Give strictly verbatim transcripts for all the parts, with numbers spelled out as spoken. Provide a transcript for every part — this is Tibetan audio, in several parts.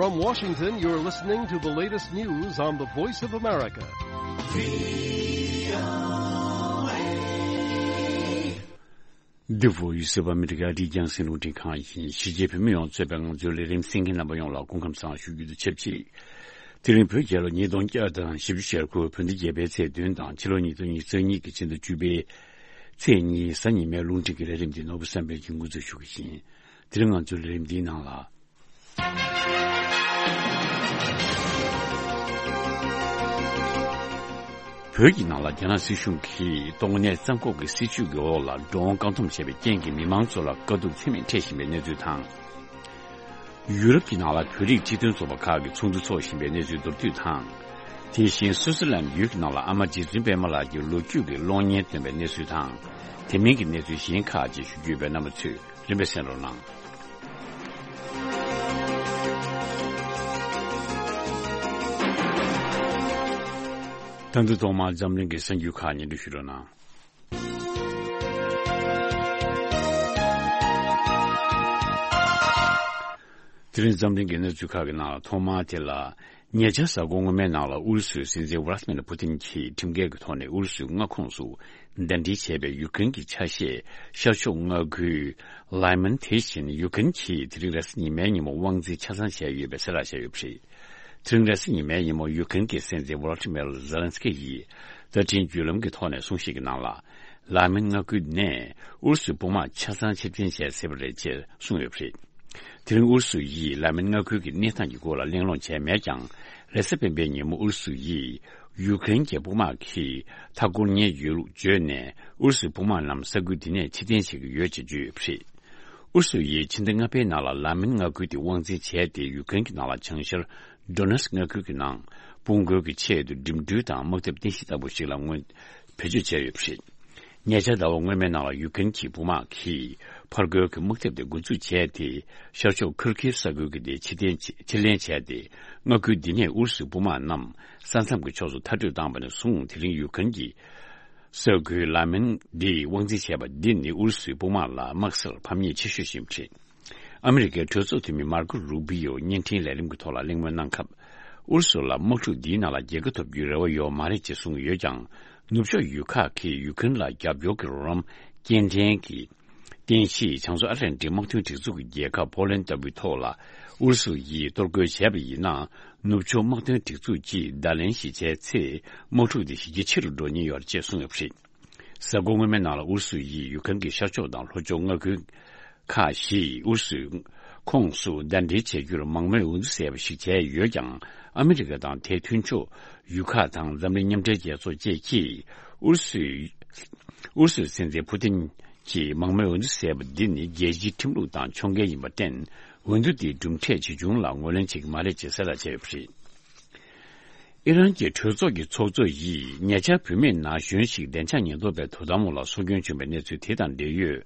From Washington, you're listening to the latest news on the Voice of America. The Voice of America. འདི་རྒྱང་སྲིང་རླུང་འཕྲིན་ཁང་ཡིན། གཞིས་བྱེས་བོད་མི་ཡོངས་གཙོས་པའི་ང་ཚོའི་ལས་རིམ་གསན་མཁན་རྣམ་པ་ཡོངས་ལ་སྐུ་ཁམས་བཟང་ཞུ་རྒྱུ་དང་ཆབས་ཅིག་དེ་རིང་བོད་རྒྱལ་ལོ་ཉིས་སྟོང་བརྒྱ་དང་བཞི་བཅུ་ཞེ་དགུ་བོད་ཟླ་བརྒྱད་པའི་ཚེས་བདུན་དང་ཕྱི་ལོ་ཉིས་སྟོང་ཉི་ཤུ་རྩ་གཉིས་ཀྱི་ཕྱི་ཟླ་བཅུ་པའི་ཚེས་གཉིས་གཟའ་ཉི་མའི་རླུང་འཕྲིན་གྱི་ལས་རིམ་འདི་ནོར་བུ་བསམ་འཕེལ་གྱིས་འགོ་འཛུགས་ཞུ་གི་ཡིན། དེ་རིང་ང་ཚོའི་ལས་རིམ་འདིའི་ནང་ལ། བོད་ཀྱི་ནང་ལ་རྒྱ་ནག་སྲིད་གཞུང་གིས་ཏོག་དབྱིབས་རྩ་འགོག་གི་སྲིད་ཇུས་ཀྱི་འོག་ལ་འགྲོ་འོང་བཀག་སྡོམ་བྱས་པའི་རྐྱེན་གྱིས་མི་མང་ཚོ་ལ་དཀའ་སྡུག་ཚད་མེད་འཕྲད་བཞིན་པའི་གནས་ཚུལ་དང་། ཡུ་རོབ་ཀྱི་ནང་ལ་བོད་རིགས་སྤྱི་མཐུན་ཚོགས་པ་ཁག་གིས་ཚོགས་འདུ་འཚོགས་བཞིན་པའི་གནས་ཚུལ་མདོར་བསྡུས་དང་། དེ་བཞིན་སུའུ་ཙེར་ལན་ཡུལ་གྱི་ནང་ལ་ཨ་མ་རྗེ་བཙུན་པད་མ་ལགས་ཀྱི་ལོ་རྒྱུས་ཀྱི་གློག་བརྙན་སྟོན་པའི་གནས་ཚུལ་དང་། དེ་མིན་གྱི་གནས་ཚུལ་གཞན་ཁག་ཅིག་ཞུ་རྒྱུ་ཡོད་པས་རྣམ་པ་ཚོས་རིམ་པས་གསན་རོགས་གནང་། ད་དུང་ཐོག་མར་འཛམ་གླིང་གི་གསར་འགྱུར་ཁག་སྙན་སྒྲོན་ཞུ་རོགས་གནང་། དེ་རིང་འཛམ་གླིང་གི་གནས་ཚུལ་ཁག་གི་ནང་ལ་ཐོག་མར་དེ་ལ། ཉེ་ཆར་གཟའ་འཁོར་སྔོན་མའི་ནང་ལ་ཨུ་རུ་སུའི་སྲིད་འཛིན་ཝ་ལ་ཏི་མིར་པུ་ཏིན་གྱིས་ཁྲིམས་འགལ་གྱི་ཐོག་ནས་ཨུ་རུ་སུའི་མངའ་ཁོངས་སུ་གདན་འདྲེན་བྱས་པའི་ཡུཀ་རེན་གྱི་ཆ་ཤས་ཤར་ཕྱོགས་མངའ་ཁུལ་ལའི་མན་དེ་བཞིན་ཡུཀ་རེན་གྱིས་དེ་རིང་རེས་གཟའ་ཉི་མའི་ཉིན་མོ་དབང་འཛིན་ཆ་ཚང་བྱས་ཡོད་པའི་གསལ་བསྒྲགས་བྱས་ཡོད་པ་རེད། དེ་རིང་རེས་གཟའ་ཉི་མའི་ཉིན་མོ་ཡུཀ་རེན་གྱི་སྲིད་འཛིན་ཝོ་ལོ་ཏི་མེར་ཛེ་ལན་སི་ཀི་ཡིས་བརྡ་འཕྲིན་བརྒྱུད་ལམ་གྱི་ཐོག་ནས་གསུང་བཤད་ཀྱི་ནང་ལ། ལའི་མན་མངའ་ཁུལ་ནས་ཨུ་རུ་སུའི་དཔུང་དམག་ཆ་ཚང་ཕྱིར་འཐེན་བྱས་ཟིན་པ་རེད་ཅེས་གསུངས་ཡོད་པ་རེད། དེ་རིང་ཨུ་རུ་སུ་ཡིས་ལའི་མན་མངའ་ཁུལ་གྱི་གནས་སྟངས་ཀྱི་སྐོར་ལ་གླེང་སློང་བྱས་མེད་ཀྱང་། རེས་གཟའ་སྤེན་པའི་ཉིན་མོ་ཨུ་རུ་སུ་ཡིས་ཡུཀ་རེན་གྱི་དཔུང་དམག་གིས་མཐའ་བསྐོར་ཉེན་ཡོད་ལུགས་བརྗོད་ནས། ཨུ་རུ་སུའི་དཔུང་དམག་རྣམས་ས་ཁུལ་འདི་ནས་ཕྱིར་འཐེན་བྱེད་ཀྱི་ཡོད་ཅེས་བརྗོད་ཡོད་པ་རེད། ཨུ་རུ་སུ་ཡིས་ཕྱི་ཟླ་ལྔ་པའི་ནང་ལ་ལའི་མན་མངའ་ཁུལ་དེ་དབང་འཛིན་བྱས་ཏེ། ཡུཀ་རེན་གྱི་ནང་ལ་བྱང་ཤར་ཌོ་ནེ་སི་མངའ་ཁུལ་གྱི་ནང་དཔུང་རྒོལ་གྱི་ཆེད་དུ་འགྲིམ་འགྲུལ་དང་དམག་འཐབ་རྟེན་གཞི་ལྟ་བུ་ཞིག་ལ་སྔོན་བེད་སྤྱོད་བྱས་ཡོད་པ་རེད། ཉེ་ཆར་ཟླ་བ་སྔོན་མའི་ནང་ལ་ཡུཀ་རེན་གྱི་དཔུང་དམག་གིས་ཕར་རྒོལ་གྱི་དམག་འཐབ་དེ་འགོ་འཛུགས་བྱས་ཏེ། ཤར་ཕྱོགས་ཁུར་ཁིབ་ས་ཁུལ་གྱི་དེ་ཕྱིར་འཐེན་བྱས། ཕྱིར་ལེན་བྱས་ཏེ། མངའ་ཁུལ་འདི་ནས་ཨུ་རུ་སུའི་དཔུང་དམག་རྣམས་ས་མཚམས་ཀྱི་ཕྱོགས་སུ་མཐར་སྐྲོད་བཏང་བ་ནས་བཟུང་། དེ་རིང་ཡུཀ་རེན་གྱི་ས་ཁུལ་ལའི་མན་འདི་དབང་འཛིན་བྱས་པ་འདི་ནི་ཨུ་རུ་སུའི་དཔུང་དམག་ལ་དམག་སར་ཕམ་ཉེས་ཆེ་ཤོས་ཤིག་རེད། ཨ་མི་རི་ཀའི་གྲོས་ཚོགས་འཐུས་མི་མར་ཀོ་རུ་བི་ཡོ་བརྙན་འཕྲིན་ལས་རིམ་གྱི་ཐོག་ལ་གླེང་མོལ་གནང་སྐབས། ཨུ་རུ་སུ་ལ་དམག་འཁྲུག་འདིའི་ནང་ལ་རྒྱལ་ཁ་ཐོབ་རྒྱུའི་རེ་བ་ཡོད་མ་རེད་ཅེས་གསུངས་ཡོད་ཀྱང་། ནུབ་ཕྱོགས་ཡུལ་ཁག་གིས་ཡུཀ་རེན་ལ་རྒྱབ་སྐྱོར་གྱི་རོགས་རམ་སྐྱེལ་འདྲེན་གྱི་རྟེན་གཞི་བྱང་མཚོ་ཨ་ཊ་ལན་ཊིག་དམག་དོན་སྒྲིག་འཛུགས་ཀྱི་རྒྱལ་ཁབ་ཕོ་ལན་ཌི་ལྟ་བུའི་ཐོག་ལ་ཨུ་རུ་སུ་ཡིས་གཏོར་རྒོལ་བྱས་པ་ཡིན་ན། ནུབ་ཕྱོགས་དམག་དོན་སྒྲིག་འཛུགས་ཀྱིས་བརྡ་ལན་ཞིག་བྱས་ཚེ། དམག་འཁྲུག་དེ་ཞི་རྒྱས་ཆེ་རུ་འགྲོ་ཉེན་ཡོད་རེད་ཅེས་གསུངས་ཡོད་པ་རེད། གཟའ་འཁོར་སྔོན་མའི་ནང་ལ་ཨུ་རུ་སུ་ཡིས་ཡུཀ་རེན་གྱི་ཤར་ཕྱོགས་དང་ལྷོ་ཕྱོགས་མངའ་ཁུལ་ཁག་བཞི་ཨུ་རུ་སུའི་ཁོངས་སུ་གདན་འདྲེན་བྱེད་རྒྱུར་མང་མོས་འོས་བསྡུ་བྱས་པ་ཞིག་བྱས་ཡོད་ཀྱང་། ཨ་མི་རི་ཀ་དང་དེའི་མཐུན་ཕྱོགས་ཡུལ་ཁག་དང་འཛམ་གླིང་མཉམ་འབྲེལ་རྒྱལ་ཚོགས་བཅས་ཀྱིས་ཨུ་རུ་སུའི་ཨུ་རུ་སུའི་སྲིད་འཛིན་ཕུ་ཏིན་གྱིས་མང་མོས་འོས་བསྡུ་བྱས་པ་འདི་ནི་རྒྱལ་སྤྱིའི་ཁྲིམས་ལུགས་དང་ཕྱོགས་འགལ་ཡིན་པར་བརྟེན། འོས་བསྡུ་འདིའི་གྲུབ་འབྲས་ཇི་བྱུང་ལ་ངོས་ལེན་བྱེད་ཀྱི་མ་རེད་ཅེས་གསལ་བསྒྲགས་བྱས་ཡོད་པ་རེད། ཨི་རན་གྱི་གྲོས་ཚོགས་ཀྱི་ཚོགས་གཙོ་ཡིས་ཉེ་ཆར་བུད་མེད་ན་གཞོན་ཞིག་བདེ་འཇགས་ཉེན་རྟོག་པའི་དོ་དམ་འོག་ལ་སྲོག་སྐྱོན་བྱུང་བའི་གནས་ཚུལ་དེ་དང་འབྲེལ་ཡོད།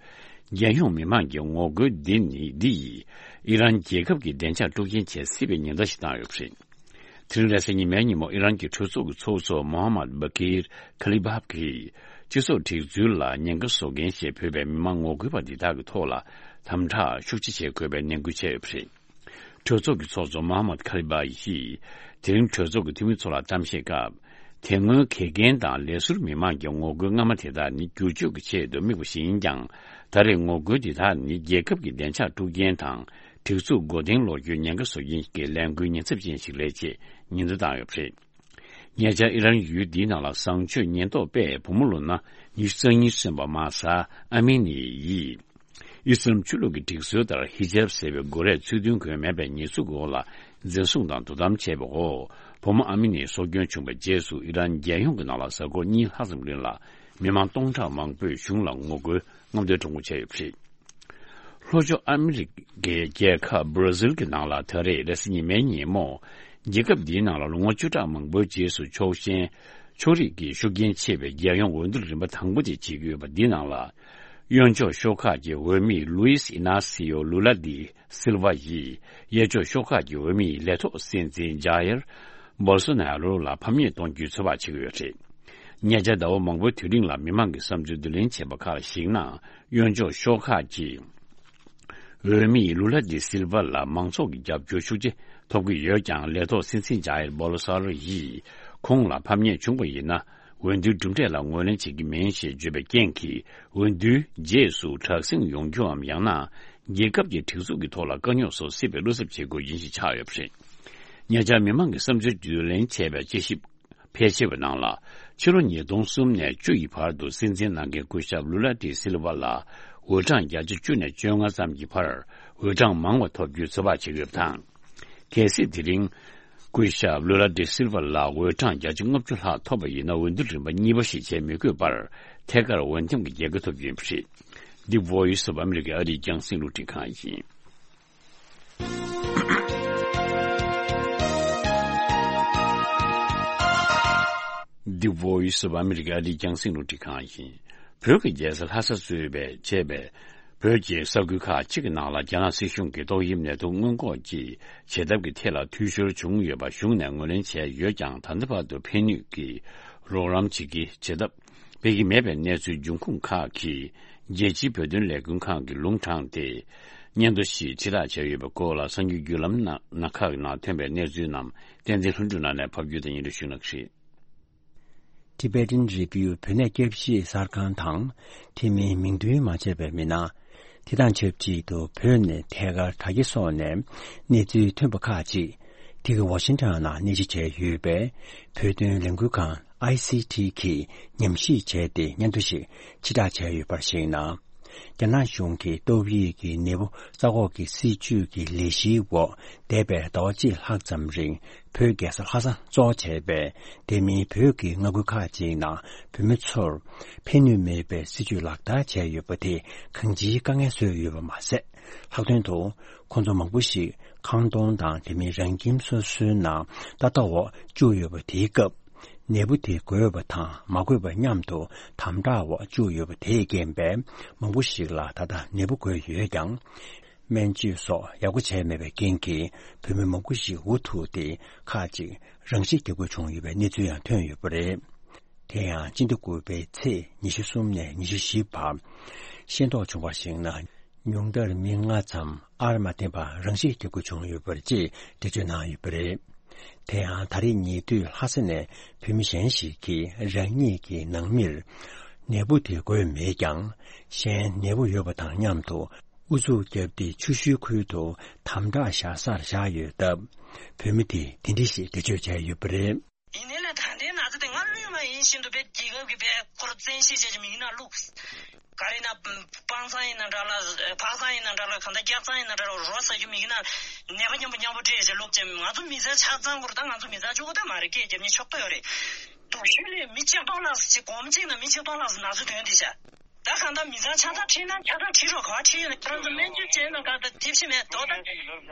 རྒྱལ་ཡོངས་མི་མང་གི་ངོ་རྒོལ་འདི་ནི་འདི་ཡིས་ཨི་རན་རྒྱལ་ཁབ་ཀྱི་བདེ་འཇགས་དཀྲུག་རྐྱེན་བྱེད་སྲིད་པའི་ཉེན་བརྡ་ཞིག་བཏང་ཡོད་པ་རེད། དེ་རིང་རེས་གཟའ་ཉི་མའི་ཉིན་མོ་ཨི་རན་གྱི་གྲོས་ཚོགས་ཀྱི་ཚོགས་གཙོ་མོ་ཧམ་མད་བྷ་ཀིར་ཁ་ལི་བྷབ་ཀྱིས་སྤྱི་ཚོགས་སྒྲིག་འཛུགས་ལ་ཉེན་ཁ་བཟོ་མཁན་ཞེས་འབོད་པའི་མི་མང་ངོ་རྒོལ་པ་འདི་དག་གི་ཐོག་ལ་དམ་དྲག་ཤུགས་ཆེ་བྱེད་དགོས་པའི་ནན་སྐུལ་བྱས་ཡོད་པ་རེད། གྲོས་ཚོགས་ཀྱི་ཚོགས་གཙོ་མོ་ཧམ་མད་ཁ་ལི་བྷ་ཡིས་དེ་རིང་གྲོས་ཚོགས་ཀྱི་འཐུས་མི་ཚོ་ལ་གཏམ་བཤད་སྐབས། དེ་སྔོན་དགེ་རྒན་དང་ལས་ཟུར་མི་མང་གི་ངོ་རྒོལ་སྔ་མ་དེ་དག་ནི་བསྒྱུར་བཅོས་ཀྱི་ཆེད་དུ་དམིགས་པ་ཞིག་ཡིན་ཀྱང་། ད་རེས་ངོ་རྒོལ་འདི་དག་ནི་རྒྱལ་ཁབ་ཀྱི་བདེ་འཇགས་དཀྲུག་རྐྱེན་དང་སྒྲིག་འཛུགས་མགོ་རྟིང་སློག་རྒྱུའི་ཉེན་ཁ་བཟོ་མཁན་གྱི་ལས་འགུལ་ཉེན་ཚབས་ཅན་ཞིག་རེད་ཅེས་ཉེན་བརྡ་བཏང་ཡོད་པ་རེད། ཉེ་ཆར་ཨི་རན་ཡུལ་འདིའི་ནང་ལ་བཟང་སྤྱོད་ཉེན་རྟོག་པས་བུ་མོ་ལོ་ན་ཉི་ཤུ་རྩ་གཉིས་སོན་པ་མ་ས་ཨ་མི་ནི་ཡིས། ཨི་སི་ལམ་ཆོས་ལུགས་ཀྱི་སྒྲིག་སྲོལ་ལྟར་ཧི་ཇབ་ཟེར་བའི་མགོ་རས་ཚུལ་མཐུན་གོན་མེད་པའི་ཉེས་འཛུགས་འོག་ལ་འཛིན་བཟུང་དང་དོ་དམ་བྱས་པའི་འོག་བུ་མོ་ཨ་མི་ནི་སྲོག་སྐྱོན་བྱུང་བའི་རྗེས་སུ་ཨི་རན་རྒྱལ་ཡོངས་ཀྱི་ནང་ལ་གཟའ་འཁོར་གཉིས་ལྷག་ཙམ་རིང་ལ་མི་མང་སྟོང་ཕྲག་མང་པོས་གཞུང་ལ་ངོ་རྒོལ་རྔམ་སྟོན་ཁྲོམ་སྐོར་བྱས་ཡོད་པ་རེད། ལྷོ་ཕྱོགས་ཨ་མི་རི་ཀའི་རྒྱལ་ཁབ་སྦྲ་ཟིལ་གྱི་ནང་ལ་ད་རེས་རེས་གཟའ་ཉི་མའི་ཉིན་མོ། རྒྱལ་ཁབ་འདིའི་ནང་ལ་ལོ་ངོ་བཅུ་ཕྲག་མང་པོའི་རྗེས་སུ་ཕྱོགས་ཞེན་ཕྱོགས་རིས་ཀྱི་ཤུགས་རྐྱེན་ཆེ་བའི་རྒྱལ་ཡོངས་འོས་བསྡུ་རིམ་པ་དང་པོ་དེ་བྱེད་ཀྱི་ཡོད་པ་འདི་ནང་ལ། གཡོན་ཕྱོགས་ཤོག་ཁག་གི་འོས་མི་ལུའིས་ཨི་ན་སི་ཡོ་ལུ་ལ་དི་སིལ་ཝ་ཡིས་གཡས་ཕྱོགས་ཤོག་ཁག་གི་འོས་མི་ལས་ཐོག་སྲིད་འཛིན་ཇ་ཡར་བོལ་སོ་ན་རོ་ལ་ཕམ་ཉེས་གཏོང་རྒྱུའི་ཚོད་དཔག་བྱེད་ཀྱི་ཡོད་རེད། ཉེ་ཆར་ཟླ་བ་མང་པོའི་དུས་རིང་ལ་མི་མང་གི་བསམ་ཚུལ་བསྡུ་ལེན་བྱས་པ་ཁག་ལ་གཞིགས་ན། གཡོན་ཕྱོགས་ཤོག་ཁག་གི་ འོས་མི་ལུ་ལ་ཌི་སིལ་ཝ་ལ་མང་ཚོགས་ཀྱི་རྒྱབ་སྐྱོར་ཤུགས་ཆེ་ཐོབ་ཀྱི་ཡོད་ཀྱང་། ལས་ཐོག་སྲིད་འཛིན་ཇཱ་ཡེར་བོ་ལོ་སོ་ནརོ་ཡིས་ཁོང་ལ་ཕམ་ཉེས་བྱུང་བ་ཡིན་ན། འོས་བསྡུའི་གྲུབ་འབྲས་ལ་ངོས་ལེན་བྱེད་ཀྱི་མིན་ཞེས་བརྗོད་པའི་རྐྱེན་གྱིས། འོས་བསྡུའི་རྗེས་སུ་དྲག་ཟིང་ཡོང་རྒྱུའམ། ཡང་ན་རྒྱལ་ཁབ་ཀྱི་སྒྲིག་འཛུགས་ཀྱི་ཐོག་ལ་དཀའ་རྙོག་སོགས་སྲིད་པའི་བློ་འཚབ་བྱེད་དགོས་ཡིན་ཞེས་ཆགས་ཡོད་པ་རེད། ཉེ་ཆར་མི་མང་གི་བསམ་ཚུལ་བརྗོད་ལེན་བྱས་པའི་དཔྱད་ཞིབ་ཕལ་ཆེ་བའི་ནང་ལ། ཕྱི་ལོ་ཉིས་སྟོང་གསུམ་ནས་བཅུ་ཡི་བར་དུ་སྲིད་འཛིན་གནང་མཁན་སྐུ་ཞབས་ལུ་ལ་ཌི་སིལ་ཝ་ལ་འོས་གྲངས་བརྒྱ་ཆ་བཅུ་ནས་བཅོ་ལྔ་ཙམ་གྱི་བར་འོས་གྲངས་མང་བ་ཐོབ་རྒྱུའི་ཚོད་དཔག་བྱེད་ཀྱི་ཡོད་པ་དང་། གལ་སྲིད་དེ་རིང་སྐུ་ཞབས་ལུ་ལ་ཌི་སིལ་ཝ་ལ་འོས་གྲངས་བརྒྱ་ཆ་ལྔ་བཅུ་ལྷག་ཐོབ་པ་ཡིན་ན། འོས་བསྡུ་རིམ་པ་གཉིས་པ་ཞིག་བྱེད་མི་དགོས་པར། ཐད་ཀར་འོས་འདེམས་ཀྱི་རྒྱལ་ཁ་ཐོབ་རྒྱུ་ཡིན་པ་རེད། འདི་Voice of America ཨ་རིའི་རྒྱང་སྲིང་རླུང་འཕྲིན་ཁང་ཡིན། འདི་Voice of America ཨ་རིའི་རྒྱང་སྲིང་རླུང་འཕྲིན་ཁང་ཡིན། བོད་ཀྱི་རྒྱལ་ས་ལྷ་ས་གཙོས་པའི་བྱས་པའི་བོད་ཀྱི་ས་ཁུལ་ཁག་ཅིག་གི་ནང་ལ་རྒྱ་ནག་སྲིད་གཞུང་གིས་ཏོག་དབྱིབས་ནད་དུག་སྔོན་འགོག་གི་བྱེད་ཐབས་ཀྱི་ཐད་ལ་འཐུས་ཤོར་བྱུང་ཡོད་པ་གཞུང་ནས་ངོས་ལེན་བྱས་ཡོད་ཀྱང་། ད་ལྟ་བར་དུ་ཕན་ནུས་ཀྱི་རོགས་རམ་བྱེད་ཀྱི་བྱེད་ཐབས་སྤེལ་གྱི་མེད་པའི་གནས་ཚུལ་འབྱུང་ཁུངས་ཁག་གིས་རྒྱལ་སྤྱིའི་བོད་དོན་ལས་འགུལ་ཁང་གི་ལུང་དྲངས་ཏེ། སྙན་ཐོ་ཞིག་ཕྱིར་བསྒྲགས་བྱས་ཡོད་པའི་སྐོར་ལ། གསར་འགྱུར་བརྒྱུད་ལམ་ནང་ཁག་ནང་ཐོན་པའི་གནས་ཚུལ་རྣམས་བསྟན་འཛིན་ལྷུན་གྲུབ་ལགས་ནས་ཕབ་སྒྱུར་དང་སྙན་སྒྲོན་ཞུ་གནང་གི་རེད། Tibetan Review བོད་གནས་སྐྱབས་གཞི་གསར་ཁང་དང་། དེ་མིན་མིང་འདོན་མ་བྱས་པའི་མི་སྣ། དེ་དང་ཆབས་ཅིག་ཏུ་བོད་ནས་ཐད་ཀར་དྲ་རྒྱ་སོགས་ནས་གནས་ཚུལ་ཐོན་པ་ཁག་ཅིག་དེ་གི་ཝ་ཤིང་ཊོན་ནང་གནས་གཞི་བྱས་ཡོད་པའི་བོད་དོན་ལས་འགུལ་ཁང་ཨའི་སི་ཊི་གིས་ཉམས་ཞིབ་བྱས་ཏེ་སྙན་ཐོ་ཞིག་ཕྱིར་བསྒྲགས་བྱས་ཡོད་པར་གཞིགས་ན། རྒྱ་ནག་གཞུང་གིས་ཏོག་དབྱིབས་ཀྱི་ནད་འབུ་ས་འགོག་གི་སྲིད་ཇུས་ཀྱི་ལས་གཞིའི་འོག་འདས་པའི་ཟླ་བ་གཅིག་ལྷག་ཙམ་རིང་བོད་རྒྱལ་ས་ལྷ་ས་གཙོ་བྱས་པའི་དེ་མིན་བོད་ཀྱི་མངའ་ཁུལ་ཁག་ཅིག་ནང་བོད་མི་ཚོར་ཕན་ནུས་མེད་པའི་སྲིད་ཇུས་ལག་བསྟར་བྱས་ཡོད་པ་དེས་གང་ཅིའི་དཀའ་ངལ་བཟོས་ཡོད་པ་མ་ཟད། ལྷག་དོན་དུ་ཁོང་ཚོ་མང་པོ་ཞིག་ཁང་སྟོང་དང་དེ་མིན་རང་ཁྱིམ་སོ་སོའི་ནང་ཏག་ཏག་འོག་བཅུག་ཡོད་པ་དེའི་སྐབས། ནད་འབུ་དེ་འགོས་པ་དང་མ་འགོས་པ་མཉམ་དུ་དམ་དྲག་འོག་བཅུག་ཡོད་པ་དེས་རྐྱེན་པས་མང་པོ་ཞིག་ལ་ད་ལྟ་ནད་འབུ་འགོས་ཡོད་ཀྱང་། སྨན་བཅོས་སོགས་ཡག་པོ་བྱས་མེད་པའི་རྐྱེན་གྱིས་བོད་མི་མང་པོ་ཞིག་འུ་ཐུག་སྟེ་ཁག་ཅིག་རང་ཤི་བརྒྱབ་དགོས་བྱུང་ཡོད་པའི་གནས་ཚུལ་ཡང་ཐོན་ཡོད་པ་རེད། དེ་ཡང་སྤྱི་ཟླ་དགུ་པའི་ཚེས་ཉི་ཤུ་གསུམ་ནས་ཉི་ཤུ་བཞི་བར་ཤེས་རྟོགས་བྱུང་བར་གཞིགས་ན། ཉུང་མཐར་མི་ལྔ་ཙམ་ཨར་མ་བརྟེན་པར་རང་ཤི་བརྒྱབ་དགོས་བྱུང་ཡོད་པ་རེད་ཅེས་འགྲེལ་བརྗོད་གནང་ཡོད་པ་རེད། དེ་ཡང་ད་རེས་ཉེ་དུས་ལྷ་ས་ནས་བོད་མི་གཞན་ཞིག་གིས་རང་ཉིད་ཀྱི་ནང་མིར་ནད་འབུ་དེ་འགོས་མེད་ཀྱང་། གཞན་ནད་འབུ་ཡོད་པ་དང་མཉམ་དུ་ཨུ་ཚུགས་བརྒྱབ་སྟེ་ཆུ་ཤུལ་ཁུལ་དུ་དམ་དྲག་བཞག་སར་བཞག་ཡོད་སྟབས། བོད་མི་དེས་དེ་འདྲ་ཞིག་འགྲེལ་བརྗོད་བྱས་ཡོད་པ་རེད། ཡིན་ནའི་ལས་ད་ལྟའི་ན་ཚ་དེ་སྔར་ལོས་མ་ཡིན་བཞིན་དུ་དཔེ་རྒྱལ་ཁབ་ཀྱི་དཔེ་ཁོར་བཙན་ཤེད་བྱས་ཀྱི་མིག་ནང་བླུགས། ག་རེ་ན་སྤང་ཚང་ཡིན་ན་འདྲ་ལ་ཕག་ཚང་ཡིན་ན་འདྲ་ལ་གང་ལྟར་སྐྱག་ཚང་ཡིན་ན་འདྲ་ལ་རོ་ཟ་རྒྱུ་མིག་ནང་ནད་པ་མཉམ་པོ་མཉམ་པོ་སྤྲད་བྱས་བླུགས་བྱས། ང་ཚོ་མི་ཚང་ཆ་ཚང་པོར་ད་ང་ཚོ་མི་ཚང་གཅིག་པོ་ད་མ་རེད། སྐད་རྒྱབ་མཁན་ཕྱོགས་གཏོགས་ཡོད་རེད། སྡུག་ཤོས་ལས་མི་ཆིག་སྟོང་ལྷག་ཙམ་ཅིག་སྒོར་མོ་གཅིག་ནང་མི་ཆིག་སྟོང་ལྷག་ཙམ་ན་ཚ་དོན་དེ་བྱ། ད་གང་ལྟར་མི་ཚང་ཆ་ཚང་ཁྲིད་ན་ཆ་ཚང་ཁྲིད་རོགས། ག་པར་ཁྲིད་ཡོད་ན་ཁྱོད་རང་ཚོ་སྨན་བཅོས་བྱས་ན་ག་ད་དེབ་ཤི་མེད་དོ། ད་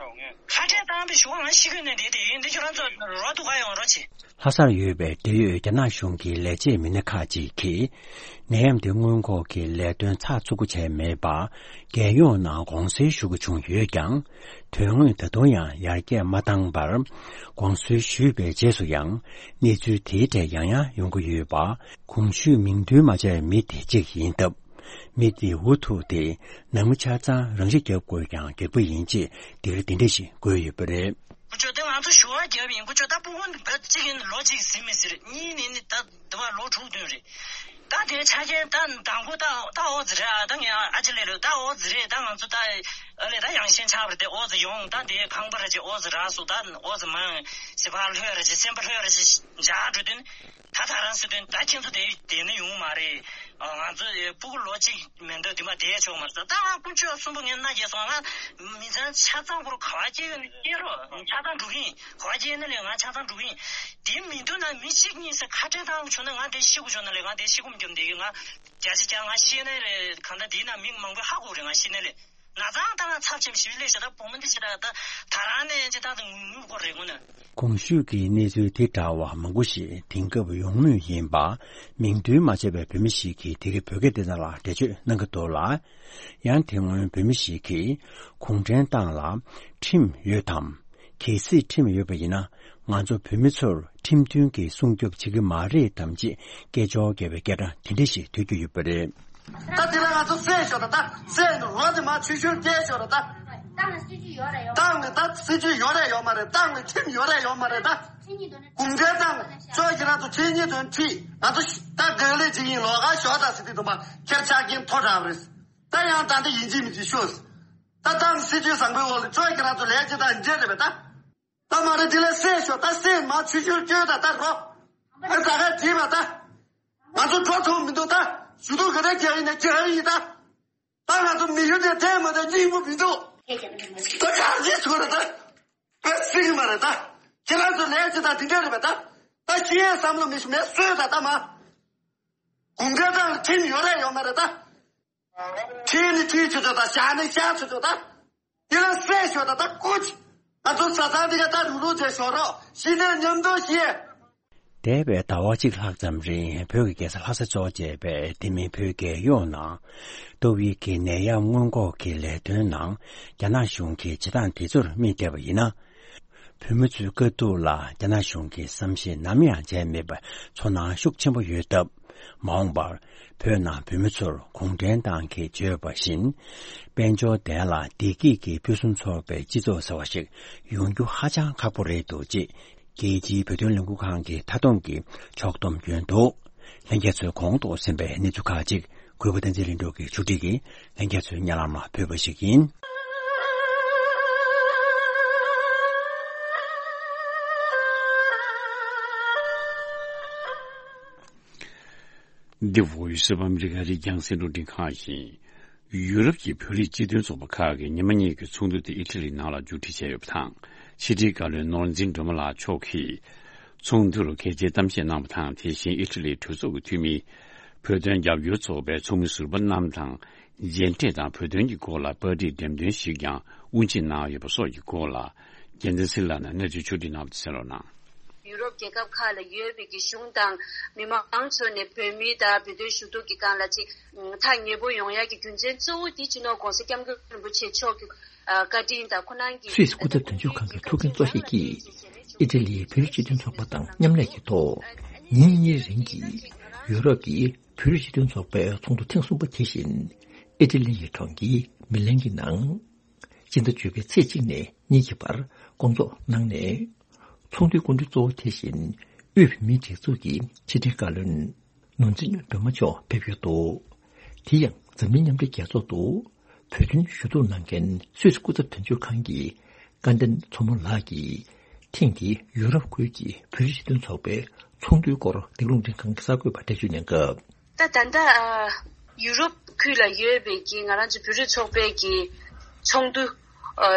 ཁ་བྲལ་བཏང་བའི་གཞུག་ང་ཤི་དགོས་ནས་བསྡད་དེ་ཡིན་འདི་ཁྱོད་རང་ཚོ་རོགས་འདུག་ག་ཡོང་རོགས་བྱེད། ལྷ་སར་ཡོད་པའི་འབྲེལ་ཡོད་རྒྱ་ནག་གཞུང་གི་ལས་བྱེད་མི་སྣ་ཁག་ཅིག་གིས། ནད་ཡམས་དེ་སྔོན་འགོག་གི་ལས་དོན་ཚགས་ཚུད་པོ་བྱས་མེད་པར། རྒྱལ་ཡོངས་ནང་དགོངས་སེལ་ཞུ་དགོས་བྱུང་ཡོད་ཀྱང་། དོན་དངོས་ད་དུང་ཡང་ཡར་རྒྱས་མ་བཏང་བར། དགོངས་སེལ་ཞུས་པའི་རྗེས་སུ་ཡང་། གནས་ཚུལ་དེའི་གྲས་ཡང་ཡང་ཡོང་གི་ཡོད་པ། གོང་ཞུས་མིང་འདོན་མ་བྱས་པའི་མི་དེ་གཅིག་ཡིན་སྟབས། མི་དེ་འུ་ཐུག་སྟེ་ནང་མི་ཆ་ཚང་རང་ཤི་བརྒྱབ་དགོས་ཀྱང་འགྱོད་པ་ཡིན་ཅེས་འདིར་འདི་འདྲ་ཞིག་བཀོད་ཡོད་པ་རེད། ཀུ་ཅོ་དེ་ང་ཚོ་ཞུ་བ་བརྒྱབ་ཡིན། ཀུ་ཅོ་ད་སྤུ་གུ་འདི་བོད་གཅིག་ཡིན། ལོ་གཅིག་ཟིན་མི་ཟེར། གཉིས་ནི་ནི་ད་འདི་བ་ལོ་དྲུག་བདུན་རེད། ད་དེ་ཆ་རྐྱེན་ད་དང་པོ་ད་ད་ཨོ་ཙི་རེད་ཨ། ད་ངས་ཨ་ཅེ་ལེ་ལོ་ད་ཨོ་ཙི་རེད། ད་ང་ཚོ་ད་ཨ་ལེ་ད་ཡང་ཤན་ཆགས་པ་རེད། དེ་ཨོ་ཙི་ཡོང་ད་དེ་ཁང་པ་རེ་ཅིག་ཨོ་ཙི་རག་སོང་། ད་ཨོ་ཙི་མང་ཟེར་བ་ལྷོད་རེ་ཅིག་སེམས་པ་ལྷོད་རེ་ཅིག་འཇགས་འགྲོ་དུས། ད་ད་རང་སྲིད་དོན་ད་ཁྱེད་ཚོ་དེ་བསྡད་ན་ཡོང་མ་རེད། ང་ཚོ་སྤུ་གུ་ལོ་གཅིག་མེད་འདོད་དུས་མ་བསྡད་ཆོག་མ་རེད། ད་ང་ཀུན་སྤྱོད་གསུམ་པོ་ངས་མནའ་སྐྱེལ་སོང་། ང་མི་ཚང་ཆ་ཚང་པོར་ག་བ་སྐྱེལ་ཡོད་ན་སྐྱེལ་རོགས། ཆ་ཚང་འགྲོ་གི་ཡིན། ག་བ་སྐྱེལ་ན་ལས་ང་ཆ་ཚང་འགྲོ་གི་ཡིན། དེ་མི་འདུག་ན་མི་གཅིག་གཉིས་སེ་ཁ་བྲལ་བཏང་བྱུང་ན་ང་དེ་ཤི་དགོས་བྱུང་ན་ལས་ང་དེ་ཤི་སྒོམ་རྒྱབ་བསྡད་ཡོད། ང་བརྒྱ་ཆ་བརྒྱ་ང་ཤི་ན་ལས་གང་ལྟར་དེའི་ནང་མི་མང་པོས་ཧ་གོ་རེད། ང་ཤི་ན་ལས། ན་ཚ་ད་ང་ཚབས་ཆེན་པོ་ཞིག་ལས་བྱ། ད་བུ་མོ་འདི་ཅི་ད་ད་ད་རང་ནས་ཅི་ད་ད་ངུ་ངུ་སྐོར་རེད་ངུ་ན། གོང་ཞུས་ཀྱི་གནས་ཚུལ་དེ་འདྲ་བ་མང་པོ་ཞིག་དེང་སྐབས་ཡོང་མུས་ཡིན་པ། མིང་འདོན་མ་བྱས་པའི་བོད་མི་ཞིག་གིས་དེ་གའི་བོད་སྐད་སྡེ་ཚན་ལ་འགྲེལ་བརྗོད་གནང་གི་འདུག་ལ། ཡང་དེ་སྔོན་བོད་མི་ཞིག་གིས་གུང་ཁྲན་ཏང་ལ་ཁྲིམས་ཡོད་དམ། གལ་སྲིད་ཁྲིམས་ཡོད་པ་ཡིན་ན། ང་ཚོ་བོད་མི་ཚོར་ཁྲིམས་མཐུན་གྱི་སྲུང་སྐྱོབ་བྱེད་ཀྱི་མ་རེད་དམ་ཅེས་སྐད་ཅོར་བརྒྱབ་པའི་སྐད་སྒྲ་དེ་འདྲ་ཞིག་ཐོས་རྒྱུ་ཡོད་པ་རེད། ད་དེ་ལ་ང་ཚོ་བསད་ཤོག་ད། ད་བསད་ནས་རོ་དེ་མ་ཆུ་ཤུར་བསྐྱལ་ཤོག་ད། ད་ ཏང་ལ་སྲིད་ཇུས་ཡོད་རེད་ཡོད་མ་རེད། ཏང་ལ་ད་སྲིད་ཇུས་ཡོད་རེད་ཡོད་མ་རེད། ཏང་ལ་ཁྲིམས་ཡོད་རེད་ཡོད་མ་རེད་ད། ཁྲིམས་ཉིད་དོན་གུང་ཁྲན་ཏང་ཅོ་ཁྱེད་རང་ཚོ་ཁྲིམས་ཉིད་དོན་ཁྲིད་ང་ཚོ་ད་དགག་ལས་བྱེད་ཀྱིན་ལོགས་ཀ་ཞོག་ད་ཟེར་དུས་དུ་མ་ཁྱེར་ཆགས་ཀྱིན་མཐོ་དྲགས་རེད། ད་ཡང་ད་འདི་ཡིན་གཅིག་མིན་གཅིག་ཤོད། ད་ཏང་སྲིད་ཇུས་བཟང་པོའི་འོག་ལ་ཅོ་ཁྱེད་རང་ཚོ་ལས་བྱེད་དང་འབྲེལ་རེད་པས་ད། ད་མ་རེད་དེ་ལས་བསད་ཤོག་ད་བསད་མ་ཆུ་ཤུར་བསྐྱོད་ད་ད་རོ། ཨ་ད་ག་བྲིས་པ་ད། ང་ཚོ་འགྲོ་ཐུབ་མི་འདུག་ད། ཞུ་གཏུག་ག་རེ་རྒྱག་ཡིན་ན་རྒྱག་ཡིན་ད། ད་ང་ཚོ་མི་ཡུལ་དེ་དེ་མ་དེ་སྙིང་པོ་མི་འདུག་ད་ག་རེ་ཚོ་རེད་ད། ཨ་སྲིད་མ་རེད་ད། ཁྱེད་རང་ཚོ་ལས་ཅི་ད་དེ་འདྲ་རེད་པས་ད། ད་ཤི་ཡས་བསམ་བློ་མི་ཤི་མེད་གསོས་ད་ད་མ། གུང་ཁྲན་ཏང་ཁྲིམས་ཡོད་རེད་ཡོད་མ་རེད་ད། ཁྲིད་ནི་ཁྲིད་ཆོག་ཆོག་ད་བཞག་ནི་བཞག་ཆོག་ཆོག་ད། དེ་ལ་བསད་ཤོག་ད་ད་ཀུ་ཅི། ང་ཚོ་ས་ཚང་འདི་ག་ད་རུག་རུག་བྱས་ཤོག་རོགས་ཤི་ནས་མཉམ་དུ་ཤི། འདས་པའི་ཟླ་བ་གཅིག་ལྷག་ཙམ་རིང་བོད་ཀྱི་རྒྱལ་ས་ལྷ་ས་གཙོ་བྱས་པའི་དེ་མིན་བོད་རྒྱལ་ཡོངས་ནང་ཏོག་དབྱིབས་ཀྱི་ནད་ཡམས་སྔོན་འགོག་གི་ལས་དོན་ནང་རྒྱ་ནག་གཞུང་གིས་བྱེད་སྟངས་དེ་ཚོར་དམིགས་བསྡད་པ་ཡིན་ན། བོད་མི་ཚོའི་དཀའ་སྡུག་ལ་རྒྱ་ནག་གཞུང་གིས་བསམ་ཤེས་ནམ་ཡང་བྱས་མེད་པ་ཚོར་སྣང་ཤུགས་ཆེན་པོ་ཡོད་སྟབས། མ་འོངས་པར་བོད་ནང་བོད་མི་ཚོར་གུང་ཁྲན་ཏང་གིས་བརྗོད་པ་བཞིན། དཔལ་འབྱོར་ལྡན་ལ་བདེ་སྐྱིད་ཀྱི་ཕུན་སུམ་ཚོགས་པའི་སྤྱི་ཚོགས་ཟེར་བ་ཞིག་ཡོང་རྒྱུ་ཧ་ཅང་ཁག་པོ་རེད་འདུག་ཅེས་རྒྱལ་སྤྱིའི་བོད་དོན་ལས་འགུལ་ཁང་གི་མཐའ་སྡོམ་གྱི་ཕྱོགས་བསྡོམས་བརྒྱུད་འདུག་ལྷན་རྒྱས་ཚོས་གོང་དུ་གསན་པའི་གནས་ཚུལ་ཁག་ཅིག་གུས་པ་བསྟན་འཛིན་ལྷུན་གྲུབ་ཀྱིས་ཕྱོགས་སྒྲིག་གིས་ལྷན་རྒྱས་ཚོའི་སྙན་ལམ་ལ་ཕུལ་བ་ཞིག་ཡིན། འདི་བོད་ཡུལ་སུ་བམ་རི་ག་རི་རྒྱང་སྲིང་རླུང་འཕྲིན་ཁང་ཡིན། ཡུ་རོབ་ཀྱི་བོད་རིགས་སྤྱི་མཐུན་ཚོགས་པ་ཁག་གིས་ཉི་མ་གཉིས་ཀྱི་ཚོགས་འདུ་དེ་ཨི་ཊ་ལི་ནང་ལ་མཇུག་སྒྲིལ་བྱས་ཡོད་པ་དང་། ཕྱི་དྲིལ་བཀའ་བློན་ནོར་འཛིན་སྒྲོལ་མ་ལགས་མཆོག་གིས། ཚོགས་འདུར་གལ་ཆེའི་གཏམ་བཤད་གནང་བ་དང་། དེ་བཞིན་ཨི་ཊ་ལིའི་གྲོས་ཚོགས་ཀྱི་འཐུས་མི། བོད་དོན་རྒྱབ་སྐྱོར་ཚོགས་པའི་ཚོགས་མི་ཟུར་པ་རྣམས་དང་། མཇལ་འཕྲད་དང་བོད་དོན་གྱི་སྐོར་ལ་པར་སྐྲུན་འགྲེམས་སྟོན་ཞིག་ཀྱང་དབུ་འབྱེད་གནང་ཡོད་པ་སོགས་ཀྱི་སྐོར་ལ། རྒྱལ་མཚན་ཚེ་རིང་ལགས་ནས་གནས་ཚུལ་ཕྱོགས་སྒྲིག་གནང་བ་དེ་གསན་རོགས་གནང་། ཡུ་རོབ་རྒྱལ་ཁབ་ཁག་ལ་ཡོད་པའི་གི་གཞུང་དང་མི་མང་ཚོ་ནས་བོད་མི་དང་བོད་དོན་ཞུ་གཏུག་གི་སྒང་ལ་ཅིག་ཐག་ཉེ་པོ་ཡོང་ཡ་གི་རྒྱུ་མཚན་གཙོ་བོ་དེ་སྤྱི་ནོར་༧གོང་ས་༧སྐྱབས་མགོན་རིན་པོ་ཆེ་མཆོག་གི་བཀའ་དྲིན་དང་ཁོ་རང་གི་སུད་སི་སྐུ་ཚབ་དོན་གཅོད་ཁང་གི་ཐུགས་འགན་གཙོ་བཞེས་ཀྱིས་ཨི་ཊ་ལིའི་བོད་རིགས་སྤྱི་མཐུན་ཚོགས་པ་དང་མཉམ་ལས་ཀྱི་ཐོག་ཉིན་གཉིས་རིང་གི་ཡུ་རོབ་ཀྱི་བོད་རིགས་སྤྱི་མཐུན་ཚོགས་པའི་ཚོགས་འདུ་ཐེངས་གསུམ་པ་དེ་བཞིན་ཨི་ཊ་ལི་ཡི་གྲོང་ཁྱེར་མི་ལན་གྱི་ནང་སྤྱི་ཟླ་བཅུ་པའི་ཚེས་གཅིག་ནས་གཉིས་ཀྱི་བར་སྐོང་ཚོགས་གནང་ནས། ཚོགས་འདུའི་སྐུ་མགྲོན་གཙོ་བོ་དེ་བཞིན་དབུས་བོད་མིའི་སྒྲིག་འཛུགས་ཀྱི་ཕྱི་དྲིལ་བཀའ་བློན་ནོར་འཛིན་སྒྲོལ་མ་མཆོག་ཕེབས་ཡོད་འདུག་དེ་ཡང་འཛམ་གླིང་མཉམ་འབྲེལ་རྒྱལ་ཚོགས་སུ་བོད་དོན་ཞུ་གཏུག་གནང་མཁན་སུད་སི་སྐུ་ཚབ་དོན་གཅོད་ཁང་གི་བཀའ་བསྟན་མཚོ་མོ་ལགས་ཀྱིས། ཐེངས་འདིའི་ཡུ་རོབ་ཁུལ་གྱི་བོད་རིགས་སྤྱི་མཐུན་ཚོགས་པའི་ཚོགས་འདུའི་སྐོར་འདི་རླུང་འཕྲིན་ཁང་གི་གསར་འགོད་པར་འགྲེལ་བརྗོད་གནང་སྐབས། ད་ད་ལྟ་ཨ་ཡུ་རོབ་ཁུལ་ལ་ཡོད་པའི་གི་ང་རང་ཚོ་བོད་རིགས་ཚོགས་པའི་གི་ཚོགས་འདུ་ཨ་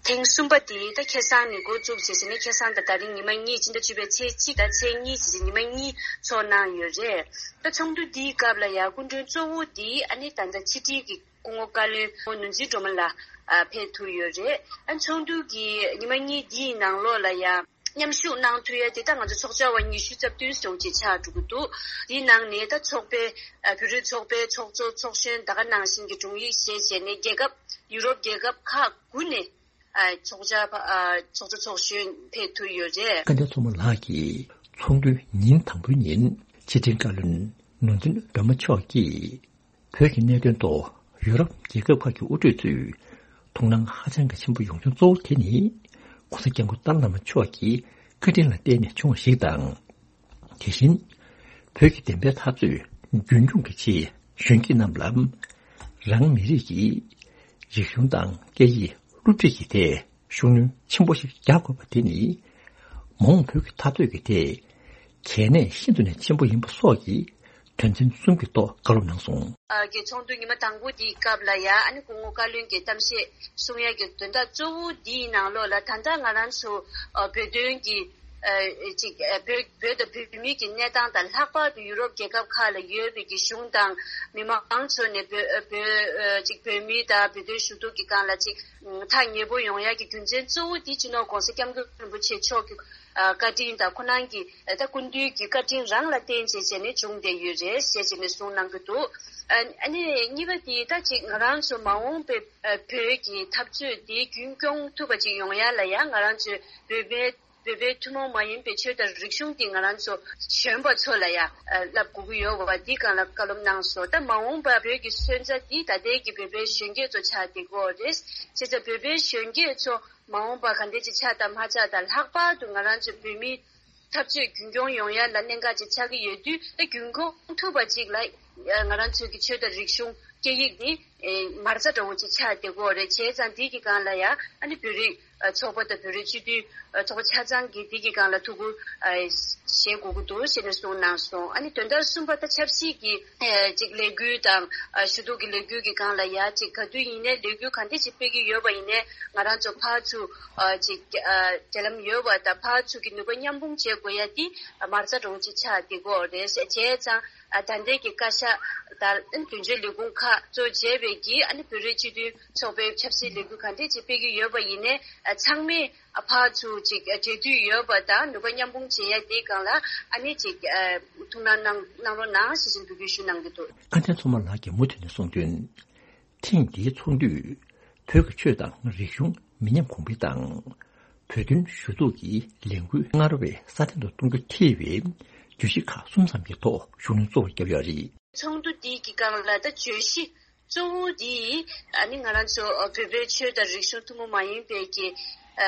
ཐེངས་གསུམ་པ་དེ་ད་ཁ་སང་ནས་འགོ་བཙུགས་བྱས་ཟིན་ནས་ཁ་སང་དང་ད་རིང་ཉི་མ་གཉིས་སྤྱི་ཟླ་བཅུ་པའི་ཚེས་གཅིག་དང་ཚེས་གཉིས་བྱས་ཟིན་ཉི་མ་གཉིས་ཚོགས་གནང་ཡོད་རེད། ད་ཚོགས་འདུ་འདིའི་སྐབས་ལ་ཡང་སྐུ་མགྲོན་གཙོ་བོ་དེ་ཨ་ནི་ད་ལྟ་ཕྱི་དྲིལ་གྱི་སྐུ་ངོ་བཀའ་བློན་ནོར་འཛིན་སྒྲོལ་མ་ལགས་ཨ་ཕེབས་ཐུབ་ཡོད་རེད། ཨ་ཚོགས་འདུ་གི་ཉི་མ་གཉིས་འདིའི་ནང་ལོགས་ལ་ཡང་མཉམ་ཞུགས་གནང་ཐུབ་ཡ་དེ་ད་ང་ཚོ་ཚོགས་བཅར་བ་ཉི་ཤུ་རྩ་བདུན་བྱུང་ཅེས་ཆགས་འགྲོ་གི་འདུག་དེའི་ནང་ནས་ད་ཚོགས་པའི་ཨ་བོད་རིགས་ཚོགས་པའི་ཚོགས་གཙོ་ཚོགས་གཞོན་ད་ག་ནང་བཞིན་གྱི་དྲུང་ཡིག་བཞེས་བྱས་ནས་རྒྱལ་ཁབ་ཡུ་རོབ་རྒྱལ་ཁབ་ཁག་དགུ་ནས་ཨ་ཚོགས་བཅར་བ་ཨ་ཚོགས་གཙོ་ཚོགས་གཞོན་ཕེབས་ཐུབ་ཡོད་རེད། བཀའ་བསྟན་མཚོ་མོ་ལགས་ཀྱིས་ཚོགས་འདུའི་ཉིན་དང་པོའི་ཉིན་ཕྱི་དྲིལ་བཀའ་བློན་ནོར་འཛིན་སྒྲོལ་མ་མཆོག་གིས། བོད་ཀྱི་གནད་དོན་ཐོག་ཡུ་རོབ་རྒྱལ་ཁབ་ཁག་གི་དབུ་ཁྲིད་ཚོས་དོ་སྣང་ཧ་ཅང་གི་ཆེན་པོ་ཡོང་རྒྱུ་གཙོ་བོ་དེ་ནི་༧གོང་ས་༧སྐྱབས་མགོན་ཏཱ་ལའི་བླ་མ་མཆོག་གི་བཀའ་དྲིན་ལ་བརྟེན་ནས་བྱུང་བ་ཞིག་དང་། དེ་བཞིན་བོད་ཀྱི་བདེན་པའི་འཐབ་རྩོད་རྒྱུན་འཁྱོངས་ཀྱི་ཆེད་གཞོན་སྐྱེས་རྣམས་ལ་རང་མི་རིགས་ཀྱི་རིག་གཞུང་དང་སྐད་ཡིག་སློབ་ཁྲིད་ཀྱི་ཐད། ཤུགས་སྣོན་ཆེན་པོ་ཞིག་རྒྱག་དགོས་པ་དེ་ནི་མ་འོངས་བོད་ཀྱི་འཐབ་རྩོད་ཀྱི་ཐད་གལ་གནད་ཤིན་ཏུ་ནས་ཆེན་པོ་ཡིན་པ་སོགས་ཀྱི་དོན་ཚན་གསུམ་གྱི་ཐོག་བཀའ་སློབ་གནང་སོང་། ཨ་གི་ཚོགས་འདུ་ཉི་མ་དང་པོ་འདིའི་སྐབས་ལ་ཡང་ཨ་ནི་སྐུ་ངོ་བཀའ་བློན་གྱིས་གཏམ་བཤད་གསུང་ཡ་གི་དོན་དག་གཙོ་བོ་འདིའི་ནང་ལོགས་ལ་ད་ལྟ་ང་རང་ཚོ་ཨ་བོད་དོན་གྱི་ཨ་ཅིག་ཨ་བོད་བོད་དང་བོད་མིའི་གི་གནས་སྟངས་དང་ལྷག་པར་དུ་ཡུ་རོབ་རྒྱལ་ཁབ་ཁག་ལ་ཡོད་པའི་གི་གཞུང་དང་མི་མང་ཚོ་ནས་བོད་ཨ་བོད་ཨ་ཅིག་བོད་མི་དང་བོད་དོན་ཞུ་གཏུག་གི་སྒང་ལ་ཅིག་ཐག་ཉེ་པོ་ཡོང་ཡག་གི་རྒྱུ་མཚན་གཙོ་བོ་དེ་སྤྱི་ནོར་༧གོང་ས་༧སྐྱབས་མགོན་རིན་པོ་ཆེ་མཆོག་གི་ཨ་བཀའ་དྲིན་དང་ཁོ་རང་གི་ཨ་ད་སྐུ་མདུན་གྱི་བཀའ་དྲིན་རང་ལ་བརྟེན་བྱས་བྱས་ནས་བྱུང་བསྡད་ཡོད་རེད་ཞེས་བྱས་ནས་གསུངས་གནང་གི་འདུག་ཨ་ཨ་ནི་གཉིས་པ་དེ་ད་ཅིག་ང་རང་ཚོ་མ་འོངས་པའི་ཨ་བོད་ཀྱི་འཐབ་རྩོད་དེ་རྒྱུན་སྐྱོང་ཐུབ་པ་ཅིག་ཡོང་ཡག་ལ་ཡང་ང་རང་ཚོའི་བོད་པའི་ བོད་པའི་ཐུན་མོང་མ་ཡིན་པའི་ཆོས་དང་རིག་གཞུང་འདི་ང་རང་ཚོ་གཞོན་པ་ཚོ་ལ་ཡ་ཨ་བསླབ་དགོས་ཀྱི་ཡོད་པ་འདི་སྒང་ལ་བཀའ་སློབ་གནང་སོང་། ད་མ་འོངས་པ་བོད་ཀྱི་སོན་རྩ་འདི་ད་ལྟའི་གི་བོད་པའི་གཞོན་སྐྱེས་ཚོ་ཆགས་བསྡད་ཀྱི་ཡོད་རེད། བྱས་ཙང་བོད་པའི་གཞོན་སྐྱེས་ཚོ་མ་འོངས་པ་ག་འདྲ་ཅིག་ཆགས་དང་མ་ཆགས་དང་། ལྷག་པར་དུ་ང་རང་ཚོ་བོད་མི་འཐབ་རྩོད་རྒྱུན་སྐྱོང་ཡོང་ཡ་ལ་གནད་འགག་ཅིག་ཆགས་ཀྱི་ཡོད་དུས། ད་རྒྱུན་སྐྱོང་ཐུབ་པ་ཅིག་ལ་ང་རང་ཚོའི་གི་ཆོས་དང་རིག་གཞུང་སྐད་ཡིག་འདི་ཨེ་མ་རྩ་འདྲ་བོ་ཅིག་ཆགས་བསྡད་ཀྱི་ཡོད་རེད། བྱས་ཙང་འདི་གི་སྒང་ལ་ཡ་ཨ་ནི་བོད་རིགས་ཨ་ཚོགས་པ་དང་བོད་རིགས་སྤྱི་འཐུས་ཨ་ཚོགས་པ་ཆ་ཚང་གིས་འདི་གི་སྒང་ལ་ཐུགས་ཁུར་ཨ་བཞེས་དགོས་ཀྱི་འདུག་ཞེས་ནས་གསུངས་གནང་སོང་། ཨ་ནི་དོན་དག་གསུམ་པ་ད་ཆབ་སྲིད་ཀྱི་ཨ་ཅིག་ལས་འགུལ་དང་ཨ་ཞུ་གཏུག་གི་ལས་འགུལ་གྱི་སྒང་ལ་ཡ་ཅིག་ག་དུས་ཡིན་ནའི་ལས་འགུལ་ག་འདྲ་ཅིག་སྤེལ་གྱི་ཡོད་པ་ཡིན་ནའི་ང་རང་ཚོ་ཕར་ཚུར་ཨ་ཅིག་ཨ་འབྲེལ་ལམ་ཡོད་པ་དང་ཕར་ཚུར་གྱི་ནུས་པ་མཉམ་སྤུངས་བྱེད་དགོས་ཡ་འདི་ཨ་མ་རྩ་འདྲ་བོ་ཅིག་ཆགས་བསྡད་ཀྱི་ཡོད་རེད། བྱས་ཙང་ཨ་ད་ལྟའི་གི་བཀའ་ཤག་དང་དོན་གཅོད་ལས་ཁུངས་ཁག་གཙོ་བྱས་པའི་གི་ཨ་ནི་བོད་རིགས་སྤྱི་མཐུན་ཚོགས་པའི་ཆབ་སྲིད་ལས་འགུལ་ག་འདྲས་ཅིག་སྤེལ་གྱི་ཡོད་པ་ཡིན་ནའི་ཨ་ཚང་མས་ཨ་ཕར་ཚུར་ཅིག་ཨ་འབྲེལ་མཐུད་ཡོད་པ་དང་ནུས་པ་མཉམ་སྤུངས་བྱེད་ཡ་དེའི་སྒང་ལ་ཨ་ནི་ཅིག་ཨ་ཐུགས་སྣང་གནང་གནང་རོགས་གནང་ཞེས་བཞིན་འབོད་སྐུལ་ཞུ་གནང་གི་འདུག། བཀའ་བསྟན་མཚོ་མོ་ལགས་ཀྱིས་མུ་མཐུད་ནས་གསུངས་དོན། ཐེངས་འདིའི་ཚོགས་འདུས་བོད་ཀྱི་ཆོས་དང་རིག་གཞུང་མི་ཉམས་གོང་འཕེལ་དང་། བོད་དོན་ཞུ་གཏུག་གི་ལས་འགུལ་སྔར་བས་སྲ་བརྟན་དུ་གཏོང་རྒྱུ་ཐེ་བའི་བརྗོད་གཞི་ཁག་གསུམ་ཙམ་གྱི་ཐོག་ཤུགས་སྣོན་གཙོ་བོར་བརྒྱབ་ཡོད་རེད། ཚོགས་འདུ་འདི་གི་སྒང་ལ་ད་བརྗོད་གཞི་གཙོ་བོ་འདི་ཨ་ནི་ང་རང་ཚོ་བོད་པའི་ཆོས་དང་རིག་གཞུང་ཐུན་མོང་མ་ཡིན་པའི་གི་ཨ་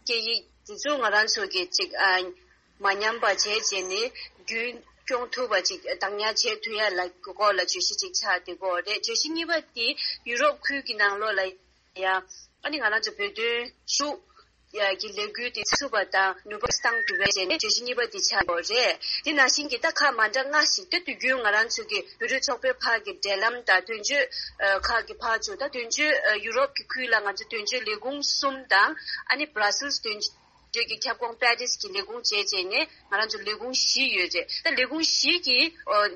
སྐད་ཡིག་འདི་ཚོ་ང་རང་ཚོ་གི་ཅིག་ཨ་མ་ཉམས་པ་བྱས་བྱས་ནས་རྒྱུན་སྐྱོང་ཐུབ་པ་ཅིག་བདག་ཉར་བྱེད་ཐུབ་ཡ་ལ་སྐོར་ལ་བརྗོད་གཞི་ཅིག་ཆགས་བསྡད་ཀྱི་ཡོད་རེད། བརྗོད་གཞི་གཉིས་པ་དེ་ཡུ་རོབ་ཁུལ་གྱི་ནང་ལོགས་ལ་ཡ་ཨ་ནི་ང་རང་ཚོ་བོད་དོན་ཞུ་ཡ་གི་ལས་འགུལ་དེ་ཚུགས་པ་དང་ནུས་པ་བཏང་ཐུབ་པ་བྱས་ནས་བརྗོད་གཞི་གཉིས་པ་དེ་ཆགས་ཡོད་རེད། དེ་ནང་བཞིན་གྱི་ད་ཁག་མ་འདྲ་ལྔ་ཞིག་ད་དུས་རྒྱུན་ང་རང་ཚོ་གི་བོད་རིགས་ཚོགས་པའི་བར་གྱི་འབྲེལ་ལམ་དང་དོན་གཅོད་ཁག་གི་བར་ཚུར་ད་དོན་གཅོད་ཡུ་རོབ་ཀྱི་ཁུལ་ལ་ང་ཚོ་དོན་གཅོད་ལས་ཁུངས་གསུམ་དང་ཨ་ནི་བྷ་ར་སིལ་དོན་གཅོད་ཀྱི་ཁྱབ་ཁོངས་པེ་རིས་ཀྱི་ལས་ཁུངས་བྱས་བྱས་ནས་ང་རང་ཚོ་ལས་ཁུངས་བཞི་ཡོད་རེད། ད་ལས་ཁུངས་བཞི་གི་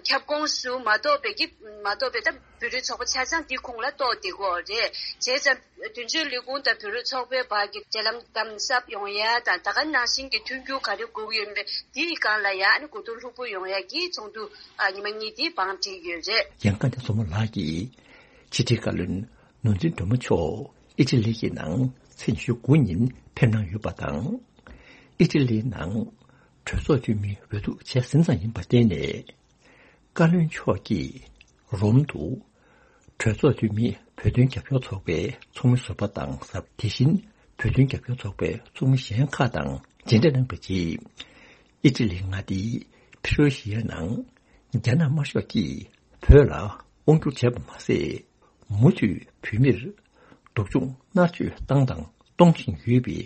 ཁྱབ་ཁོངས་སུ་མ་གཏོགས་པའི་གི་མ་གཏོགས་པའི་ད་བོད་རིགས་ཚོགས་པ་ཆ་ཚང་འདི་ཁོངས་ལ་གཏོགས་བསྡད་ཀྱི་ཡོད་རེད། བྱས་ཙང་དོན་གཅོད་ལས་ཁུངས་དང་བོད་རིགས་ཚོགས་པའི་བར་གྱི་འབྲེལ་ལམ་དམ་ཟབ་ཡོང་ཡ་དང་ད་ག་ནང་བཞིན་གྱི་མཐུན་འགྱུར་ག་རེ་དགོས་ཀྱི་ཡོད་མེད་འདིའི་སྒང་ལ་ཡ་ཨ་ནི་གོ་བསྡུར་ལྷུག་པོ་ཡོང་ཡ་གི་ཚོགས་འདུ་ཨ་ཉི་མ་གཉིས་འདི་བང་བསྒྲིགས་ཡོད་རེད། ཡང་བཀའ་བསྟན་མཚོ་མོ་ལགས་ཀྱིས་ཕྱི་དྲིལ་བཀའ་བློན་ནོར་འཛིན་སྒྲོལ་མ་མཆོག་ཨི་ཊ་ལི་གི་ནང་ཚེས་ཉི་ཤུ་དགུ་ཉིན་ཕེབས་གནང་ཡོད་པ་དང་། ཨི་ཊ་ལིའི་ནང་གྲོས་ཚོགས་འཐུས་མི་འོས་བསྡུ་བྱས་ཟིན་ཙམ་ཡིན་པར་བརྟེན་ནས། བཀའ་བློན་མཆོག་གིས་རོམ་དུ་གྲོས་ཚོགས་འཐུས་མི་བོད་དོན་རྒྱབ་སྐྱོར་ཚོགས་པའི་ཚོགས་མི་ཟུར་པ་དང་། དེ་བཞིན་བོད་དོན་རྒྱབ་སྐྱོར་ཚོགས་པའི་ཚོགས་མི་གཞན་ཁག་དང་མཇལ་འཕྲད་གནང་བའི་རྗེས། ཨི་ཊ་ལི་མངའ་སྡེའི་ཕི་རོ་ཤི་ཡའི་ནང་རྒྱ་ནག་དམར་ཤོག་གིས་བོད་ལ་དབང་བསྒྱུར་བྱས་པ་མ་ཟད། མུ་མཐུད་བོད་མིར་སྡུག་སྦྱོང་མནར་གཅོད་བཏང་དང་གཏོང་བཞིན་ཡོད་པའི་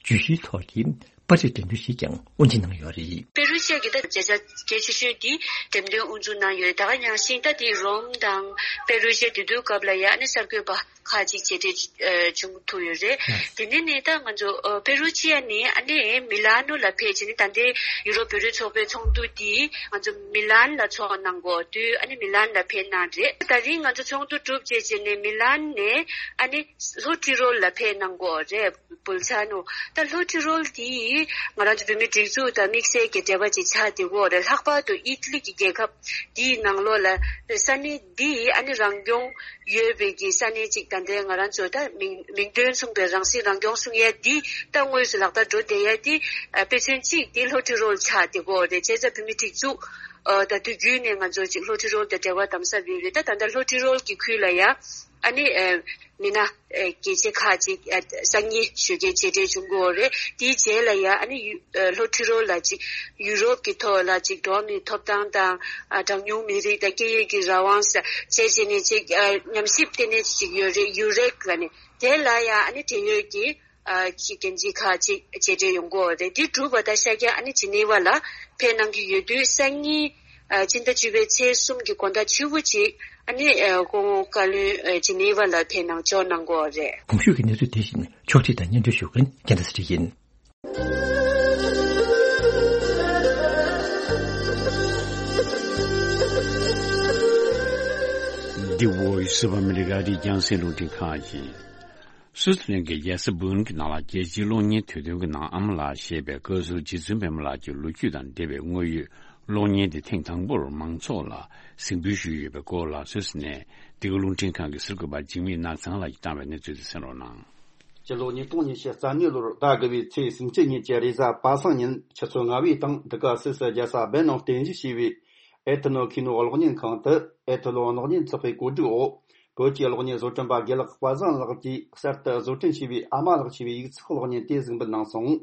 བརྗོད་གཞིའི་ཐོག་གི་པར་རིས་འགྲེམས་སྟོན་ཞིག་ཀྱང་དབུ་འབྱེད་གནང་ཡོད་རེད། པེ་རུ་ཤི་ཡ་གི་ད་མཛད་འཆར་གལ་ཆེ་ཤོས་དེ་འགྲེམས་སྟོན་དབུ་འཛུགས་གནང་ཡོད་རེད། ད་ག་ནང་བཞིན་ད་དེ་རོམ་དང་པེ་རུ་ཤི་ཡ་དེ་དུས་སྐབས་ལ་ཡ་ཨ་ནི་གསར་འགོད་པ་ཁག་ཅིག་མཇལ་འཕྲད་ཨ་བྱུང་ཐུབ་ཡོད་རེད། དེ་ནས་ནི་ད་ང་ཚོ་ཨ་པེ་རུ་ཤི་ཡ་ནས་ཨ་ནི་མི་ལན་ནོ་ལ་ཕེབས་བྱས་ནས་ད་ལྟའི་ཡུ་རོབ་བོད་རིགས་ཚོགས་པའི་ཚོགས་འདུ་དེ་ང་ཚོ་མི་ལན་ལ་ཚོགས་གནང་གོ་དུས་ཨ་ནི་མི་ལན་ལ་ཕེབས་གནང་རེད། ད་རིང་ང་ཚོ་ཚོགས་འདུ་གྲུབ་རྗེས་བྱས་ནས་མི་ལན་ནས་ཨ་ནི་ལྷོ་ཏི་རོལ་ལ་ཕེབས་གནང་གོ་རེད། བུལ་ཚ་ནོ། ད་ལྷོ་ཏི་རོལ་དེ་ང་རང་ཚོ་བོད་མིའི་སྒྲིག་འཛུགས་དང་དམིགས་བསལ་གྱི་འབྲེལ་བ་ཅིག་ཆགས་བསྡད་གོ་རེད། ལྷག་པར་དུ་ཨི་ཊ་ལི་གི་རྒྱལ་ཁབ་དེའི་ནང་ལོགས་ལ་ས་གནས་འདི་ཨ་ནི་རང་སྐྱོང་ཡོད་པའི་གི་ས་གནས་ཅིག་ད་ལྟའི་ང་རང་ཚོ་ད་མིང་མིང་དོན་མཚུངས་པའི་རང་སྲིད་རང་སྐྱོང་གསུང་ཡ་འདི་ད་དངོས་སུ་ལག་བསྟར་འགྲོ་བསྡད་ཡ་འདི་ཨ་དཔེ་མཚོན་གཅིག་འདི་ལྷོ་ཏི་རོལ་ཆགས་བསྡད་གོ་རེད། བྱས་ཙང་བོད་མིའི་སྒྲིག་འཛུགས་ཨ་ད་དུས་རྒྱུན་ནས་ང་ཚོ་ཅིག་ལྷོ་ཏི་རོལ་དང་འབྲེལ་བ་དམ་ཟབ་ཡོད་རེད། ད་ད་ལྟ་ལྷོ་ཏི་རོལ་གྱི་ཁུལ་ལ་ཡ་ཨ་ནི་ཨ་མི་སྣ་ཨ་གལ་ཆེ་ཁག་ཅིག་ཨ་སང་ཉིན་ཞོགས་ཀས་མཇལ་འཕྲད་བྱུང་གི་ཡོད་རེད། དེའི་རྗེས་ལ་ཡ་ཨ་ནི་ཡུ་ཨ་ལྷོ་ཏི་རོལ་ལ་ཅིག་ཡུ་རོབ་ཀྱི་ཐོག་ལ་ཅིག་འགྲོ་བ་མིའི་ཐོབ་ཐང་དང་ཨ་གྲངས་ཉུང་མི་རིགས་དང་སྐད་ཡིག་གི་རང་དབང་ཟེར་བྱས་བྱས་ནས་ཅིག་ཨ་ཉམས་ཞིབ་ལྟེ་གནས་ཅིག་ཡོད་རེད། ཡུ་རེག་ལ་ནི་དེ་ལ་ཡ་ཨ་ནི་འབྲེལ་ཡོད་ཀྱི་ཨ་ཅིག་འགན་འཛིན་ཁག་ཅིག་མཇལ་འཕྲད་ཡོང་གི་ཡོད་རེད། དེ་གྲུབ་པ་ད་ཤར་རྒྱག་ཨ་ནི་ཇི་ནི་ཝ་ལ་ཕེབས་གནང་གི་ཡོད་དུས་སང་ཉིན་ཨ་སྤྱི་ཟླ་བཅུ་པའི་ཚེས་གསུམ་གྱི་དགོང་དག་བཅུ་པོ་ཅིག་ཨ་ནི་ཨ་སྐུ་ངོ་བཀའ་བློན་ཨ་ཇི་ནི་ཝ་ལ་ཕེབས་གནང་འབྱོར་གནང་གི་ཡོད་རེད། གོང་ཞུས་ཀྱི་གནས་ཚུལ་དེ་བཞིན་ཕྱོགས་སྒྲིག་དང་སྙན་སྒྲོན་ཞུ་མཁན་རྒྱལ་མཚན་ཚེ་རིང་ཡིན། འདི་Voice of America རེད། རྒྱང་སྲིང་རླུང་འཕྲིན་ཁང་ཡིན། སུའུ་ཙི་ལན་གྱི་རྒྱལ་ས་སྦུག་གི་ནང་ལ་རྒྱལ་སྤྱིའི་གློག་བརྙན་དུས་སྟོན་གྱི་ནང་ཨ་མ་ལགས་ཞེས་པའི་བཀའ་ཟུར་རྗེ་བཙུན་པད་མ་ལགས་ཀྱི་ལོ་རྒྱུས་དང་འབྲེལ་བའི་དངོས་ཡོད་གློག་བརྙན་དེ་ཐེངས་དང་པོར་མང་ཚོགས་ལ་གཟིགས་འབུལ་ཞུས་ཡོད་པའི་སྐོར་ལ་སུད་སི་ནས་འདི་ག་རླུང་འཕྲིན་ཁང་གི་གསར་འགོད་པ་འཇིགས་མེད་ནགས་ཚང་ལགས་ཀྱིས་བཏང་བའི་གནས་ཚུལ་དེ་གསན་རོགས་གནང་། སྤྱི་ལོ་ཉིས་སྟོང་ཉི་ཤུ་རྩ་གཉིས་ལོར་ཟླ་དགུ་བའི་ཚེས་སུམ་ཅུ་ཉིན་གྱི་རེས་གཟའ་པ་སངས་ཉིན་ཆུ་ཚོད་ལྔ་པའི་སྟེང་འདི་ག་སིད་སི་རྒྱལ་ས་སྦེ་ནང་རྟེན་གཞི་བྱས་པའི་ཨེ་ཐི་ནོ་ཁི་ནོ་གློག་བརྙན་ཁང་དུ་ཨེ་ཐི་ལོ་གློག་བརྙན་ཚོགས་པའི་གོ་སྒྲིག་འོག་བོད་ཀྱི་གློག་བརྙན་བཟོ་སྐྲུན་པ་དགེ་ལགས་དཔལ་བཟང་ལགས་ཀྱིས་གསར་དུ་བཟོ་སྐྲུན་བྱས་པའི་ཨ་མ་ལགས་ཞེས་པའི་ཡིག་ཚགས་གློག་བརྙན་དེ་གཟིགས་འབུལ་གནང་སོང་།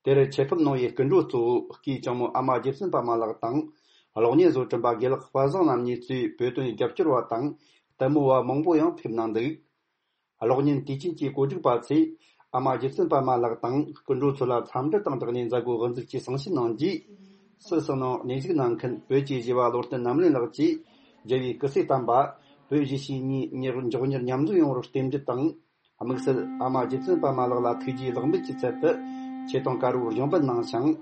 དེར་ཆེད་ཕེབས་གནང་བའི་སྐུ་མགྲོན་གཙོ་བོ་སྐུའི་ལྕམ་མོ་ཨ་མ་རྗེ་བཙུན་པདྨ་ལགས་དང་། གློག་བརྙན་བཟོ་སྐྲུན་པ་དགེ་ལགས་དཔལ་བཟང་རྣམ་གཉིས་གཙོས་བོད་དོན་རྒྱབ་སྐྱོར་བ་དང་ལྟད་མོ་བ་མང་པོ་ཡང་ཕེབས་གནང་འདུག་གློག་བརྙན་དུས་ཆེན་གྱི་གོ་སྒྲིག་པ་ཚོས་ཨ་མ་རྗེ་བཙུན་པདྨ་ལགས་དང་སྐུ་མགྲོན་ཚོ་ལ་འཚམས་འདྲི་དང་སྦྲགས་ནས་མཛད་སྒོ་དབུ་འཛུགས་ཀྱིས་གསུང་བཤད་གནང་རྗེས། སིད་སི་ནང་གནས་བཞུགས་གནང་མཁན་བོད་ཀྱི་བཞི་བ་བློ་བརྟན་རྣམ་གླིང་ལགས་ཀྱིས་རྒྱལ་བའི་སྐུ་ཚེ་བརྟན་པ། བོད་གཞིས་བྱེས་གཉིས་མགྱོགས་མྱུར་མཉམ་འཛོམས་ཡོང་བར་རྟེན་འབྲེལ་དང་། དམིགས་བསལ་ཨ་མ་རྗེ་བཙུན་པདྨ་ལགས་ལ་ཐུགས་རྗེའི་ལེགས་འབུལ་གྱི་ཚུལ་དུ་ཆེ་མཐོང་དཀར་པོར་གཞུང་འབུལ་གནང་ཞིང་།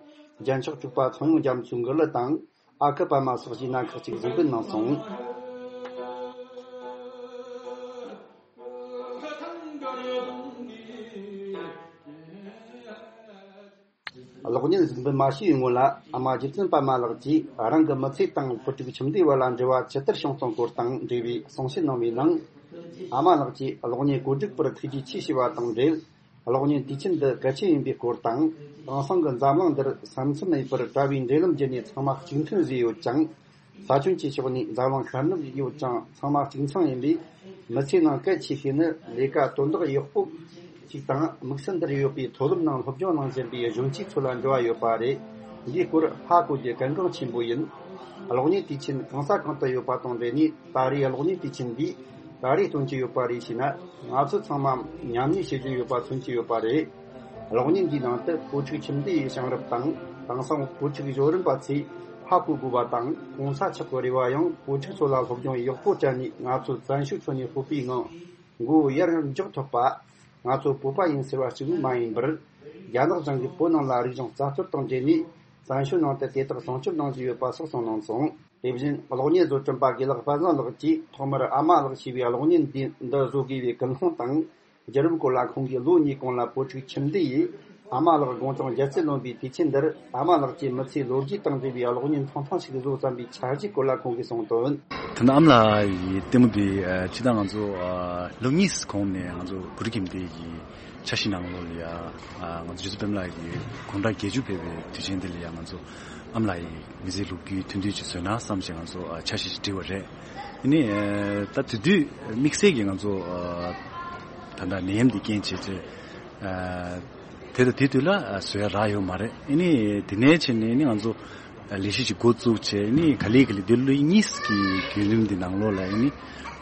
རྒྱལ་མཆོག་གཙུག་པ་ཚངས་དབྱངས་རྒྱ་མཚོའི་མགུར་གླུ་དང་། ཨ་ཁུ་པདྨ་སོགས་ཀྱི་སྣ་ཁག་ཅིག་གཟིགས་འབུལ་གནང་སོང་། གློག་བརྙན་གཟིགས་འབུལ་མ་བྱས་པའི་སྔོན་ལ་ཨ་མ་རྗེ་བཙུན་པདྨ་ལགས་ཀྱིས་རང་གི་མི་ཚེ་དང་བུ་ཕྲུག་ཁྱིམ་སྡེ་བར་ལ་འབྲེལ་བ་ཇི་ལྟར་བྱུང་སྟངས་སྐོར་དང་འབྲེལ་བའི་གསུང་བཤད་གནང་བའི་ནང་། ཨ་མ་ལགས་ཀྱིས་གློག་བརྙན་གོ་སྒྲིག་པར་ཐུགས་རྗེ་ཆེ་ཞུ་བ་དང་འབྲེལ། གློག་བརྙན་དུས་ཆེན་འདི་གལ་ཆེན་ཡིན་པའི་སྐོར་དང་། དེང་སང་གི་འཛམ་གླིང་འདིར་ས་མཚམས་མེད་པར་དྲ་བའི་འབྲེལ་ལམ་བརྒྱུད་ནས་ཚང་མ་གཅིག་མཐུན་བཟོས་ཡོད་ཅིང་། ས་ཁྱོན་གྱི་ཕྱོགས་ནས་འཛམ་གླིང་ཤར་ནུབ་ཡོད་ཅིང་ཚང་མ་གཅིག་མཚུངས་ཡིན་པས། མི་ཚེའི་ནང་གལ་ཆེ་ཤོས་ནི་ལས་ཀ་དོན་དག་ཡག་པོ་ཞིག་དང་། དམིགས་བསལ་འདིར་ཡོད་པའི་མཐོ་སློབ་ནང་སློབ་སྦྱོང་གནང་བཞིན་པའི་གཞོན་སྐྱེས་ཚོ་ལ་འབྲེལ་བ་ཡོད་པ་རེད། འདིའི་སྐོར་ཧ་གོ་རྒྱུ་གལ་འགངས་ཆེན་པོ་ཡིན། གློག་བརྙན་དུས་ཆེན་གང་ས་གང་དུ་ཡོད་པ་དང་འབྲེལ་ནས། ད་རེས་གློག་བརྙན་དུས་ཆེན་འདིས་ག་རེ་སྟོན་གྱི་ཡོད་པ་རེད་ཞེ་ན། ང་ཚོ་ཚང་མ་མཉམ་ཉིད་བྱེད་ཀྱི་ཡོད་པ་མཚོན་གྱི་ཡོད་པ་རེད། གློག་བརྙན་འདིའི་ནང་དུ་བུ་ཕྲུག་ཁྱིམ་སྡེ་ཡི་བྱུང་རབས་དང་། དེང་སང་བུ་ཕྲུག་གཞོན་རིམ་པ་ཚོས་ཧ་གོ་དགོས་པ་དང་། གོང་ས་མཆོག་གི་རེ་བ་ཡང་བུ་ཕྲུག་ཚོ་ལ་སློབ་སྦྱོང་ཡག་པོ་སྤྲད་ནས། ང་ཚོ་བཙན་བྱོལ་ཁྱོན་ནས་སྤོབས་པའི་ངང་མགོ་ཡར་མགྱོགས་ཐུབ་པ། ང་ཚོ་བོད་པ་ཡིན་ཟེར་བ་གཅིག་པུ་མ་ཡིན་པར། རྒྱ་ནག་གཞུང་གིས་བོད་ནང་ལ་རིག་གཞུང་རྩ་གཏོར་དང་འབྲེལ་ནས། བཙན་བྱོལ་ནང་དུ་དེ་དག་སྲུང་སྐྱོབ་གནང་བཞིན་ཡོད་པ་སོགས་གསུངས་གནང་སོང་། དེ་བཞིན་གློག་བརྙན་བཟོ་སྐྲུན་པ་དགེ་ལགས་དཔལ་བཟང་ལགས་ཀྱིས་ཐོག་མར་ཨ་མ་ལགས་ཞེས་པའི་གློག་བརྙན་འདི་འདི་བཟོ་དགོས་པའི་ཀུན་སློང་དང་། བརྒྱུད་རིམ་སྐོར་ལ་ཁོང་གིས་ལོ་གཉིས་གོང་ལ་བུ་ཕྲུག་ཁྱིམ་སྡེ་ཡིས་ཨ་མ་ལགས་དགུང་གྲངས་བརྒྱད་ཅུ་ལོན་པའི་དུས་ཆེན་འདིར། ཨ་མ་ལགས་ཀྱི་མི་ཚེའི་ལོ་རྒྱུས་དང་འབྲེལ་བའི་གློག་བརྙན་ཐུང་ཐུང་ཞིག་བཟོ་བསམ་པའི་འཆར་གཞིའི་སྐོར་ལ་ཁོང་གིས་གསུངས་དོན། ད་ནི་ཨ་མ་ལགས་ཡི་ལྟད་མོ་འདི་ཨ་སྤྱིར་བཏང་ང་ཚོ་ཨ་ལོ་གཉིས་གོང་ནས་ང་ཚོ་བུ་ཕྲུག་ཁྱིམ་སྡེ་ཡི་འཆར་གཞི་ནང་ལོགས་ལ་ཡ། ཨ་ང་ཚོ་རྗེ་བཙུན་པདྨ་ལགས་ཀྱི་དགུང་གྲངས་བརྒྱད་ཅུ་ཕེབས་པའི་དུས་ཆེན་འདི་ལ་ཡ། ང་ཚོ་ཨ་མ་ལགས་ཡི་མི་ཚེའི་ལོ་རྒྱུས་ཐུང་ཐུང་ཅིག་བཟོས་ན་བསམ་བྱས་ང་ཚོ་ཨ་འཆར་གཞི་ཞིག་བསྒྲིགས་པ་རེད། ཨ་ནི་ཨ་ད་དེ་དུས་དམིགས་བསལ་གྱི་ང་ཚོ་ཨ་ད་ལྟ་ནད་ཡམས་འདི་རྐྱེན་བྱས་ཚེ། ཨ་དེ་དང་དེ་དུས་ལ་ཨ་བཟོ་ཡ་རག་ཡོད་མ་རེད། ཨ་ནི་དེ་ནས་བྱས་ནས་ཨ་ནི་ང་ཚོ་ལས་གཞི་ཞིག་འགོ་བཙུགས་བྱས། ཨ་ནི་ག་ལེ་ག་ལེ་འདི་ལོ་གཉིས་ཀྱི་བརྒྱུད་རིམ་འདི་ནང་ལོགས་ལ་ཨ་ནི་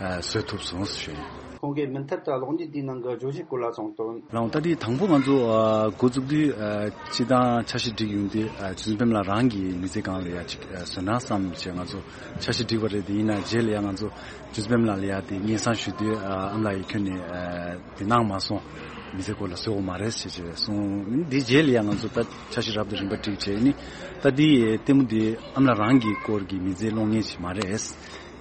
ཨ་བཟོ་ཐུབ་སོང་ཞུ་ཡིན། ཁོང་གིས་མུ་མཐུད་དུ་གློག་བརྙན་འདིའི་ནང་གི་བརྗོད་གཞིའི་སྐོར་ལ་གསུངས་དོན། རང་ད་དེ་དང་པོ་ང་ཚོ་ཨ་འགོ་བཙུགས་དུས་ཨ་སྤྱིར་བཏང་འཆར་གཞི་བསྒྲིགས་ཡོང་དུས་ཨ་རྗེ་བཙུན་པདྨ་ལགས་རང་གི་མི་ཚེ་སྒང་ལ་ཡ་ཅིག་ཨ་བཟོས་ན་བསམ་བྱས་ང་ཚོ་འཆར་གཞི་བསྒྲིགས་པ་རེད། དེ་ཡིན་ན་རྗེས་ལ་ཡ་ང་ཚོ་རྗེ་བཙུན་པདྨ་ལགས་ལ་ཡ་དེ་སྙན་སེང་ཞུ་དུས་ཨ་ཨ་མ་ལགས་ཡིས་ཁྱོན་ནས་ཨ་དེ་གནང་མ་སོང་། མི་ཚེ་སྐོར་ལ་བཟོ་དགོས་མ་རེད་ཟེར་བྱས་གསུངས། དེ་རྗེས་ལ་ཡ་ང་ཚོ་ད་འཆར་གཞི་རབ་དང་རིམ་པ་བསྒྲིགས་བྱས། ཨ་ནི་ད་དེ་ལྟད་མོ་དེ་ཨ་མ་ལགས་རང་གི་སྐོར་གྱི་མི་ཚེའི་གློག་བརྙན་ཞིག་མ་རེད།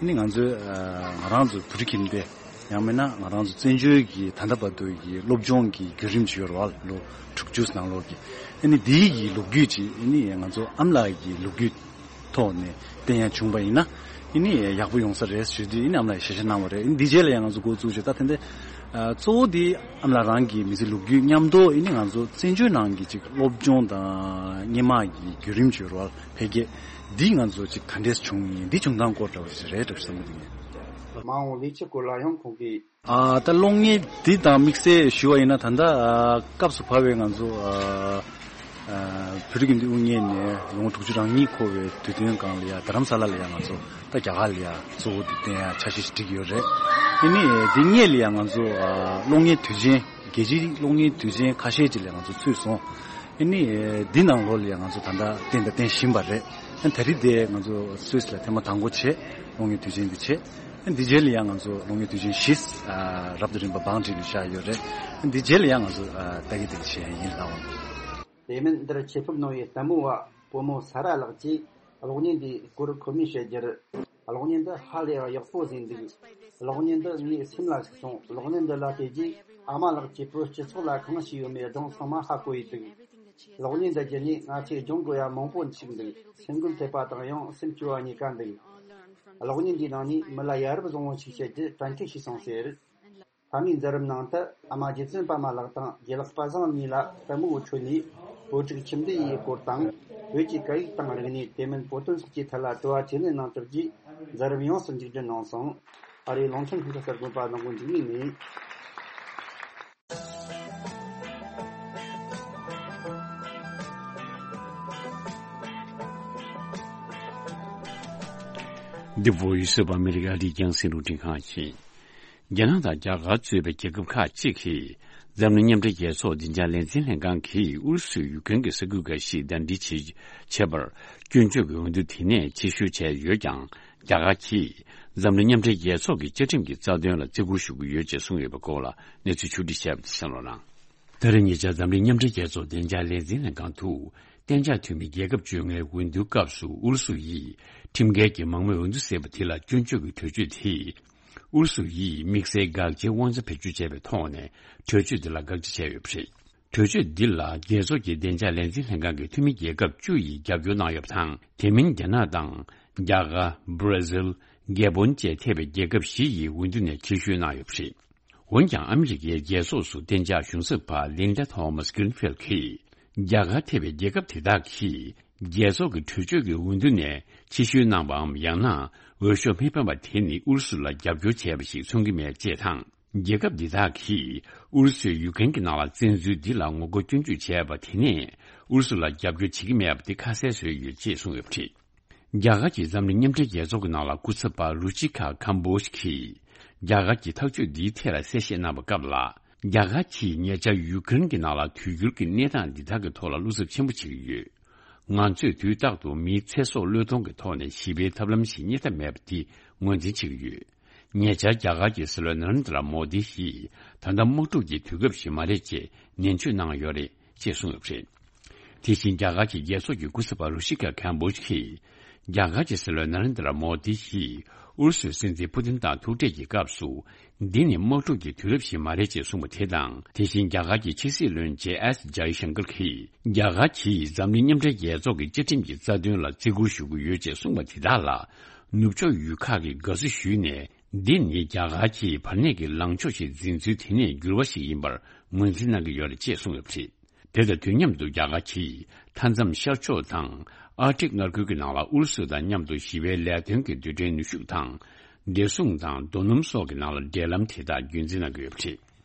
ཨ་ནི་ང་ཚོའི་ཨ་ང་རང་ཚོ་བུ་ཕྲུག་ཁྱིམ་སྡེ། ཡང་མིན་ན་ང་རང་ཚོ་བཙན་བྱོལ་གྱི་ད་ལྟ་བར་དུ་གྱི་སློབ་སྦྱོང་གི་བརྒྱུད་རིམ་ཅིག་ཡོད་རེད་བ། ལོ་དྲུག་ཅུ་ནང་ལོགས་ཀྱི། ཨ་ནི་འདིའི་གི་ལོ་རྒྱུས་ཅིག་ཨ་ནི་ང་ཚོ་ཨ་མ་ལགས་ཀྱི་ལོ་རྒྱུས་ཐོག་ནས་བསྟན་ཡ་བྱུང་བ་ཡིན་ན། ཨ་ནི་ཡག་པོ་ཡོང་ས་རེད་ཞུས་དུས་ཨ་ནི་ཨ་མ་ལགས་ཀྱིས་ཞལ་བཞེས་གནང་བ་རེད། ཨ་ནི་འདི་རྗེས་ལ་ཡང་ང་ཚོ་འགོ་བཙུགས་བྱས། ད་དེ་འདྲ་ཨ་གཙོ་བོ་དེ་ཨ་མ་ལགས་རང་གི་མི་ཚེའི་ལོ་རྒྱུས་མཉམ་དུ་ཨ་ནི་ང་ཚོ་བཙན་བྱོལ་ནང་གི་ཅིག་སློབ་སྦྱོང་དང་སྔོན་མ་གི་བརྒྱུད་རིམ་ཅིག་ཡོད་རེད་བ། འཕེལ་རྒྱས་འདི་ང་ཚོ་ཅིག་ག་འདྲས་བྱུང་ཡིན། འདི་བྱུང་སྟངས་སྐོར་འདྲ་བོ་ཞིག་རེད་འདྲ་བསམ་གྱི་འདུག་མ་འོངས་ལས་འཆར་སྐོར་ལ་ཡང་ཁོང་གིས། ཨ་ད་གློག་བརྙན་འདི་དང་དམིགས་བསལ་ཞུ་བ་ཡིན་ན། ད་ལྟ་ཨ་སྐབས་སུ་བབས་པའི་ང་ཚོ་ཨ་ཨ་བོད་རིགས་འདི་དབུ་བརྙེས་ནས་ལོ་ངོ་དྲུག་ཅུ་རེ་གཉིས་འཁོར་བའི་དུས་སྟོན་སྒང་ལ་ཡ། རྡ་རམ་ས་ལ་ལ་ཡ་ང་ཚོ་ད་རྒྱ་གར་ལ་ཡ་གཙོ་བོ་འདི་བསྟན་ཡ་འཆར་གཞི་ཞིག་བསྒྲིགས་ཡོད་རེད། དེ་ནས་འདི་སྔས་ལ་ཡ་ང་ཚོ་ཨ་གློག་བརྙན་དུས་ཆེན། རྒྱལ་སྤྱིའི་གློག་བརྙན་དུས་ཆེན་ཁ་ཤས་ཅིག་ལ་ང་ཚོ་ཚུད་སོང་། ཨ་ནི་འདི་ནང་ལོགས་ལ་ཡང་ང་ཚོ་ད་ལྟ་བསྟན་དང་བསྟན་བཞིན་པ་རེད། ཨ་ད་རེས་དེ་ང་ཚོ་སུད་སི་ལ་ཐེངས་མ་དང་པོ་བྱས། གློག་བརྙན་དུས་ཆེན་འདི་བྱས། ཨ་འདི་རྗེས་ལ་ཡང་ང་ཚོ་གློག་བརྙན་དུས་ཆེན་བཞི་ཨ་རབ་དང་རིམ་པ་བང་སྒྲིག་ནས་བཞག་ཡོད་རེད། ཨ་འདི་རྗེས་ལ་ཡང་ང་ཚོ་ཨ་ལྟ་གི་ལྟ་གི་བྱེད་ཡ་ཡིན་ལགས། དེ་མིན་འདིར་ཆེད་ཕེབས་གནང་བའི་ལྟད་མོ་བ་བུ་མོ་ས་ར་ལགས་ཀྱིས། གློག་བརྙན་འདིའི་སྐོར་ཁོ་མོས་བཤད་རྒྱུར། གློག་བརྙན་འདི་ཧ་ལས་ཡག་པོ་བཟོས་འདུག་གློག་བརྙན་འདི་ངའི་སེམས་ལ་ཞིག་སོང་། གློག་བརྙན་འདི་ལ་བལྟས་རྗེས་ཨ་མ་ལགས་ཀྱིས་བོད་སྤྱི་ཚོགས་ལ་གང་བྱས་ཡོད་མེད་སྒྲུང་ཚང་མ་ཧ་གོ་ཡི་འདུག་གློག་བརྙན་འདི་བརྒྱུད་ནས་ང་ཚོས་སྦྱོང་དགོས་ཡ་མང་པོ་ཞིག་འདུག་སེམས་འགུལ་ཐེབས་པ་དང་ཡང་སེམས་སྐྱོ་བ་གཉིས་ཀ་འདུག་གློག་བརྙན་འདིའི་ནང་ནས་མི་ལ་ཡ་རབས་བཟང་བོ་ཞིག་བྱེད་རྒྱུ་གྲ་སྒྲིག་བྱས་སོང་ཟེར། ཕ་མའི་མཛད་རིམ་ནང་དུ། ཨ་མ་རྗེ་བཙུན་པད་མ་ལགས་དང་རྗེ་ལགས་པ་སངས་གཉིས་ལ་ལྟད་མོ་འཕྲོད་ནས། བོད་ཕྲུག་ཁྱིམ་སྡེ་ཡི་སྐོར་དང་། བོད་ཀྱི་སྐད་ཡིག་དང་རིག་གནས། དེ་མིན་བོད་དོན་སོགས་ཀྱི་ཐད་ལ་དྲི་བ་དྲིས་ལན་གནང་གྲུབ་རྗེས། མཛད་རིམ་ཡོངས་སུ་མཇུག་སྒྲིལ་གནང་སོང་། ཨ་རིའི་ལུང་ཆེན་ལྷུན་གྲུབ་གསར་དགོན་པ་ནང་གི་འཇིགས་མེད་ནས། The Voice of America། ཨ་རིའི་རྒྱང་སྲིང་རླུང་འཕྲིན་ཁང་ཡིན། རྒྱ་ནག་དང་རྒྱ་གར་གཙོས་པའི་རྒྱལ་ཁབ་ཁག་ཅིག་གིས། འཛམ་གླིང་མཉམ་འབྲེལ་རྒྱལ་ཚོགས་བདེ་འཇགས་ལས་འཛིན་ལྷན་ཁང་གིས་ཨུ་རུ་སུས་ཡུ་ཀེ་རེན་གྱི་ས་ཁུལ་འགའ་ཞིག་ཟླ་སྒྲིལ་བྱེད་བྱེད་པར། སྐྱོན་བརྗོད་ཀྱི་འོས་བསྡུ་དེ་ནས་ཕྱིར་བཤོལ་བྱས་ཡོད་ཀྱང་། རྒྱ་གར་གྱིས་འཛམ་གླིང་མཉམ་འབྲེལ་རྒྱལ་ཚོགས་ཀྱི་བཅའ་ཁྲིམས་ཀྱི་རྩ་དོན་ལ་བརྩི་བཀུར་ཞུ་གི་ཡོད་ཅེས་གསུངས་ཡོད་པའི་སྐོར་ལ་གནས་ཚུལ་ཕྱོགས་བསྒྲིགས་བྱས་པ་དེ་གསན་རོགས་གནང་། ད་རེས་ཉེ་ཆར་འཛམ་གླིང་མཉམ་འབྲེལ་རྒྱལ་ཚོགས་བདེ་འཇགས་ལས་འཛིན་ལྷན་ཁང་དུ། གཏན་འཇགས་འཐུས་མི་རྒྱལ་ཁབ་བཅོ་ལྔའི་འོས་བསྡུའི་སྐབས་སུ་ཨུ་རུ་སུ་ཡིས་ཁྲིམས་འགལ་གྱི་མང་མོས་འོས་བསྡུ་ཟེར་བ་དེ་ལ་སྐྱོན་བརྗོད་ཀྱི་གྲོས་ཆོད་དེས། ཨུ་རུ་སུ་ཡིས་དམིགས་བསལ་དགག་བྱའི་དབང་ཆ་བེད་སྤྱོད་བྱས་པའི་ཐོག་ནས་གྲོས་ཆོད་འདི་ལ་དགག་བྱ་བྱས་ཡོད་པ་རེད། གྲོས་ཆོད་འདི་ལ་རྒྱལ་ཚོགས་ཀྱི་བདེ་འཇགས་ལས་འཛིན་ལྷན་ཁང་གི་འཐུས་མི་རྒྱལ་ཁབ་བཅུ་ཡིས་རྒྱབ་སྐྱོར་གནང་ཡོད་པ་དང་། དེ་མིན་རྒྱ་ནག་དང་། རྒྱ་གར། བྷར་ཛིལ། གྷལ་བྷོན་བཅས་ཐེ་བའི་རྒྱལ་ཁབ་བཞི་ཡིས་འོས་བསྡུ་ནས་ཕྱིར་བཤོལ་གནང་ཡོད་པ་རེད། འོན་ཀྱང་ཨ་མི་རི་ཀའི་རྒྱལ་ཚོགས་སུ་གཏན་འཇགས་གཞུང་ཚབ་པ་ལིན་ཌ་ཐོ་མཱ་སི་གིརིན་ཕིལ་གྱིས། རྒྱ་གར་ཐེ་བའི་རྒྱལ་ཁབ་དེ་དག་གིས། རྒྱལ་ཚོགས་ཀྱི་གྲོས་ཆོད་ཀྱི་འོས་བསྡུ་ནས་ཕྱིར་བཤོལ་གནང་བའམ། ཡང་ན། འོས་ཤོག་མི་འཕེན་པ་དེ་ནི་ཨུ་རུ་སུ་ལ་རྒྱབ་སྐྱོར་བྱས་པ་ཞིག་མཚོན་གྱི་མེད་ཅེས་དང་། རྒྱལ་ཁབ་འདི་དག་གིས་ཨུ་རུ་སུས་ཡུ་ཀེ་རེན་གྱི་ནང་ལ་བཙན་འཛུལ་འདི་ལ་ངོ་རྒོལ་སྐྱོན་བརྗོད་བྱས་པ་དེ་ནས། ཨུ་རུ་སུ་ལ་རྒྱབ་སྐྱོར་བྱེད་ཀྱི་མེད་པ་དེ་ཁ་གསལ་བཟོས་ཡོད་ཅེས་གསུངས་ཡོད་པ་རེད། རྒྱ་གར་གྱིས་འཛམ་གླིང་མཉམ་འབྲེལ་རྒྱལ་ཚོགས་ཀྱི་ནང་ལ་སྐུ་ཚབ་པ་རུ་ཅི་ཁ་ཁམ་བོ་ཇི་གིས། རྒྱ་གར་གྱི་ཐག་གཅོད་འདིའི་ཐད་ལ་གསལ་བཤད་གནང་བའི་སྐབས་ལ། རྒྱ་གར་གྱིས་ཉེ་ཆར་ཡུ་ཀེ་རེན་གྱི་ནང་ལ་དུས་འགྱུར་གྱི་གནས་སྟངས་འདི་དག་གི་ཐོག་ལ་བློ་འཚབ་ཆེན་པོ་བྱེད་ཀྱི་ཡོད། ང་ཚོས་དུས་རྟག་ཏུ་མིའི་ཚེ་སྲོག་བློས་གཏོང་གི་ཐོག་ནས་ཞི་བའི་ཐབས་ལམ་ཞིག་རྙེད་ཐབས་མེད་པ་འདི་ངོས་འཛིན་བྱེད་ཀྱི་ཡོད། ཉེ་ཆར་རྒྱ་གར་གྱི་སྲིད་བློན་ནཱ་རེན་དྲ་མོ་དི་ཡིས་ད་ལྟ་དམག་འཁྲུག་གི་དུས་སྐབས་ཤིག་མ་རེད་ཅེས་ནན་བརྗོད་གནང་ཡོད་རེད་ཅེས་གསུངས་ཡོད་པ་རེད། དེ་བཞིན་རྒྱ་གར་གྱི་རྒྱལ་ཚོགས་ཀྱི་སྐུ་ཚབ་པ་རུ་ཤི་ཀ་ཁན་བོ་ཇི་གིས། རྒྱ་གར་གྱི་སྲིད་བློན་ནཱ་རེན་དྲ་མོ་དི་ཡིས་ཨུ་རུ་སུའི་སྲིད་འཛིན་ཕུ་ཏིན་དང་ཐུག་འཕྲད་ཀྱི་སྐབས་སུ། འདི་ནི་དམག་འཁྲུག་གི་དུས་རབས་ཤིག་མ་རེད་ཅེས་གསུངས་པ་དེ་དང་། དེ་བཞིན་རྒྱ་གར་གྱི་ཕྱི་སྲིད་བློན་ཇེ་ཨེས་ཇའི་ཤང་ཀར་གྱིས། རྒྱ་གར་གྱིས་འཛམ་གླིང་མཉམ་འབྲེལ་རྒྱལ་ཚོགས་ཀྱི་བཅའ་ཁྲིམས་ཀྱི་རྩ་དོན་ལ་བརྩི་བཀུར་ཞུ་གི་ཡོད་ཅེས་གསུངས་པ་དེ་དག་ལ། ནུབ་ཕྱོགས་ཡུལ་ཁག་གིས་དགའ་བསུ་ཞུས་ནས། འདི་ནི་རྒྱ་གར་གྱིས་བར་གནས་ཀྱི་ལངས་ཕྱོགས་ཤིག་འཛིན་ཚུལ་དེ་ནས་འགྱུར་བ་ཞིག་ཡིན་པར་ངོས་འཛིན་གནང་གི་ཡོད་རེད་ཅེས་གསུངས་ཡོད་པ་རེད། དེ་དང་དུས་མཉམ་དུ་རྒྱ་གར་གྱིས་མཐའ་མཚམས་ཤར་ཕྱོགས་དང་ཨར་ཀྲིག་མངའ་ཁུལ་གྱི་ནང་ལ་ཨུ་རུ་སུ་དང་མཉམ་དུ་ཞི་བའི་ལས་དོན་གྱི་རྡུལ་ཕྲན་ནུས་ཤུགས་དང་། བདེ་སྲུང་དང་རྡོ་སྣུམ་སོགས་ཀྱི་ནང་ལ་འབྲེལ་ལམ་དེ་དག་རྒྱུན་འཛིན་གནང་གི་ཡོད་པ་རེད།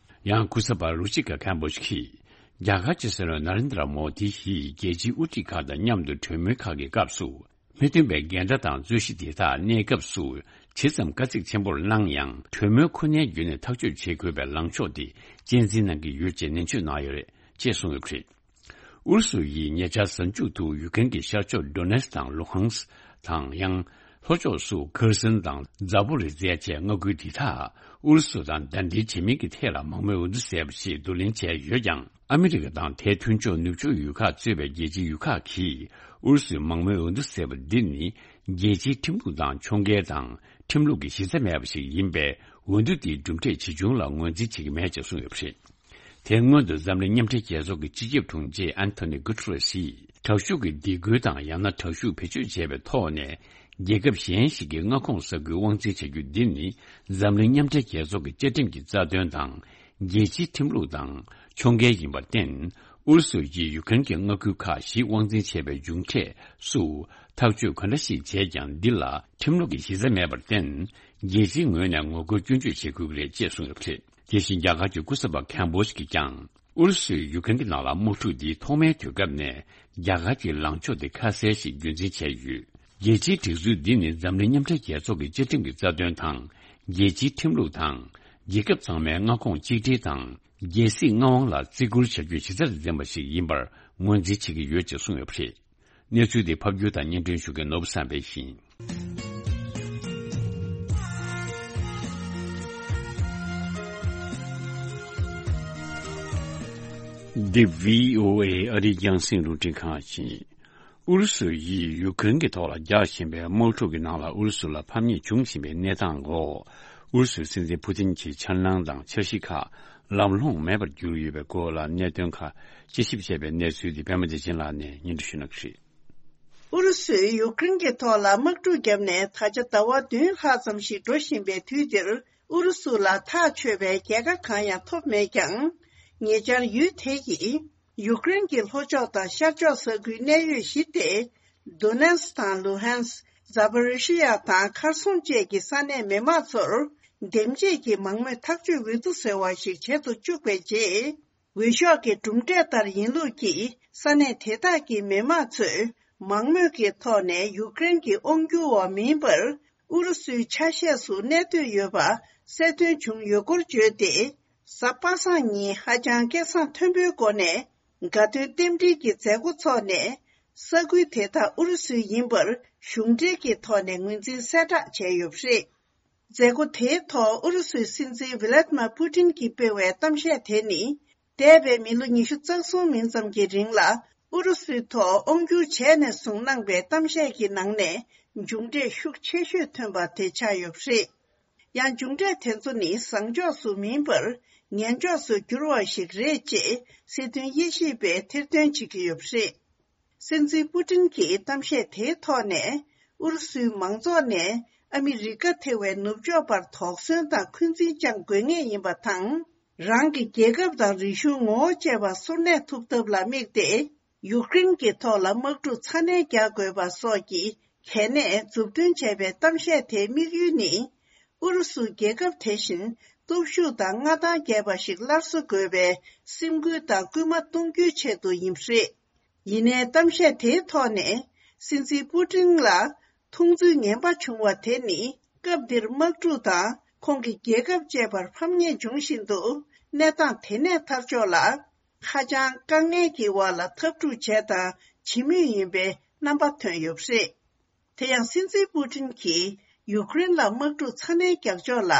ཡང་སྐུ་ཚབ་པ་རུ་ཅི་ཀ་ཁན་བོ་ཇི་གིས་རྒྱ་གར་གྱི་སྲིད་བློན་ནཱ་རེན་དྲ་མོ་དི་ཡིས་རྒྱལ་སྤྱིའི་དབུ་ཁྲིད་ཁག་དང་མཉམ་དུ་གྲོས་མོལ་ཁག་གི་སྐབས་སུ། མི་མཐུན་པའི་འགལ་ཟླ་དང་རྩོད་གཞི་དེ་དག་གནས་སྐབས་སུ་ཇི་ཙམ་དཀའ་ཚེགས་ཆེན་པོར་སྣང་ཡང་། གྲོས་མོལ་ཁོ་ནའི་བརྒྱུད་ནས་ཐག་གཅོད་བྱེད་དགོས་པའི་ལངས་ཕྱོགས་དེ་གཅེས་འཛིན་གནང་གི་ཡོད་ཅེས་ནན་བརྗོད་གནང་ཡོད་རེད་ཅེས་གསུངས་ཡོད་པ་རེད། ཨུ་རུ་སུ་ཡིས་ཉེ་ཆར་གཟའ་མཇུག་ཏུ་ཡུ་ཀེ་རེན་གྱི་ཤར་ཕྱོགས་ཌོ་ནེ་སི་དང་ལུ་ཧང་སི་དང་ཡང་ལྷོ་ཕྱོགས་སུ་ཁེར་སོན་དང་ཛ་པོ་རི་ཛེ་ཡ་བཅས་མངའ་ཁུལ་འདི་དག་ཨུ་རུ་སུ་དང་ཟླ་སྒྲིལ་བྱེད་མིན་གྱི་ཐད་ལ་མང་མོས་འོས་བསྡུ་ཟེར་བ་ཞིག་བསྡུ་ལེན་བྱས་ཡོད་ཀྱང་། ཨ་མི་རི་ཀ་དང་དེའི་མཐུན་ཕྱོགས་ནུབ་ཕྱོགས་ཡུལ་ཁག་གཙོས་པའི་རྒྱལ་སྤྱིའི་ཡུལ་ཁག་གིས་ཨུ་རུ་སུའི་མང་མོས་འོས་བསྡུ་ཟེར་བ་འདི་ནི་རྒྱལ་སྤྱིའི་ཁྲིམས་ལུགས་དང་ཕྱོགས་འགལ་དང་ཁྲིམས་ལུགས་ཀྱི་གཞི་རྩ་མེད་པ་ཞིག་ཡིན་པས། འོས་བསྡུ་འདིའི་གྲུབ་འབྲས་ཇི་བྱུང་ལ་ངོས་འཛིན་བྱེད་ཀྱི་མེད་ཅེས་གསུངས་ཡོད་པ་རེད། དེ་སྔོན་དུ་འཛམ་གླིང་མཉམ་འབྲེལ་རྒྱལ་ཚོགས་ཀྱི་སྤྱི་ཁྱབ་དྲུང་ཆེ་ཨན་ཐོ་ནི་གུ་ཏེ་རེ་སི་ཡིས་དྲག་ཤུགས་ཀྱི་སྡིགས་སྐུལ་དང་ཡང་ན་དྲག་ཤུགས་བེད་སྤྱོད་བྱས་པའི་ཐོག་ནས་རྒྱལ་ཁབ་གཞན་ཞིག་གི་མངའ་ཁོངས་ས་ཁུལ་དབང་འཛིན་བྱ་རྒྱུ་འདི་ནི་འཛམ་གླིང་མཉམ་འབྲེལ་རྒྱལ་ཚོགས་ཀྱི་བཅའ་ཁྲིམས་ཀྱི་རྩ་དོན་དང་རྒྱལ་སྤྱིའི་ཁྲིམས་ལུགས་དང་ཕྱོགས་འགལ་ཡིན་པར་བརྟེན། ཨུ་རུ་སུ་ཡིས་ཡུ་ཀེ་རེན་གྱི་མངའ་ཁུལ་ཁག་བཞི་དབང་འཛིན་བྱས་པའི་མཇུག་འབྲས་སུ་ཐག་གཅོད་ག་འདྲ་ཞིག་བྱས་ཀྱང་འདི་ལ་ཁྲིམས་ལུགས་ཀྱི་གཞི་རྩ་མེད་པར་བརྟེན། རྒྱལ་སྤྱིའི་ངོས་ནས་ངོ་རྒོལ་སྐྱོན་བརྗོད་བྱེད་དགོས་ཀྱི་རེད་ཅེས་གསུངས་ཡོད་པ་རེད། དེ་བཞིན་རྒྱ་གར་གྱི་སྐུ་ཚབ་པ་ཁན་བོ་ཇི་གིས་ཀྱང་། ཨུ་རུ་སུས་ཡུ་ཀེ་རེན་གྱི་ནང་ལ་དམག་འཁྲུག་འདིའི་ཐོག་མའི་དུས་སྐབས་ནས་རྒྱ་གར་གྱི་ལངས་ཕྱོགས་དེ་ཁ་གསལ་ཞིག་རྒྱུན་འཛིན་བྱས་ཡོད། རྒྱལ་སྤྱིའི་སྒྲིག་འཛུགས་འདི་ནི་འཛམ་གླིང་མཉམ་འབྲེལ་རྒྱལ་ཚོགས་ཀྱི་བཅའ་ཁྲིམས་ཀྱི་རྩ་དོན་དང་། རྒྱལ་སྤྱིའི་ཁྲིམས་ལུགས་དང་། རྒྱལ་ཁབ་ཚང་མའི་མངའ་ཁོངས་གཅིག་སྒྲིལ་དང་། རྒྱལ་སྲིད་མངའ་དབང་ལ་བརྩི་བཀུར་བྱ་རྒྱུའི་གཞི་རྩར་འཛིན་པ་ཞིག་ཡིན་པར་ངོས་འཛིན་བྱེད་ཀྱི་ཡོད་ཅེས་གསུངས་ཡོད་པ་རེད། གནས་ཚུལ་འདི་ཕབ་སྒྱུར་དང་སྙན་སྒྲོན་ཞུ་མཁན་ནོར་བུ་བསམ་འཕེལ་ཡིན། འདི་བྷི་ཨོ་ཨེ་ཨ་རིའི་རྒྱང་སྲིང་རླུང་འཕྲིན་ཁང་ཡིན། ཨུ་རུ་སུ་ཡིས་ཡུ་ཀེ་རེན་གྱི་ཐོག་ལ་རྒྱག་བཞིན་པའི་དམག་འཁྲུག་གི་ནང་ལ་ཨུ་རུ་སུ་ལ་ཕམ་ཉེས་འབྱུང་བཞིན་པའི་གནས་སྟངས་འོག་ཨུ་རུ་སུའི་སྲིད་འཛིན་ཕུ་ཏིན་གྱི་འཆར་སྣང་དང་འཆར་གཞི་ཁག་ལམ་ལྷོང་མེད་པར་གྱུར་ཡོད་པའི་སྐོར་ལ་གནད་དོན་ཁག་དཔྱད་ཞིབ་བྱས་པའི་གནས་ཚུལ་འདི་པད་མ་བདེ་ཆེན་ལགས་ནས་སྙན་སྒྲོན་ཞུ་གནང་གི་རེད། ཨུ་རུ་སུས་ཡུཀ་རེན་གྱི་ཐོག་ལ་དམག་འཁྲུག་བརྒྱབ་ནས་ད་ཆ་ཟླ་བ་བདུན་ལྷག་ཙམ་ཞིག་འགྲོ་བཞིན་པའི་དུས་འདིར། ཨུ་རུ་སུ་ལ་ཐག་ཆོད་པའི་རྒྱལ་ཁ་གང་ཡང་ཐོབ་མེད་ཀྱང་། ཉེ་ཆར་ཡུལ་དེ་ཡིས་ཡུཀ་རེན་གྱི་ལྷོ་ཕྱོགས་དང་ཤར་ཕྱོགས་ས་ཁུལ་གནད་ཡོད་བཞི་སྟེ། དོ་ནེ་སི་དང་ལུ་ཧན་སི། ཛ་པོ་རི་ཤི་ཡ་དང་ཁར་སོང་བཅས་ཀྱི་ས་གནས་མི་དམངས་ཚོར་འདེམས་བྱེད་ཀྱི་མང་མོས་ཐག་གཅོད་འོས་བསྡུ་ཟེར་བ་ཞིག་བྱེད་དུ་བཅུག་པའི་རྗེས། འོས་ཤོག་གི་གྲུབ་འབྲས་ལྟར་ཡིན་ལུགས་ཀྱིས་ས་གནས་དེ་དག་གི་མི་དམངས་ཚོས་མང་མོས་ཀྱི་ཐོག་ནས་ཡུཀ་རེན་གྱི་དབང་སྒྱུར་འོག་མིན་པར་ཨུ་རུ་སུའི་ཆ་ཤས་སུ་གནས་སྡོད་ཡོད་པ་གསལ་སྟོན་བྱུང་ཡོད་སྐོར་བརྗོད་དེ། གཟའ་པ་སངས་ཉིན་ཧ་ཅང་སྐད་གསང་མཐོན་པོའི་སྒོ་ནས་དགའ་སྟོན་རྟེན་འབྲེལ་གྱི་མཛད་སྒོ་འཚོགས་ནས། ས་ཁུལ་དེ་དག་ཨུ་རུ་སུའི་ཡིན་པར་གཞུང་འབྲེལ་གྱི་ཐོག་ནས་ངོས་འཛིན་གསལ་བསྒྲགས་བྱས་ཡོད་པ་རེད། མཛད་སྒོ་དེའི་ཐོག་ཨུ་རུ་སུའི་སྲིད་འཛིན་ཝི་ལད་མ་པུ་ཏིན་གྱིས་སྤེལ་བའི་གཏམ་བཤད་དེ་ནི། འདས་པའི་མི་ལོ་ཉི་ཤུ་རྩ་གསུམ་མིན་ཙམ་གྱི་རིང་ལ་ཨུ་རུ་སུའི་ཐོག་དབང་བསྒྱུར་བྱས་ནས་བཟུང་གནང་པའི་གཏམ་བཤད་ཀྱི་ནང་ནས་མཇུག་འབྲས་ཤུགས་ཆེ་ཤོས་ཐོན་པ་དེ་ཆགས་ཡོད་པ་རེད། ཡང་མཇུག་འབྲས་དེ་ཚོ་ནི་བཟང་ཕྱོགས་སུ་མིན་པར་ངན་ཕྱོགས་སུ་གྱུར་བ་ཞིག་རེད་ཅེས་སྲིད་དོན་དབྱེ་ཞིབ་པས་ཐེར་འདོན་བྱེད་ཀྱི་ཡོད་པ་རེད། སྲིད་འཛིན་པུ་ཏིན་གྱིས་གཏམ་བཤད་དེའི་ཐོག་ནས། ཨུ་རུ་སུའི་མང་ཚོགས་ནས་ཨ་མི་རི་ཀ་ཐེ་བའི་ནུབ་ཕྱོགས་པར་དོགས་ཟོན་དང་འཁོན་འཛིན་བཅངས་དགོས་ངེས་ཡིན་པ་དང་། རང་གི་རྒྱལ་ཁབ་དང་རིག་གཞུང་ངོ་བོ་བཅས་པ་སོར་གནས་ཐུབ་ཐབས་ལ་དམིགས་ཏེ། ཡུཀ་རེན་གྱི་ཐོག་ལ་དམག་འཁྲུག་ཚ་ནན་རྒྱག་དགོས་པ་སོགས་ཀྱི་གལ་གནད་མཛུབ་སྟོན་བྱས་པའི་གཏམ་བཤད་དེའི་དམིགས་ཡུལ་ནི། ཨུ་རུ་སུ་རྒྱལ་ཁབ་དེ་བཞིན་སྟོབས་ཤུགས་དང་མངའ་ཐང་རྒྱས་པ་ཞིག་སླར་གསོ་དགོས་པའི་སེམས་འགུལ་དང་སྐུལ་མ་གཏོང་རྒྱུའི་ཆེད་དུ་ཡིན་པ་རེད། ཡིན་ནའི་གཏམ་བཤད་དེའི་ཐོག་ནས་སྲིད་འཛིན་པུ་ཏིན་ལ་མཐོང་ཚུལ་ངན་པ་བྱུང་བ་དེ་ནི་སྐབས་འདིར་དམག་འཁྲུག་དང་ཁོང་གི་རྒྱལ་ཁབ་བཅས་པར་ཕམ་ཉེས་འབྱུང་བཞིན་འདུག་གནས་སྟངས་དེ་ནས་ཐར་ཕྱོགས་ལ་ཧ་ཅང་དཀའ་ངལ་གྱི་འོག་ལ་འཐབ་འཁྲུག་བྱས་དང་བྱེད་མུས་ཡིན་པའི་རྣམ་པ་ཐོན་ཡོད་པ་རེད། དེ་ཡང་སྲིད་འཛིན་པུ་ཏིན་གྱིས་ཡུཀ་རེན་ལ་དམག་འཁྲུག་ཚ་ནན་རྒྱག་ཕྱོགས་ལ་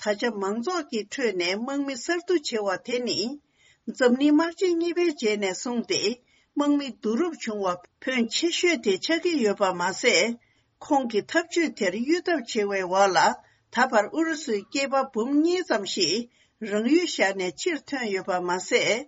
ད་ཆ་མང་ཚོགས་ཀྱི་ཁྲོད་ནས་དམག་མི་གསར་བསྡུ་བྱེད་པ་དེ་ནི། འཛམ་གླིང་དམག་ཆེན་གཉིས་པའི་རྗེས་ནས་བཟུང་སྟེ་དམག་མི་བསྡུ་རུབ་བྱུང་བ་ཕོན་ཆེ་ཤོས་དེ་ཆགས་ཀྱི་ཡོད་པ་མ་ཟད། ཁོང་གི་འཐབ་ཇུས་དེར་གཡོལ་ཐབས་བྱེད་པའི་འོག་ལ་ད་བར་ཨུ་རུ་སུའི་སྐྱེས་པ་འབུམ་གཉིས་ཙམ་ཞིག་རང་ཡུལ་བཞག་ནས་ཕྱིར་ཐོན་ཡོད་པ་མ་ཟད།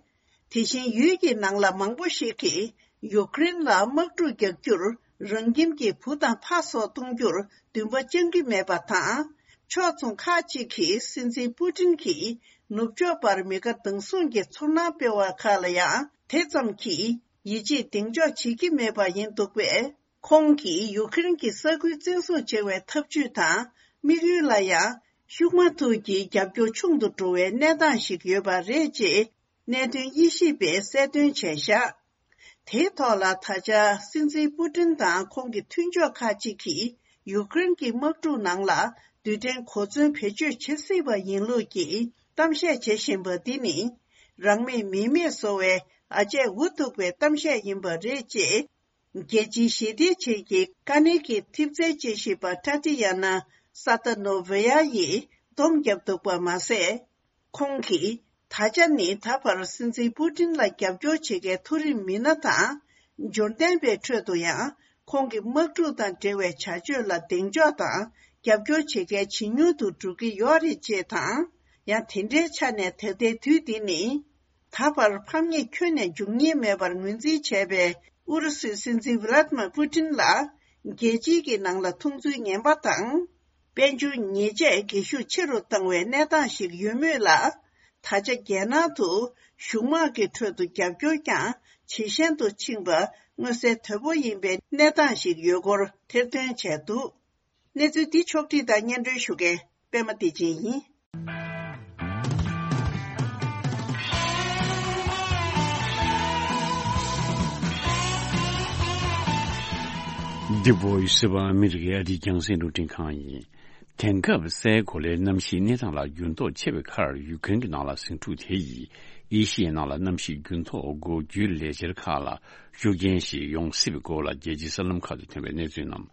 དེ་བཞིན་ཡུལ་གྱི་ནང་ལ་མང་པོ་ཞིག་གིས་ཡུཀ་རེན་ལ་དམག་འཁྲུག་རྒྱག་རྒྱུར་རང་ཁྱིམ་གྱི་བུ་དང་ཕ་སོགས་གཏོང་རྒྱུར་འདུན་པ་བཅང་གི་མེད་པ་དང་། ཕྱོགས་མཚུངས་ཁག་ཅིག་གིས་སྲིད་འཛིན་པུ་ཏིན་གྱིས་ནུབ་ཕྱོགས་པར་མི་དགའ་སྡང་ཟུང་གི་ཚོར་སྣང་སྤེལ་བ་ཁག་ལ་ཡང་དེ་ཙམ་གྱིས་ཡིད་ཆེས་གདེང་འཇོག་བྱེད་ཀྱི་མེད་པ་ཡིན་འདུག་པས། ཁོང་གིས་ཡུཀ་རེན་གྱི་ས་ཁུལ་བཙན་བཟུང་བྱེད་པའི་ཐབས་ཇུས་དང་དམིགས་ཡུལ་ལ་ཡང་ཤུགས་མ་ཐུག་གི་རྒྱབ་སྐྱོར་ཆུང་དུ་འགྲོ་བའི་གནས་སྟངས་ཤིག་ཡོད་པ་རེད་ཅེས་གནད་དོན་དབྱེ་ཞིབ་པས་གསལ་སྟོན་བྱས་བཞག་དེའི་ཐོག་ལ་ད་ཆ་སྲིད་འཛིན་པུ་ཏིན་དང་ཁོང་གི་མཐུན་ཕྱོགས་ཁག་ཅིག་གིས་ཡུཀ་རེན་གྱི་དམག་འཁྲུག་ནང་ལ་རྡུལ་ཕྲན་གོ་མཚོན་བེད་སྤྱོད་བྱེད་སྲིད་པ་ཡིན་ལུགས་ཀྱི་གཏམ་བཤད་བྱེད་བཞིན་པ་འདི་ནི། རང་མེད་མི་མེད་བཟོ་བའི་ཨ་ཅེ་འུ་ཐུག་པའི་གཏམ་བཤད་ཡིན་པ་རེད་ཅེས། རྒྱལ་སྤྱིའི་ཞི་བདེའི་ཆེད་ཀྱི་དཀའ་གནད་ཀྱི་ཐེབས་རྩའི་དཔྱད་ཞིབ་པ་ཊ་ཏི་ཡ་ན་ས་ཏ་ནོ་ཝེ་ཡ་ཡིས་སྡོམ་བརྒྱབ་འདུག་པ་མ་ཟད། ཁོང་གིས་ད་ཆ་ནི་ད་བར་སྲིད་འཛིན་པུ་ཏིན་ལ་རྒྱབ་སྐྱོར་བྱེད་མཁན་མཐོ་རིམ་མི་སྣ་དང་། འབྱོར་ལྡན་པའི་ཁྲོད་དུ་ཡང་ཁོང་གི་དམག་འཁྲུག་དང་འབྲེལ་བའི་བྱ་སྤྱོད་ལ་གདེང་འཇོག་དང་རྒྱབ་སྐྱོར་བྱེད་མཁན་ཇེ་ཉུང་དུ་འགྲོ་གི་ཡོད་རེད་ཅེས་དང་། ཡང་དེ་འདྲའི་ཆ་ནས་ད་ལྟའི་དུས་འདི་ནི། ད་བར་ཕམ་ཉེས་ཁྱོན་ནས་འབྱུང་ཉེན་མེད་པར་ངོས་འཛིན་བྱས་པའི་ཨུ་རུ་སུའི་སྲིད་འཛིན་ཝི་ལ་ཏི་མ་པུ་ཏིན་ལ། རྒྱལ་སྤྱིའི་གི་ནང་ལ་མཐོང་ཚུལ་ངན་པ་དང་། དཔལ་འབྱོར་ཉེས་ཆད་སྒེར་ཤུགས་ཆེ་རུ་བཏང་བའི་གནས་སྟངས་ཤིག་ཡོད་མུས་ལ། ད་ཆ་རྒྱལ་ནང་དུ་གཞུང་དམག་གི་ཁྲོད་དུ་རྒྱབ་སྐྱོར་ཀྱང་ཇེ་ཞན་དུ་ཕྱིན་པ་མངོན་གསལ་དོད་པོ་ཡིན་པའི་གནས་སྟངས་ཤིག་ཡོད་སྐོར་ཐེར་འདོན་བྱས་འདུག་གནས་ཚུལ་འདི་ཕྱོགས་བསྒྲིགས་དང་སྙན་སྒྲོན་ཞུ་མཁན་པད་མ་བདེ་ཆེན་ཡིན། འདི་བོ་ཡི་སི་བ་ཨ་མི་རི་ཀའི་ཨ་རིའི་རྒྱང་སྲིང་རླུང་འཕྲིན་ཁང་ཡིན། དེང་སྐབས་སའི་གོ་ལའི་གནམ་གཤིས་གནས་སྟངས་ལ་འགྱུར་ལྡོག་ཆེ་བའི་ཁར་ཡུཀ་རེན་གྱི་ནང་ལ་ཟིང་འཁྲུག་དེ་ཡིས་ཨེ་ཤི་ཡའི་ནང་ལ་གནམ་གཤིས་འགྱུར་ལྡོག་འགོག་རྒྱུའི་ལས་འཆར་ཁག་ལ་ཤུགས་རྐྱེན་ཞིག་ཡོང་སྲིད་པའི་སྐོར་ལ་རྒྱལ་སྤྱིའི་གསར་ལམ་ཁག་ཏུ་ཐོན་པའི་གནས་ཚུལ་རྣམས་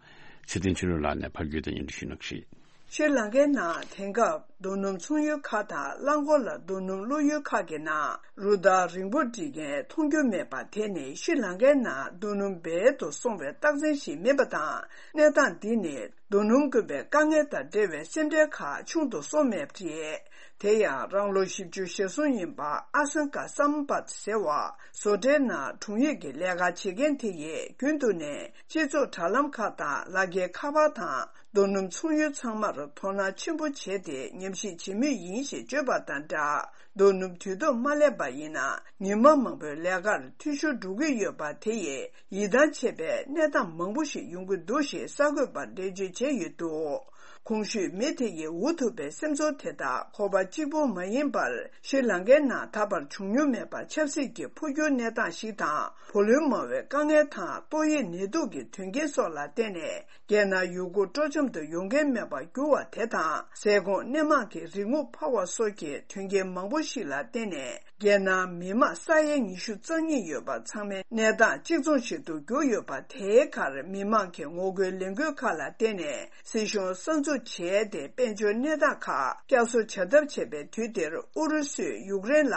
ཚེ་བརྟན་ཆོས་སྒྲོན་ལགས་ནས་ཕབ་སྒྱུར་དང་སྙན་སྒྲོན་ཞུ་གནང་གི་རེད། ཤྲི་ལང་ཀའི་ནང་དེང་སྐབས་ རྡོ་སྣུམ་ཚོང་ཡུལ་ཁག་དང་རླངས་འཁོར་ལ་རྡོ་སྣུམ་བླུག་ཡུལ་ཁག་གི་ནང་རུ་སྟར་རིང་པོ་སྒྲིལ་མཁན་མཐོང་རྒྱུ་མེད་པ་དེ་ནི་ཤྲི་ལང་ཀའི་ནང་རྡོ་སྣུམ་སྦལ་དུ་སོང་བའི་རྟགས་མཚན་ཞིག་མིན་པ་དང་། གནས་སྟངས་འདི་ནི་རྡོ་སྣུམ་དཀོན་པའི་དཀའ་ངལ་དང་འབྲེལ་བའི་སེམས་ཁྲལ་ཁག་ཆུང་དུ་སོང་མེད་པ་རེད། དེ་ཡང་རང་ལོ་བཞི་བཅུ་ཞེ་གསུམ་ཡིན་པ་ཨ་སན་ཀ་སམ་པད་ཟེར་བ་བཟོ་གྲྭའི་ནང་དྲུང་ཡིག་གི་ལས་ཀ་བྱེད་མཁན་དེ་ཡིས་རྒྱུན་དུ་ནས་སྤྱི་ཚོགས་དྲ་ལམ་ཁག་དང་ལག་འཁྱེར་ཁ་པར་དང་། རྡོ་སྣུམ་ཚོང་ཡུལ་ཚང་མར་དོ་སྣང་ཆེན་པོ་བྱས་ཏེ་ཉམས་ཞིབ་བྱེད་མུས་ཡིན་ཞེས་བརྗོད་པ་དང་སྦྲགས། རྡོ་སྣུམ་དུས་ཐོག་མ་སླེབས་པ་ཡིན་ན་ཉི་མ་མང་པོའི་ལས་ཀར་འཐུས་ཤོར་འགྲོ་གི་ཡོད་པ་དེ་ཡིས་ཡིད་ཐང་ཆད་པའི་གནས་སྟངས་མང་པོ་ཞིག་ཡོང་གི་འདུག་ཞེས་གསར་འགོད་པར་འགྲེལ་བརྗོད་བྱས་ཡོད་འདུག་གོང་ཞུས་མི་དེ་ཡིས་འུ་ཐུག་པའི་སེམས་ཚོར་དེ་དག་ཁོ་པ་གཅིག་པུ་མ་ཡིན་པར་ཤྲི་ལང་ཀའི་ནང་ད་བར་བྱུང་མྱོང་མེད་པ་ཆབ་སྲིད་ཀྱི་འཕོ་འགྱུར་གནས་སྟངས་ཤིག་དང་བུ་ལོན་མང་བའི་དཀའ་ངལ་དང་ཏོག་དབྱིབས་ནད་དུག་གི་དོན་རྐྱེན་སོགས་ལ་བརྟེན་ནས། རྒྱལ་ནང་ཡུལ་སྐོར་སྤྲོ་འཆམ་དུ་ཡོང་མཁན་མེད་པར་གྱུར་བ་དེ་དང་། ཟས་གོང་སྣེ་མང་གི་རིག་དངོས་འཕར་བ་སོགས་ཀྱི་དོན་རྐྱེན་མང་པོ་ཞིག་ལ་བརྟེན་ནས། རྒྱལ་ནང་མི་མང་ས་ཡ་ཉི་ཤུ་རྩ་གཉིས་ཡོད་པ་ཚང་མའི་གནས་སྟངས་གཅིག་མཚུངས་ཤིག་ཏུ་གྱུར་ཡོད་པ། དེའི་ཁར་མི་མང་གི་ངོ་རྒོལ་ལས་འགུལ་ཁག་ལ་བརྟེན་ནས་སྲིད་གཞུང་གསར་འཛུགས་བྱས་ཏེ། དཔལ་འབྱོར་གནས་སྟངས་ཁག་བསྐྱར་གསོ་བྱ་ཐབས་བྱས་པའི་དུས་འདིར། ཨུ་རུ་སུས་ཡུཀ་རེན་ལ།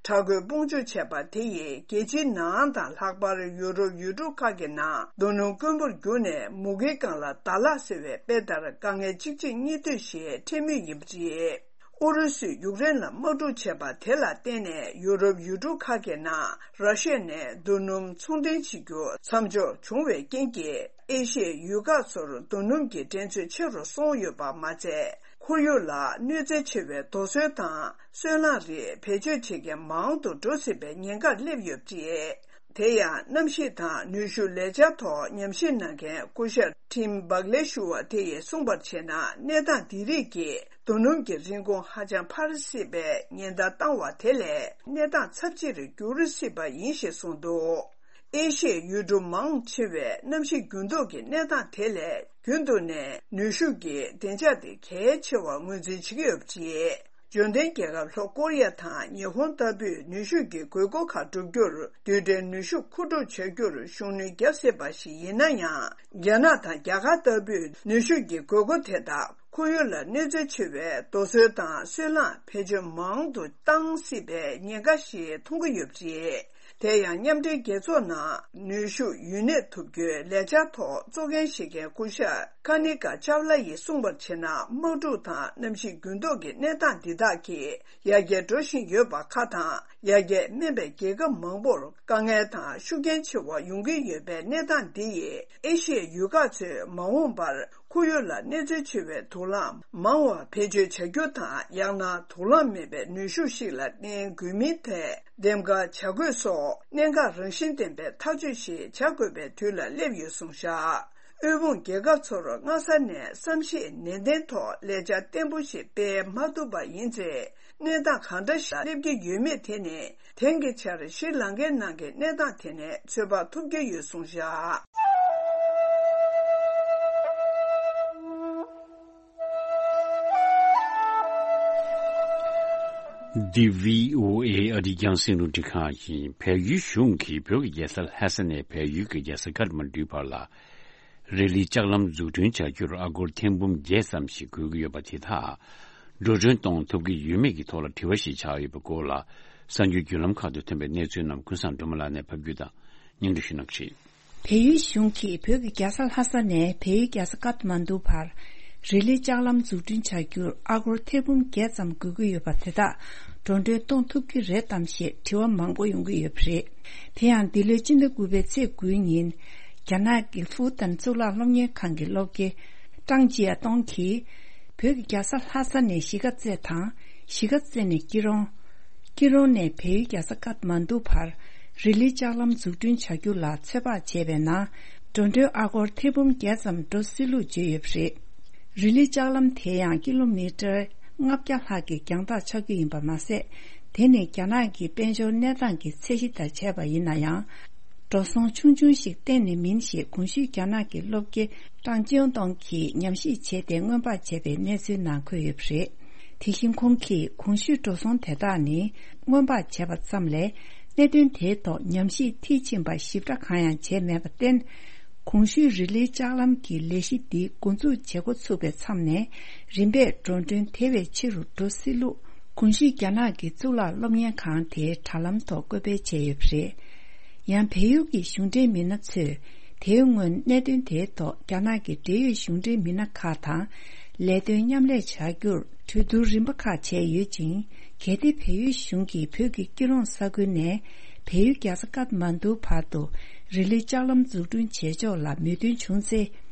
དྲག་རྒོལ་དཔུང་འཇུག་བྱས་པ་དེ་ཡིས་རྒྱལ་སྤྱིའི་ནང་དང་ལྷག་པར་ཡུ་རོབ་ཡུལ་གྲུ་ཁག་གི་ནང་རྡོ་སྣུམ་དཀོན་པོར་གྱུར་ནས་མུ་གེའི་སྒང་ལ་ཟླ་ལྷག་ཟེར་བའི་དཔེ་ལྟར་དཀའ་ངལ་གཅིག་རྗེས་གཉིས་མཐུད་ཞིག་འཕྲད་མུས་ཡིན་པ་རེད། ཨུ་རུ་སུས་ཡུཀ་རེན་ལ་དམག་འཁྲུག་བྱས་པ་དེ་ལ་བརྟེན་ནས་ཡུ་རོབ་ཡུལ་གྲུ་ཁག་གི་ནང་ར་ཤི་ཡ་ནས་རྡོ་སྣུམ་ཚོང་འདྲེན་བྱེད་རྒྱུ་མཚམས་འཇོག་བྱུང་བའི་རྐྱེན་གྱིས། ཨེ་ཤི་ཡའི་ཡུལ་ཁག་ཚོར་རྡོ་སྣུམ་གྱི་འགྲན་ཚོད་ཆེ་རུ་སོང་ཡོད་པ་མ་ཚད། ཁོར་ཡུག་ལ་གནོད་འཚེ་ཆེ་བའི་རྡོ་སོལ་དང་སོལ་རླངས་རིགས་བེད་སྤྱོད་བྱེད་མཁན་མང་དུ་འགྲོ་སྲིད་པའི་ཉེན་ཁར་སླེབས་ཡོད་པ་རེད། དེ་ཡང་གནམ་གཤིས་དང་ནུས་ཤུགས་ལས་འཆར་ཐོག་ཉམས་ཞིབ་གནང་མཁན་སྐུ་ཞབས་ཊིམ་བག་ལེ་ཞུ་བ་དེ་ཡིས་གསུངས་པར་བྱས་ན། གནས་སྟངས་འདི་རིགས་ཀྱིས་རྡོ་སྣུམ་གྱི་རིན་གོང་ཧ་ཅང་འཕར་སྲིད་པའི་ཉེན་བརྡ་བཏང་བ་དེ་ལས་གནས་སྟངས་ཚབས་ཆེར་འགྱུར་སྲིད་པ་ཡིན་ཞེས་གསུངས་འདུག་ཨེ་ཤི་ཡའི་ཡུལ་གྲུ་མང་ཆེ་བས་གནམ་གཤིས་འགྱུར་ལྡོག་གི་གནས་སྟངས་དེ་ལས་རྒྱུན་དུ་ནས་ནུས་ཤུགས་ཀྱི་བདེ་འཇགས་དེ་གལ་ཆེ་བར་ངོས་འཛིན་བྱེད་ཀྱི་ཡོད་པ་རེད། འབྱོར་ལྡན་རྒྱལ་ཁབ་ལྷོ་ཀོ་རི་ཡ་དང་ཉི་ཧོང་ལྟ་བུས་ནུས་ཤུགས་ཀྱི་དགོས་མཁོ་ཁག་བསྒྲུབ་རྒྱུར་རྡུལ་ཕྲན་ནུས་ཤུགས་མཁོ་སྒྲུབ་བྱ་རྒྱུར་ཤུགས་སྣོན་བརྒྱབ་སྲིད་པ་ཞིག་ཡིན་ན་ཡང་། རྒྱ་ནག་དང་རྒྱ་གར་ལྟ་བུས་ནུས་ཤུགས་ཀྱི་དགོས་མཁོ་དེ་དག་ཁོར་ཡུག་ལ་གནོད་འཚེ་ཆེ་བའི་རྡོ་སོལ་དང་སོལ་རླངས་བེད་སྤྱོད་མང་དུ་བཏང་སྲིད་པའི་ཉེན་ཁ་ཞིག་མཐོང་གི་ཡོད་པ་རེད། དེ་ཡང་མཉམ་འབྲེལ་རྒྱལ་ཚོགས་ནང་ནུས་ཤུགས་ཡུན་གནས་ཐུབ་རྒྱུའི་ལས་འཆར་ཐོག་གཙོ་འགན་བཞེས་མཁན་སྐུ་ཞབས་ཀ་ནི་ཀ་ཅཱབ་ལ་ཡིས་གསུངས་པར་བྱས་ན། དམག་འཁྲུག་དང་གནམ་གཤིས་འགྱུར་ལྡོག་གི་གནས་སྟངས་འདི་དག་གིས་ཡར་རྒྱས་འགྲོ་བཞིན་ཡོད་པ་ཁག་དང་ཡར་རྒྱས་དམན་པའི་རྒྱལ་ཁབ་མང་པོར་དཀའ་ངལ་དང་ཤུགས་རྐྱེན་ཆེ་བ་ཡོང་གི་ཡོད་པའི་གནས་སྟངས་འདི་ཡིས་ཨེ་ཤི་ཡའི་ཡུལ་ཁག་ཚོས་མ་འོངས་པར་ཁོར་ཡུག་ལ་གནོད་འཚེ་ཆེ་བའི་དུག་རླངས་མང་བ་བེད་སྤྱོད་བྱ་རྒྱུ་དང་། ཡང་ན་དུག་རླངས་མེད་པའི་ནུས་ཤུགས་ཤིག་ལ་བརྟེན་དགོས་མིན་ཐད་འདེམས་ཀ་བྱ་དགོས་སོགས་གནད་འགག་རང་བཞིན་ལྡན་པའི་ཐག་གཅོད་ཞིག་བྱ་དགོས་པའི་དུས་ལ་སླེབས་ཡོད་གསུངས་བཞག་དབུལ་ཕོངས་རྒྱལ་ཁབ་ཚོར་སྔ་ས་ནས་བསམ་ཤེས་ནན་ཏན་ཐོག་ལས་འཆར་བརྟན་པོ་ཞིག་སྤེལ་མ་ཐུབ་པ་ཡིན་ཚེ། གནས་སྟངས་གང་འདྲ་ཞིག་སླེབས་ཀྱི་ཡོད་མེད་དེ་ནི། དེང་གི་ཆར་ཤྲི་ལང་ཀའི་ནང་གི་གནས་སྟངས་དེ་ནས་ཚོད་དཔག་ཐུབ་ཀྱི་ཡོད་གསུངས་བཞག་འདི་བྷི་ཨོ་ཨེ་ཨ་རིའི་རྒྱང་སྲིང་རླུང་འཕྲིན་ཁང་ཡིན། བལ་ཡུལ་གཞུང་གིས་བོད་ཀྱི་རྒྱལ་ས་ལྷ་ས་ནས་བལ་ཡུལ་གྱི་རྒྱལ་ས་ཀཏ་མན་ཌུའི་བར་ལ། རི་ལི་ལྕགས་ལམ་འཛུགས་སྐྲུན་བྱ་རྒྱུར་ཨ་སྒོར་ཐེར་འབུམ་བརྒྱད་ཙམ་ཞིག་དགོས་ཀྱི་ཡོད་པ་དེ་དག་འགྲོ་གྲོན་གཏོང་ཐུབ་ཀྱི་ཡོད་མེད་ཀྱི་ཐོག་ལ་དྲི་བ་ཞིག་ཆགས་ཡོད་པའི་སྐོར་ལ། གསར་འགྱུར་བརྒྱུད་ལམ་ཁག་ཏུ་ཐོན་པའི་གནས་ཚུལ་རྣམས་ཀུན་བཟང་སྒྲོལ་མ་ལགས་ནས་ཕབ་སྒྱུར་དང་སྙན་སྒྲོན་ཞུ་གནང་གི་རེད། བལ་ཡུལ་གཞུང་གིས་བོད་ཀྱི་རྒྱལ་ས་ལྷ་ས་ནས་བལ་ཡུལ་རྒྱལ་ས་ཀཏ་མན་ཌུ་བར་རི་ལི་ལྕགས་ལམ་འཛུགས་སྐྲུན་བྱ་རྒྱུར་ཨ་སྒོར་ཐེར་འབུམ་བརྒྱད་ཙམ་དགོས་ཀྱི་ཡོད་པ་དེ་དག་འགྲོ་གྲོན་གཏོང་ཐུབ་ཀྱི་རེད་དམ་ཞེས་དྲི་བ་མང་པོ་ཡོང་གི་ཡོད་པ་རེད། དེ་ཡང་འདི་ལོའི་སྤྱི་ཟླ་དགུ་པའི་ཚེས་དགུའི་ཉིན། རྒྱ་ནག་གི་ཧྥུ་ཏན་གཙུག་ལག་སློབ་གཉེར་ཁང་གི་སློབ་དགེ་ཀྲང་ཅི་ཡ་ཏོང་གིས། བོད་ཀྱི་རྒྱལ་ས་ལྷ་ས་ནས་གཞིས་ཀ་རྩེ་དང་། གཞིས་ཀ་རྩེ་ནས་སྐྱིད་རོང་། སྐྱིད་རོང་ནས་བལ་ཡུལ་རྒྱལ་ས་ཀཏ་མན་ཌུ་བར་རི་ལི་ལྕགས་ལམ་འཛུགས་སྐྲུན་བྱ་རྒྱུ་ལ་ཚོད་དཔག་བྱས་པའི་ནང་། འགྲོ་གྲོན་ཨ་སྒོར་ཐེར་འབུམ་བརྒྱད་ཙམ་འགྲོ་སྲིད་ལུགས་བརྗོད་ཡོད་པ་རེད། རི་ལི་ལྕགས་ལམ་དེ་ཡང་ཀི་ལོ་མི་ཊར་ལྔ་བརྒྱ་ལྷག་གི་རྒྱང་ཐག་ཆགས་རྒྱུ་ཡིན་པ་མ་ཟད། དེ་ནི་རྒྱ་ནག་གི་དཔལ་འབྱོར་གནས་སྟངས་ཀྱི་ཚད་གཞི་དང་བྱས་པ་ཡིན་ན་ཡང་། འགྲོ་སོང་ཆུང་ཆུང་ཞིག་གཏན་ནས་མིན་ཞེས་གོང་ཞུས་རྒྱ་ནག་གི་སློབ་དགེ་ཀྲང་ཅིའུ་ཏོང་གིས་ཉམས་ཞིབ་བྱས་ཏེ་སྔོན་དཔག་བྱས་པའི་གནས་ཚུལ་ནང་འཁོད་ཡོད་པ་རེད། དེ་བཞིན་ཁོང་གིས་གོང་ཞུས་འགྲོ་སོང་དེ་དག་ནི་སྔོན་དཔག་བྱས་པ་ཙམ་ལས། གནད་དོན་དེའི་ཐོག་ཉམས་ཞིབ་མཐིལ་ཕྱིན་པ་ཞིབ་ཕྲ་གང་ཡང་བྱས་མེད་པར་བརྟེན། གོང་ཞུས་རི་ལིའི་ལྕགས་ལམ་གྱི་ལས་གཞི་འདི་འགོ་འཛུགས་བྱེད་འགོ་ཚུགས་པའི་མཚམས་ནས་རིམ་པས་འགྲོ་གྲོན་དེ་བས་ཆེ་རུ་འགྲོ་སྲིད་ལུགས། གོང་ཞུས་རྒྱ་ནག་གི་གཙུག་ལག་སློབ་གཉེར་ཁང་དེའི་དྲ་ལམ་ཐོག་བཀོད་སྤེལ་བྱས་ཡོད་པ་རེད། ཡང་བལ་ཡུལ་གྱི་གཞུང་འབྲེལ་མི་སྣ་ཚོས་དེའི་སྔོན་གནད་དོན་དེའི་ཐོག་རྒྱ་ནག་གི་འབྲེལ་ཡོད་གཞུང་འབྲེལ་མི་སྣ་ཁག་དང་ལས་དོན་མཉམ་ལས་བྱ་རྒྱུར་གྲོས་བསྡུར་རིམ་པ་ཁག་བྱས་ཡོད་ཅིང་། གལ་ཏེ་བལ་ཡུལ་གཞུང་གིས་བོད་ཀྱི་སྐྱིད་གྲོང་ས་ཁུལ་ནས་བལ་ཡུལ་རྒྱལ་ས་ཀཏ་མན་ཌུ་བར་དུ་རི་ལི་ལྕགས་ལམ་འཛུགས་སྐྲུན་བྱེད་ཕྱོགས་ལ་མོས་མཐུན་བྱུང་ཚེ།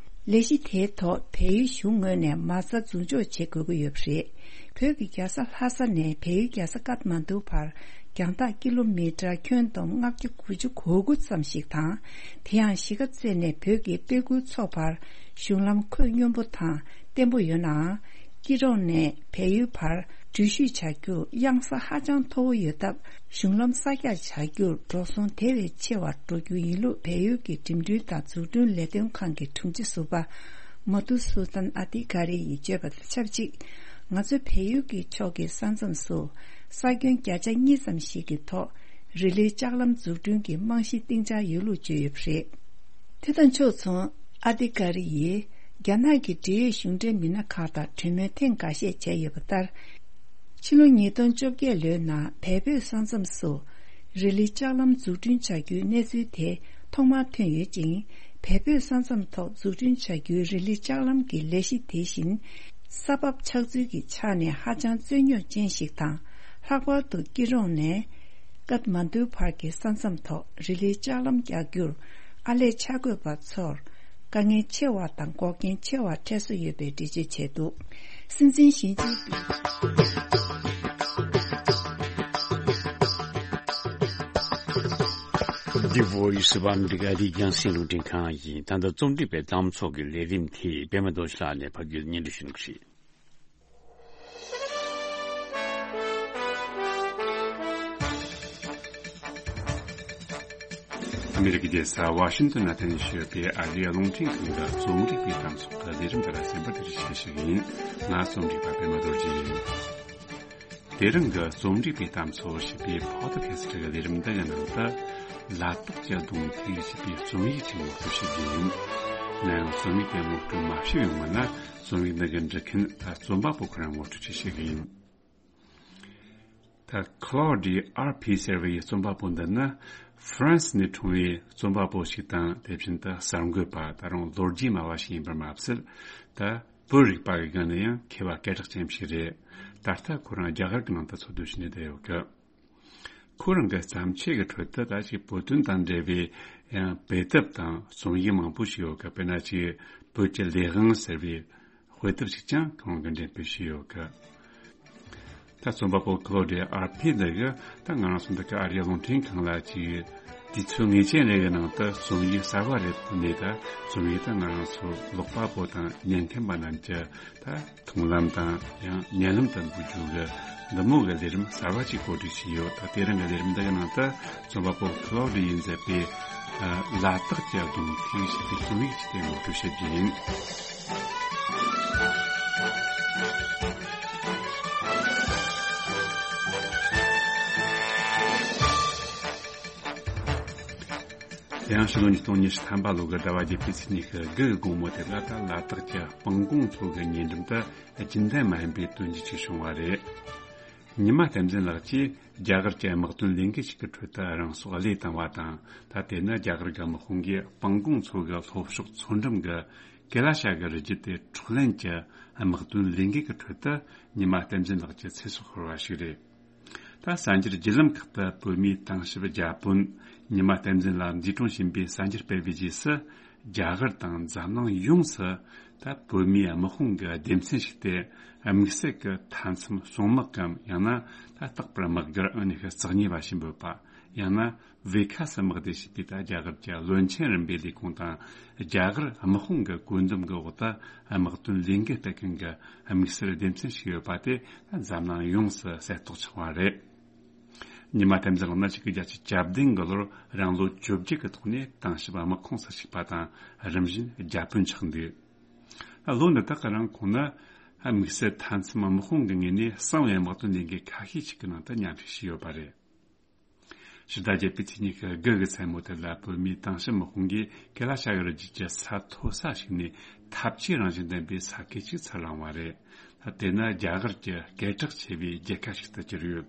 ལས་གཞི་དེའི་ཐོག་བལ་ཡུལ་གཞུང་ངོས་ནས་མ་རྩ་འཛུགས་འཇོག་བྱེད་དགོས་ཀྱི་ཡོད་པ་རེད། བོད་ཀྱི་རྒྱལ་ས་ལྷ་ས་ནས་བལ་ཡུལ་རྒྱལ་ས་ཀཏ་མན་ཌུ་བར་རྒྱང་ཐག་ཀི་ལོ་མི་ཊར་ཁྱོན་བསྡོམས་ལྔ་བརྒྱ་དགུ་བཅུ་གོ་དགུ་ཙམ་ཞིག་དང་། དེ་ཡང་གཞིས་ཀ་རྩེ་ནས་བོད་ཀྱི་དཔེ་ཁུལ་མཚོ་བར་གཞུང་ལམ་ཁོད་སྙོམས་པོ་དང་བརྟན་པོ་ཡོད་ནའང་། སྐྱིད་གྲོང་ནས་བལ་ཡུལ་བར་འགྲུལ་བཞུད་བྱ་རྒྱུར་གཡང་ས་ཧ་ཅང་མཐོ་བོ་ཡོད་སྟབས། གཞུང་ལམ་གསར་རྒྱག་བྱ་རྒྱུར་འགྲོ་སོང་དེ་བས་ཆེ་བ་འགྲོ་རྒྱུ་ཡིན་ལུགས་བལ་ཡུལ་གྱི་འགྲིམ་འགྲུལ་དང་འཛུགས་སྐྲུན་ལས་དོན་ཁང་གི་དྲུང་ཆེ་ཟུར་པ་མ་ཐུ་སུ་ཏན་ཨ་ཏི་ཀ་རི་ཡིས་བརྗོད་པ་དང་ཆབས་ཅིག་ང་ཚོ་བལ་ཡུལ་གྱི་ཕྱོགས་ཀྱི་ས་མཚམས་སུ་ས་ཁྱོན་བརྒྱ་ཆ་གཉིས་ཙམ་ཞིག་གི་ཐོག་རི་ལིའི་ལྕགས་ལམ་འཛུགས་སྐྲུན་གྱི་རྨང་གཞི་བཏིང་འཆར་ཡོད་ལུགས་བརྗོད་ཡོད་པ་རེད། དེ་དང་ཕྱོགས་མཚུངས། ཨ་ཏི་ཀ་རི་ཡིས་རྒྱ་ནག་གི་འབྲེལ་ཡོད་གཞུང་འབྲེལ་མི་སྣ་ཁག་དང་གྲོས་མོལ་ཐེངས་འགའ་ཤས་བྱས་ཡོད་པ་ལྟར། ཕྱི་ལོ་ཉིས་སྟོང་བཅོ་བརྒྱད་ལོའི་ནང་བལ་བོད་ས་མཚམས་སུ་རི་ལི་ལྕགས་ལམ་འཛུགས་སྐྲུན་བྱ་རྒྱུའི་གནས་ཚུལ་དེ་ཐོག་མར་ཐོན་ཡོད་ཅིང་། བལ་བོད་ས་མཚམས་ཐོག་འཛུགས་སྐྲུན་བྱ་རྒྱུའི་རི་ལི་ལྕགས་ལམ་གྱི་ལས་གཞི་དེ་བཞིན་ས་བབ་ཆགས་ཚུལ་གྱི་ཆ་ནས་ཧ་ཅང་རྩོད་རྙོག་ཅན་ཞིག་དང་། ལྷག་པར་དུ་སྐྱིད་གྲོང་ནས་ཀཏ་མན་ཌུ་བར་གྱི་ས་མཚམས་ཐོག་རི་ལིའི་ལྕགས་ལམ་རྒྱག་རྒྱུར་ཨར་ལས་འཆར་འགོད་པ་ཚོར་དཀའ་ངལ་ཆེ་བ་དང་འགོག་རྐྱེན་ཆེ་བ་འཕྲད་སྲོལ་ཡོད་པའི་འགྲེལ་བརྗོད་བྱས་འདུག་སྲིད་འཛིན་ཞི་ཅིན་ཕིང་། The Voice of America འདི་རྒྱང་སྲིང་རླུང་འཕྲིན་ཁང་ཡིན། ད་ལྟ་རྩོམ་སྒྲིག་པའི་གཏམ་ཚོགས་ཀྱི་ལས་རིམ་དེ་པད་མ་རྡོ་རྗེ་ལགས་ནས་ཕབ་སྒྱུར་སྙན་སྒྲོན་ཞུ་གནང་གི་རེད། ཨ་མི་རི་ཀའི་རྒྱལ་ས་ཝ་ཤིང་ཏོན་ན་རྟེན་གཞི་ཡོད་པའི་ཨ་རིའི་རླུང་འཕྲིན་ཁང་གི་རྩོམ་སྒྲིག་པའི་གཏམ་ཚོགས་ཀྱི་ལས་རིམ་དེ་ལ་གསན་པར་བཀྲ་ཤིས་བདེ་ལེགས་ཞུ་གི་ཡིན། ང་རྩོམ་སྒྲིག་པ་པད་མ་རྡོ་རྗེ་ཡིན། དེ་རིང་གི་རྩོམ་སྒྲིག་པའི་གཏམ་ཚོགས་ཞེས་པའི་ཕོ་ཌི་ཁ་སི་ཊི་གི་ལས་རིམ་འདི་གི་ནང་དུ། ལ་དྭགས་ཀྱི་གདུང་ཐུག་ཞེས་པའི་རྩོམ་ཡིག་ཅིག་ངོ་སྤྲོད་ཞུ་རྒྱུ་ཡིན། ང་ཡང་རྩོམ་ཡིག་དེ་ངོ་སྤྲོད་མ་ཞུས་པའི་སྔོན་ན། རྩོམ་ཡིག་འདི་གི་འབྲི་མཁན་ད་རྩོམ་པ་པོ་ཁོ་རང་ངོ་སྤྲོད་ཅིག་ཞུ་གི་ཡིན། ད་Claude R P ཟེར་བའི་རྩོམ་པ་པོ་འདི་ནི་ཧྥ་རན་སི་ནས་འཁྲུངས་པའི་རྩོམ་པ་པོ་ཞིག་དང་། དེ་བཞིན་དུ་གསར་འགོད་པ། ད་རུང་ལོ་རྒྱུས་སྨྲ་བ་ཞིག་ཡིན་པར་མ་ཟད། ད་བོད་རིག་པ་གི་སྒང་ནས་ཡང་མཁས་པ་སྐད་གྲགས་ཅན་ཞིག་རེད། ད་ལྟ་ཁོ་རང་རྒྱ་གར་གྱི་ནང་དུ་འཚོ་སྡོད་བྱས་ནས་བསྡད་ཡོད་གི། ཁོ་རང་གི་བརྩམས་ཆོས་ཀྱི་ཁྲོད་དུ་ད་ཅིག་བོད་དོན་དང་འབྲེལ་བའི་ཡང་དཔེ་དེབ་དང་རྩོམ་ཡིག་མང་པོ་ཞིག་ཡོད་གི། དཔེར་ན་ཅིག་བོད་ཀྱི་ལས་དབང་ཟེར་བའི་དཔེ་དེབ་ཞིག་ཀྱང་ཁོང་གིས་འགྲེམས་སྤེལ་བྱས་ཡོད་གི། ད་རྩོམ་པ་པོ་Claude R P འདི་གིས་ད་ང་རང་ཚོ་འདི་ག་ཨ་རིའི་རླུང་འཕྲིན་ཁང་ལ་ཅིག་དུས་ཚོད་ངེས་ཅན་རེ་གི་ནང་དུ་རྩོམ་ཡིག་གསར་བ་རེ་བཏོན་ནས། ད་རྩོམ་ཡིག་དེ་ང་རང་ཚོ་ཀློག་པ་པོ་དང་ཉན་མཁན་པ་རྣམས་ཀྱི་ད་མཐོང་ལམ་དང་ཡང་ཉན་ལམ་དུ་འགོད་རྒྱུ་གི་འདི་མོ་གི་ལས་རིམ་གསར་བ་ཅིག་གོ་སྒྲིག་བྱས་ཡོད། ད་དེ་རིང་གི་ལས་རིམ་འདི་གི་ནང་དུ་རྩོམ་པ་པོ་Claude ཡིས་མཛད་པའི་ལ་དྭགས་ཀྱི་གདུང་ཐུག་ཞེས་པའི་རྩོམ་ཡིག་ཅིག་དེ་ངོ་སྤྲོད་བྱེད་རྒྱུ་ཡིན། དེ་ཡང་ཕྱི་ལོ་ཉིས་སྟོང་ཉི་ཤུ་ཐམ་པ་ལོ་གི་ཟླ་བ་བརྒྱད་པའི་ཚེས་ཉི་ཤུ་དགུ་གི་དགོང་མོ་དེ་ལ། ད་ལ་དྭགས་ཀྱི་སྤང་གོང་མཚོ་གི་ཉེ་འགྲམ་དུ་རྒྱུན་ལྡན་མ་ཡིན་པའི་དོན་རྐྱེན་ཅིག་བྱུང་བ་རེད། ཉི་མ་བསྟན་འཛིན་ལགས་ཀྱིས་རྒྱ་གར་གྱི་དམག་དོན་ལས་འགུལ་ཞིག་གི་ཁྲོད་དུ་རང་སྲོག་བློས་བཏང་བ་དང་། ད་དེ་ནི་རྒྱ་གར་གྱི་དམག་དཔུང་གིས་སྤང་གོང་མཚོ་གི་ལྷོ་ཕྱོགས་མཚོ་འགྲམ་གྱི་ཀེ་ལ་ཤ་གི་རི་རྒྱུད་དེ་འཕྲོག་ལེན་གྱི་དམག་དོན་ལས་འགུལ་གྱི་ཁྲོད་དུ་ཉི་མ་བསྟན་འཛིན་ལགས་ཀྱི་ཚེ་སྲོག་ཤོར་བ་ཞིག་རེད། ད་གསར་འགྱུར་བརྒྱུད་ལམ་ཁག་ཏུ་བོད་མིའི་ཏང་ཞབས་བརྒྱ་དཔོན་ཉི་མ་བསྟན་འཛིན་ལགས་འཛིན་བཟུང་བྱས་པའི་གསར་འགྱུར་སྤེལ་བའི་རྗེས་སུ། རྒྱ་གར་དང་འཛམ་གླིང་ཡོངས་སུ་ད་བོད་མིའི་དམག་དཔུང་གི་སྡེ་ཚན་ཞིག་སྟེ། དམིགས་བསལ་གྱི་མཐའ་མཚམས་སྲུང་དམག་གམ། ཡང་ན་ད་རྟག་པར་དམག་སྒར་ཨང་གཉིས་ཤུ་རྩ་གཉིས་པ་ཞེས་འབོད་པ། ཡང་ན་ཝེ་ཁ་སི་དམག་སྡེ་ཞེས་པའི་ད་རྒྱ་གར་གྱི་བློན་ཆེན་རིམ་པའི་ལས་ཁུངས་དང་། རྒྱ་གར་དམག་དཔུང་གི་བཀོད་འདོམས་ཀྱི་འོག་ཏུ་དམག་དོན་ལས་འགུལ་སྤེལ་མཁན་གྱི་དམིགས་བསལ་སྡེ་ཚན་ཞིག་ཡོད་པ་དེ་འཛམ་གླིང་ཡོངས་སུ་གསལ་རྟོགས་བྱུང་བ་རེད། ཉི་མ་བསྟན་འཛིན་ལགས་ནི་ཆིག་སྟོང་དགུ་བརྒྱ་བརྒྱད་ཅུ་གྱ་བདུན་གྱི་ལོར་རང་ལོ་བཅོ་བརྒྱད་ཀྱི་ཐོག་ནས་ཏང་ཞབས་དམག་ཁོངས་སུ་ཞུགས་པ་དང་། རིམ་བཞིན་བརྒྱ་དཔོན་ཆགས་འདུག་ལོ་འདི་དག་གི་རིང་ཁོང་ནི་དམིགས་བསལ་མཐའ་མཚམས་དམག་དཔུང་གི་ངོས་ནས་གསང་བའི་དམག་དོན་ལས་འགུལ་ཁ་ཤས་ཤིག་གི་ནང་དུ་མཉམ་ཞུགས་བྱས་ཡོད་པ་རེད། ཕྱི་ཟླ་བརྒྱད་པའི་ཚེས་ཉི་ཤུ་དགུ་གི་མཚན་མོ་དེ་ལ་བོད་མིའི་ཏང་ཕྱི་དམག་དཔུང་གིས་ཀེ་ལ་ཤ་ཡོར་རྒྱུད་ཀྱི་ས་མཐོ་ས་ཞིག་ནས་འཐབ་ཇུས་རང་བཞིན་ལྡན་པའི་ས་ཁུལ་ཅིག་ཚུར་བླངས་པ་རེད། ད་དེ་ནི་རྒྱ་གར་གྱི་སྐད་གྲགས་ཆེ་བའི་རྒྱལ་ཁབ་ཞིག་ཏུ་གྱུར་ཡོད།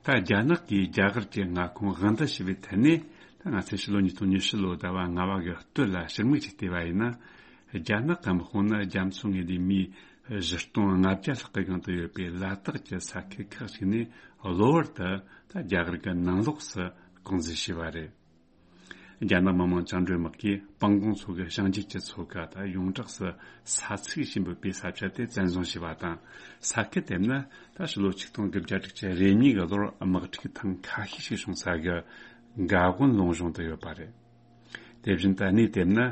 ད་རྒྱ་ནག་གིས་རྒྱ་གར་གྱི་མངའ་ཁོངས་དབང་འདུ་ཞུ་བའི་ཐད་ནས། ད་ང་ཚོས་ཕྱི་ལོ་ཉིས་སྟོང་ཉི་ཤུ་ལོའི་ཟླ་བ་ལྔ་པ་གི་སྟོད་ལ་ཕྱིར་མིག་ཅིག་བལྟས་པ་ཡིན་ན། རྒྱ་ནག་གི་དམག་དཔུང་ནི་རྒྱ་མཚོ་ངོས་ལས་མིའི་བཞི་སྟོང་ལྔ་བརྒྱ་ལྷག་གི་སྒང་དུ་ཡོད་པའི་ལ་དྭགས་ཀྱི་ས་ཁུལ་ཁག་ཅིག་ནས་གློ་བུར་དུ་ད་རྒྱ་གར་གྱི་ནང་ལོགས་སུ་རྐང་འཛུལ་བྱས་པ་རེད། རྒྱ་ནག་མི་དམངས་བཅིངས་འགྲོལ་དམག་གིས་སྤང་གོང་མཚོ་གི་བྱང་རྒྱུད་ཀྱི་མཚོ་ཁ་དང་ཡོངས་གྲགས་སུ་ས་ཚིགས་ཞེས་འབོད་པའི་ས་ཆ་དེ་བཙན་བཟུང་བྱས་པ་དང་། ས་ཁུལ་དེ་ནི་ད་ཕྱི་ལོ་ཆིག་སྟོང་དགུ་བརྒྱ་དྲུག་ཅུ་རེ་གཉིས་ཀྱི་ལོར་དམག་འཁྲུག་ཐེངས་ཁ་ཤས་ཤིག་བྱུང་ས་གི་འགག་སྒོ་ལུང་གཞུང་དུ་ཡོད་པ་རེད། དེ་བཞིན་དུ་གནས་དེ་ནི་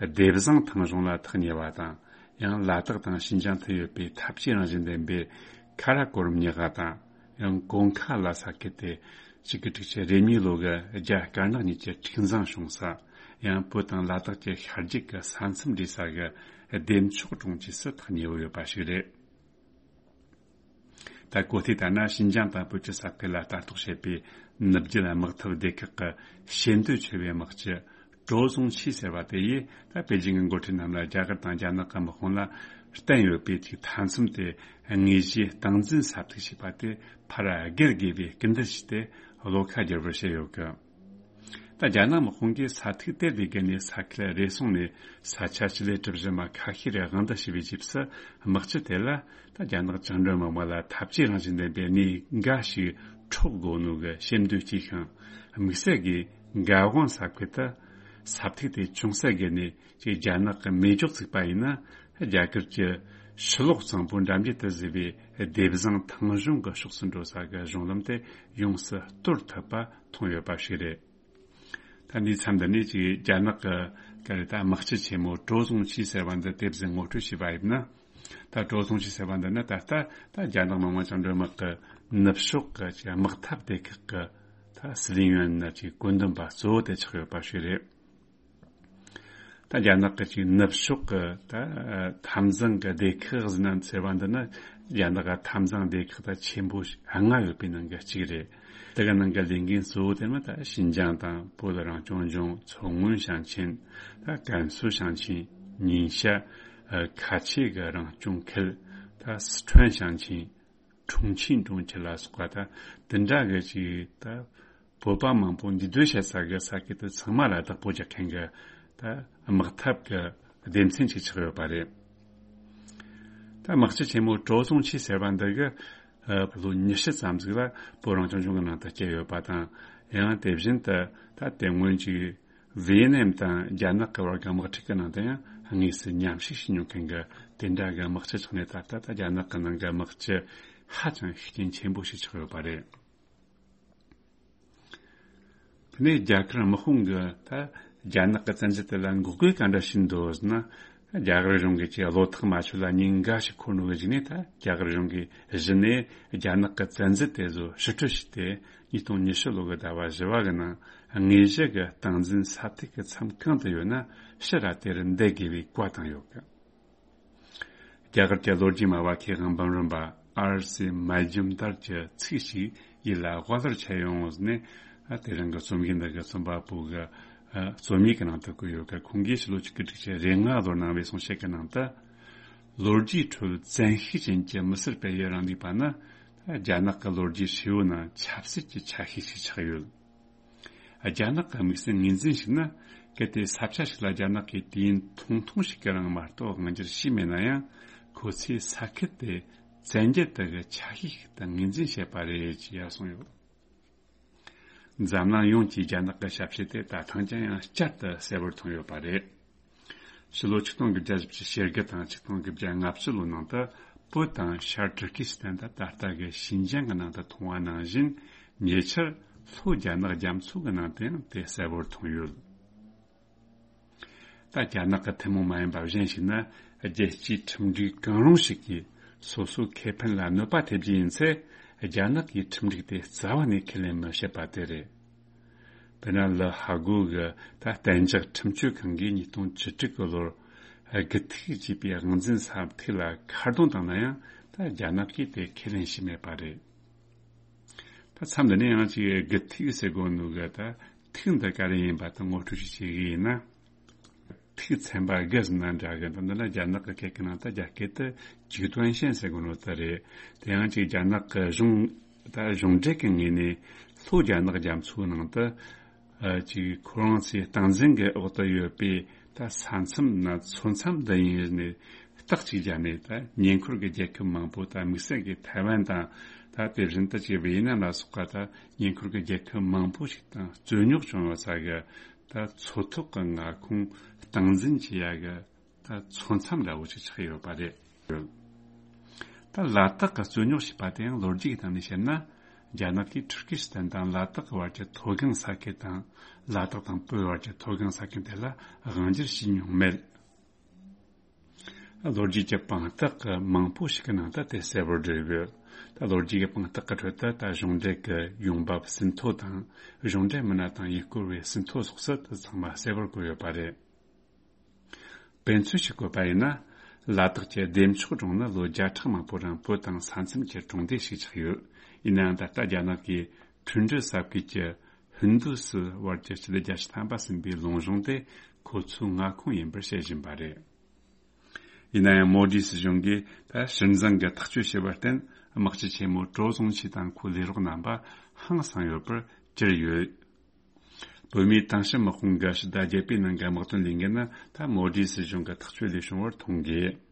སྡེ་བཟང་ཐང་གཞུང་ལ་ཐག་ཉེ་བ་དང་། ཡང་ལ་དྭགས་དང་ཤིན་ཅང་མཐུད་ཡོད་པའི་འཐབ་ཇུས་རང་བཞིན་ལྡན་པའི་ཁ་ར་ཀོ་རམ་ཉག་ག་དང་། ཡང་གོང་ཁ་ལ་ས་ཁུལ་དེ་གཅིག་དགུ་དྲུག་ཅུ་རེ་གཉིས་ལོ་གི་རྒྱ་དཀར་ནག་གཉིས་ཀྱི་འཁྲུག་འཛིང་བྱུང་ས། ཡང་བོད་དང་ལ་དྭགས་ཀྱི་ཤར་རྒྱུད་ཀྱི་ས་མཚམས་འདྲེས་ས་གི་བདེ་མཆོག་གྲོང་ཁྱེར་སུ་ཐག་ཉེ་བོ་ཡོད་པ་ཞིག་རེད། ད་གོ་ཐོས་ལྟར་ན། ཤིན་ཅང་དང་བོད་ཀྱི་ས་ཁུལ་ལ་ལྟ་རྟོག་བྱེད་པའི་ནུབ་རྒྱུད་དམག་འཐབ་སྡེ་ཁག་གི་ཞེ་འདོད་ཆེ་བའི་དམག་སྤྱི་ཀྲོ་ཟུང་ཆི་ཟེར་བ་དེ་ཡིས། ད་པེ་ཅིང་གི་འགོ་ཁྲིད་རྣམས་ལ་རྒྱ་གར་དང་རྒྱ་ནག་གི་དམག་དཔུང་ལ་བསྟན་ཡོད་པའི་ཐིག་མཐའ་མཚམས་དེ་དངོས་གཞིའི་སྟངས་འཛིན་ས་ཐིག་ཞེས་པ་དེ་ཕར་སྒེར་དགོས་པའི་སྐུལ་འདེད་བྱས་ཏེ་བློ་ཁ་བསྒྱུར་བར་བྱས་ཡོད་གི། ད་རྒྱ་ནག་དམག་དཔུང་གིས་ས་ཐིག་དེ་ལས་བརྒལ་ནས་ས་ཁུལ་རེ་ཟུང་ནས་ས་ཆ་སྤྱི་ལེ་གྲུ་བཞི་མ་ཁ་ཤས་རེ་དབང་དུ་བྱས་པའི་རྗེས་སུ། དམག་སྤྱི་དེ་ལ་ད་རྒྱ་ནག་བཅིངས་འགྲོལ་དམག་མི་ལ་འཐབ་ཇུས་རང་བཞིན་ལྡན་པའི་གནས་འགའ་ཞིག་འཕྲོག་དགོས་ནོ་གི་ཞེ་འདོད་སྐྱེས་ཤིང་། དམིགས་བསལ་གྱིས་འགག་དབང་ས་ཁུལ་དུ་ས་ཐིག་དེ་ཅུང་ཟད་བརྒལ་ནས་ཅིག་རྒྱ་ནག་གི་མེ་སྒྱོགས་བཙུགས་པ་ཡིན་ན། རྒྱ་གར་གྱི་ཕྱི་ལོགས་གཙང་པོ་འགྲམ་རྒྱུད་དུ་བཟོས་པའི་སྡེ་བཟང་ཐང་གཞུང་གི་ཕྱོགས་སུ་འགྲོ་ས་གི་གཞུང་ལམ་དེ་ཡོངས་སུ་གཏོར་ཐུབ་པ་མཐོང་ཡོད་པ་ཞིག་རེད། ད་འདིའི་མཚམས་འདི་ནས་ཅིག་རྒྱ་ནག་གི་ག་རེ་ད་དམག་སྤྱི་ཆེན་མོ་ཀྲོ་ཟུང་ཆི་ཟེར་བ་འདི་དེ་བཞིན་ངོ་སྤྲོད་བྱས་པ་ཡིན་ན། ད་ཀྲོ་ཟུང་ཆི་ཟེར་བ་འདི་ནི་ད་ལྟ་ད་རྒྱ་ནག་མི་དམངས་བཅིངས་འགྲོལ་དམག་གི་ནུབ་ཕྱོགས་ཀྱི་ཅིག་དམག་འཐབ་སྡེ་ཁག་གི་ད་སི་ལིང་ཡོན་ནི་ཅིག་བཀོད་འདོམས་པ་གཙོ་བོ་དེ་ཆགས་ཡོད་པ་ཞིག་རེད། ད་རྒྱ་ནག་གི་ཅིག་ནུབ་ཕྱོགས་ཀྱི་ད་འཐབ་འཛིང་གི་སྡེ་ཁག་ཟེར་ན་ཟེར་བ་འདི་ནི་རྒྱ་ནག་གི་འཐབ་འཛིང་སྡེ་ཁག་ད་ཆེན་པོ་ལྔ་ཡོད་པའི་ནང་གི་གཅིག་རེད། དེ་གི་ནང་གི་ལས་འགན་གཙོ་བོ་དེ་ནི་ད་ཤིན་ཅང་དང་བོད་རང་སྐྱོང་ལྗོངས། མཚོ་སྔོན་ཞིང་ཆེན། ད་ཀན་སུའུ་ཞིང་ཆེན། ཉིང་ཤ། ཨ། ཁ་ཆེ་གི་རང་སྐྱོང་ཁུལ། ད་སི་ཁྲོན་ཞིང་ཆེན། ཁྲུང་ཆིང་གྲོང་ཁྱེར་ལ་སོགས་པ་དང་དེ་འདྲ་གི་ཅིག་ད་བོད་པ་མང་པོ་འདུས་སྡོད་བྱེད་ས་གི་ས་ཁུལ་དེ་ཚང་མ་ལ་བདག་པོ་རྒྱག་མཁན་གི་ད་དམག་འཐབ་གི་སྡེ་ཚན་ཅིག་ཆགས་ཡོད་པ་རེད། ད་དམག་སྤྱི་ཆེན་མོ་ཀྲོ་ཟུང་ཆི་ཟེར་བ་འདི་གི་ཨ་ལོ་ཉི་ཤུ་ཙམ་ཟིག་ལ་བོད་རང་སྐྱོང་ལྗོངས་ཀྱི་ནང་དུ་སྐྱེས་ཡོད་པ་དང་། ཡང་དེ་བཞིན་དུ་ད་དེ་སྔོན་ཅིག་ཝེ་ནམ་དང་རྒྱ་ནག་གི་བར་གྱི་དམག་འཁྲུག་གི་ནང་དུ་ཡང་དངོས་སུ་མཉམ་ཞུགས་བྱེད་མྱོང་མཁན་གྱི་དེ་འདྲ་གི་དམག་སྤྱི་ཆགས་ནས། ད་ལྟ་ད་རྒྱ་ནག་གི་ནང་གི་དམག་སྤྱི་ཧ་ཅང་ཤུགས་རྐྱེན་ཆེན་པོ་ཞིག་ཆགས་ཡོད་པ་རེད། དེ་ནས་རྒྱ་གར་དམག་དཔུང་གིས་ད་རྒྱ་ནག་གི་བཙན་འཛུལ་དེ་ལ་འགོག་རྒོལ་ག་འདྲ་བྱས་འདུག་ཟེར་ན། རྒྱ་གར་གཞུང་གིས་ཀྱི་བློ་ཐག་མ་ཆོད་ལ་ཉིན་འགའ་ཞིག་འཁོར་ནོ་གི་གཞུག་ནས། ད་རྒྱ་གར་གཞུང་གིས་གཞི་ནས་རྒྱ་ནག་གི་བཙན་འཛུལ་དེ་ཚོ་ཕྱིར་སྤྲོད་བྱས་ཏེ། ཉིས་སྟོང་ཉི་ཤུ་ལོ་གི་ཟླ་བ་བཞི་བ་གི་ནང་དངོས་གཞི་གི་སྟངས་འཛིན་ས་ཐིག་གི་མཚམས་གང་དུ་ཡོད་ན་ཕྱིར་ར་དེར་འདེད་དགོས་པའི་བཀའ་བཏང་ཡོད་གི། རྒྱ་གར་གྱི་ལོ་རྒྱུས་སྨྲ་བ་མཁས་དབང་འབུམ་རམས་པ་ཨར་སི་མ་ཇུམ་དར་གྱི་ཚིག་ཞིག་ཡིད་ལ་དབའ་ལྷོར་འཆར་ཡོང་ནས། ཨ། དེ་རིང་གི་རྩོམ་ཡིག་འདི་གི་རྩོམ་པ་པོ་གི་ཨ་རྩོམ་ཡིག་གི་ནང་དུ་བཀོད་ཡོད་གི། ཁོང་གིས་ཕྱི་ལོ་ཆིག་སྟོང་དགུ་བརྒྱ་རེ་ལྔ་ལོར་གནང་བའི་གསུང་བཤད་ཀྱི་ནང་དུ། ལོ་རྒྱུས་ཁྲོད་བཙན་ཤུགས་ཅན་གྱི་མི་སེར་སྤེལ་ཡུལ་རང་ལུས་པ་ནི་རྒྱ་ནག་གི་ལོ་རྒྱུས་ཧྲིལ་བོ་ནང་ཆབ་སྲིད་ཀྱི་ཆ་ཤས་ཤིག་ཆགས་ཡོད། རྒྱ་ནག་གི་དམིགས་བསལ་ངོས་འཛིན་ཞིག་ནི། གལ་ཏེ་ས་ཆ་ཞིག་ལ་རྒྱ་ནག་གིས་དུས་ཡུན་ཐུང་ཐུང་ཞིག་གི་རིང་མ་གཏོགས་དབང་སྒྱུར་བྱས་མེད་ན་ཡང་། ཁོ་ཚོས་ས་ཁུལ་དེ་བཙན་རྒྱལ་དག་གི་ཆ་ཤས་ཤིག་ཏུ་ངོས་འཛིན་བྱེད་པ་རེད་ཅེས་ཡར་གསུངས་ཡོད། འཛམ་གླིང་ཡོངས་ཀྱིས་རྒྱ་ནག་གི་ཞབས་ཕྱི་དེ་ད་ཐེངས་ཀྱང་ཡང་བསྐྱར་དུ་གསལ་བོར་མཐོང་ཡོད་པ་རེད། ཕྱི་ལོ་ཆིག་སྟོང་དགུ་བརྒྱ་བཞི་བཅུ་ཞེ་དགུ་དང་ཆིག་སྟོང་དགུ་བརྒྱ་ལྔ་བཅུ་ལོའི་ནང་དུ་བོད་དང་ཤར་ཏུར་ཀི་སི་ཐན་དང་ད་ལྟ་གི་ཤིན་ཅང་གི་ནང་དུ་མཐོང་བ་ནང་བཞིན། ཉེ་ཆར་ལྷོ་རྒྱ་ནག་རྒྱ་མཚོ་གི་ནང་དུ་ཡང་དེ་གསལ་བོར་མཐོང་ཡོད། ད་རྒྱ་ནག་གི་ཐུན་མོང་མ་ཡིན་པ་གཞན་ཞིག་ནི། རྒྱལ་སྤྱིའི་ཁྲིམས་སྒྲིག་གང་རུང་ཞིག་གིས་སོ་སོའི་ཁེ་ཕན་ལ་གནོད་པ་ཐེབས་རྒྱུ་ཡིན་ཚེ། རྒྱ་ནག་གིས་ཁྲིམས་སྒྲིག་དེ་རྩ་བ་ནས་ཁས་ལེན་མི་བྱེད་པ་དེ་རེད། དཔེར་ན། ལི་ཧ་གོ་གི་ད་གཏན་འཇགས་ཁྲིམས་གཅོད་ཁང་གིས་ཉིས་སྟོང་བཅུ་དྲུག་གི་ལོར་དགུ་ཐིག་ཅེས་པའི་དབང་འཛིན་ས་ཐིག་ལ་ཁ་རྡུང་བཏང་ན་ཡང་། ད་རྒྱ་ནག་གིས་དེ་ཁས་ལེན་བྱས་མེད་པ་རེད། ད་མཚམས་འདི་ནས་ཡང་ཅིག་དགུ་ཐིག་ཟེར་དགོས་ནོ་གི་ད་ཐིག་འདི་ག་རེ་ཡིན་པ་ད་ངོ་སྤྲོད་ཅིག་བྱེད་གི་ཡིན་ན། ཐིག་ཚན་པ་དགུ་ཟེར་ན་འདྲ་གི། ད་འདི་ལ་རྒྱ་ནག་གི་སྐད་ཀྱི་ནང་ད་རྒྱ་སྐད་དུ་极端线ཟེར་གོ་ནོ་ད་རེད། དེ་ཡང་ཅིག་རྒྱ་ནག་གི་གཞུང་ད་གཞུང་འབྲེལ་གྱི་ངོས་ནས་ལྷོ་རྒྱ་ནག་རྒྱ་མཚོའི་ནང་དུ་ཨ་ཅིག་ཁོ་རང་ཚོའི་སྟངས་འཛིན་གྱི་འོག་ཏུ་ཡོད་པའི་ད་ས་མཚམས་ན་མཚོ་མཚམས་འདི་ཡིན་ནས་རྟགས་ཅིག་བརྒྱབ་ནས། ད་ཉེ་འཁོར་གྱི་རྒྱལ་ཁབ་མང་པོ་ད་དམིགས་བསལ་གྱི་ཐའེ་ཝན་དང་ད་དེ་བཞིན་དུ་ཅིག་ཝེ་ཡེ་ནམ་ལ་སོགས་པ་ད་ཉེ་འཁོར་གྱི་རྒྱལ་ཁབ་མང་པོ་ཞིག་དང་རྩོད་རྙོག་བྱུང་ཡོད་ས་གི་ད་མཚོ་ཐོག་གི་མངའ་ཁོངས་སྟངས་འཛིན་བྱེད་ཡ་གི་ད་མཚོ་མཚམས་འདྲ་བོ་ཅིག་ཆགས་ཡོད་པ་རེད། ད་ལ་དྭགས་ཀྱི་རྩོད་རྙོག་ཞེས་པ་དེ་ཡང་ལོ་རྒྱུས་ཀྱི་སྟེང་ནས་བཤད་ན། རྒྱ་ནག་གིས་ཐུར་ཀི་སི་ཐན་དང་ལ་དྭགས་ཀྱི་བར་གྱི་མཐོ་སྒང་ས་ཁུལ་དང་། ལ་དྭགས་དང་བོད་བར་གྱི་མཐོ་སྒང་ས་ཁུལ་དེ་ལ་དབང་སྒྱུར་བྱས་མྱོང་མེད། ལོ་རྒྱུས་ཀྱི་དཔང་རྟགས་ཀྱི་མང་པོ་ཞིག་གི་ནང་ད་དེ་གསལ་པོར་བརྗོད་ཡོད། ད་ལོ་རྒྱུས་ཀྱི་དཔང་རྟགས་ཀྱི་ཁྲོད་དུ་ད་གཞུང་འབྲེལ་གྱི་ཡོང་འབབ་ཟིན་ཐོ་དང་། གཞུང་འབྲེལ་མི་སྣ་དང་ཡུལ་སྐོར་བའི་ཟིན་ཐོ་སོགས་སུ་དེ་ཚང་མ་གསལ་པོར་བཀོད་ཡོད་པ་རེད། དཔེ་མཚོན་ཞིག་བཀོད་པ་ཡིན་ན། ལ་དྭགས་ཀྱི་བདེ་མཆོག་སྒྲུང་ནི་ལོ་བརྒྱ་ཕྲག་མང་པོའི་རིང་བོད་དང་ས་མཚམས་ཀྱི་གྲོང་སྡེ་ཞིག་ཆགས་ཡོད། ཡིན་ནའང་ད་ལྟ་རྒྱ་ནག་གིས་ཁྲུན་ཀྲི་ས་ཁུལ་གྱི་ཧིན་རྡུ་སི་ཝར་གྱི་སྤྱི་ཟླ་བརྒྱད་ཅུ་ཐམ་པ་ཟིན་པའི་ལུང་གཞུང་དེ་ཁོ་ཚོའི་མངའ་ཁོངས་ཡིན་པར་བཤད་བཞིན་པ་རེད། ཡིན་ན་ཡང་མོ་དི་སྲིད་གཞུང་གིས་ད་སྲིད་འཛིན་གྱི་ཐག་གཅོད་བྱས་པར་བརྟེན། དམག་སྤྱི་ཆེན་མོ་ཀྲོའུ་ཙུང་ཆི་དང་ཁོའི་ལས་རོགས་རྣམ་པ་ཧང་སངས་ཡོད་པར་གྱུར་ཡོད། བོད་མིའི་དེང་ཕྱི་དམག་དཔུང་གི་ཕྱི་ཟླ་བརྒྱད་པའི་ནང་གི་དམག་དོན་ལས་འགུལ་ནི་ད་མོ་དི་སྲིད་གཞུང་གི་ཐག་གཅོད་ལས་བྱུང་བར་མཐོང་དགོས།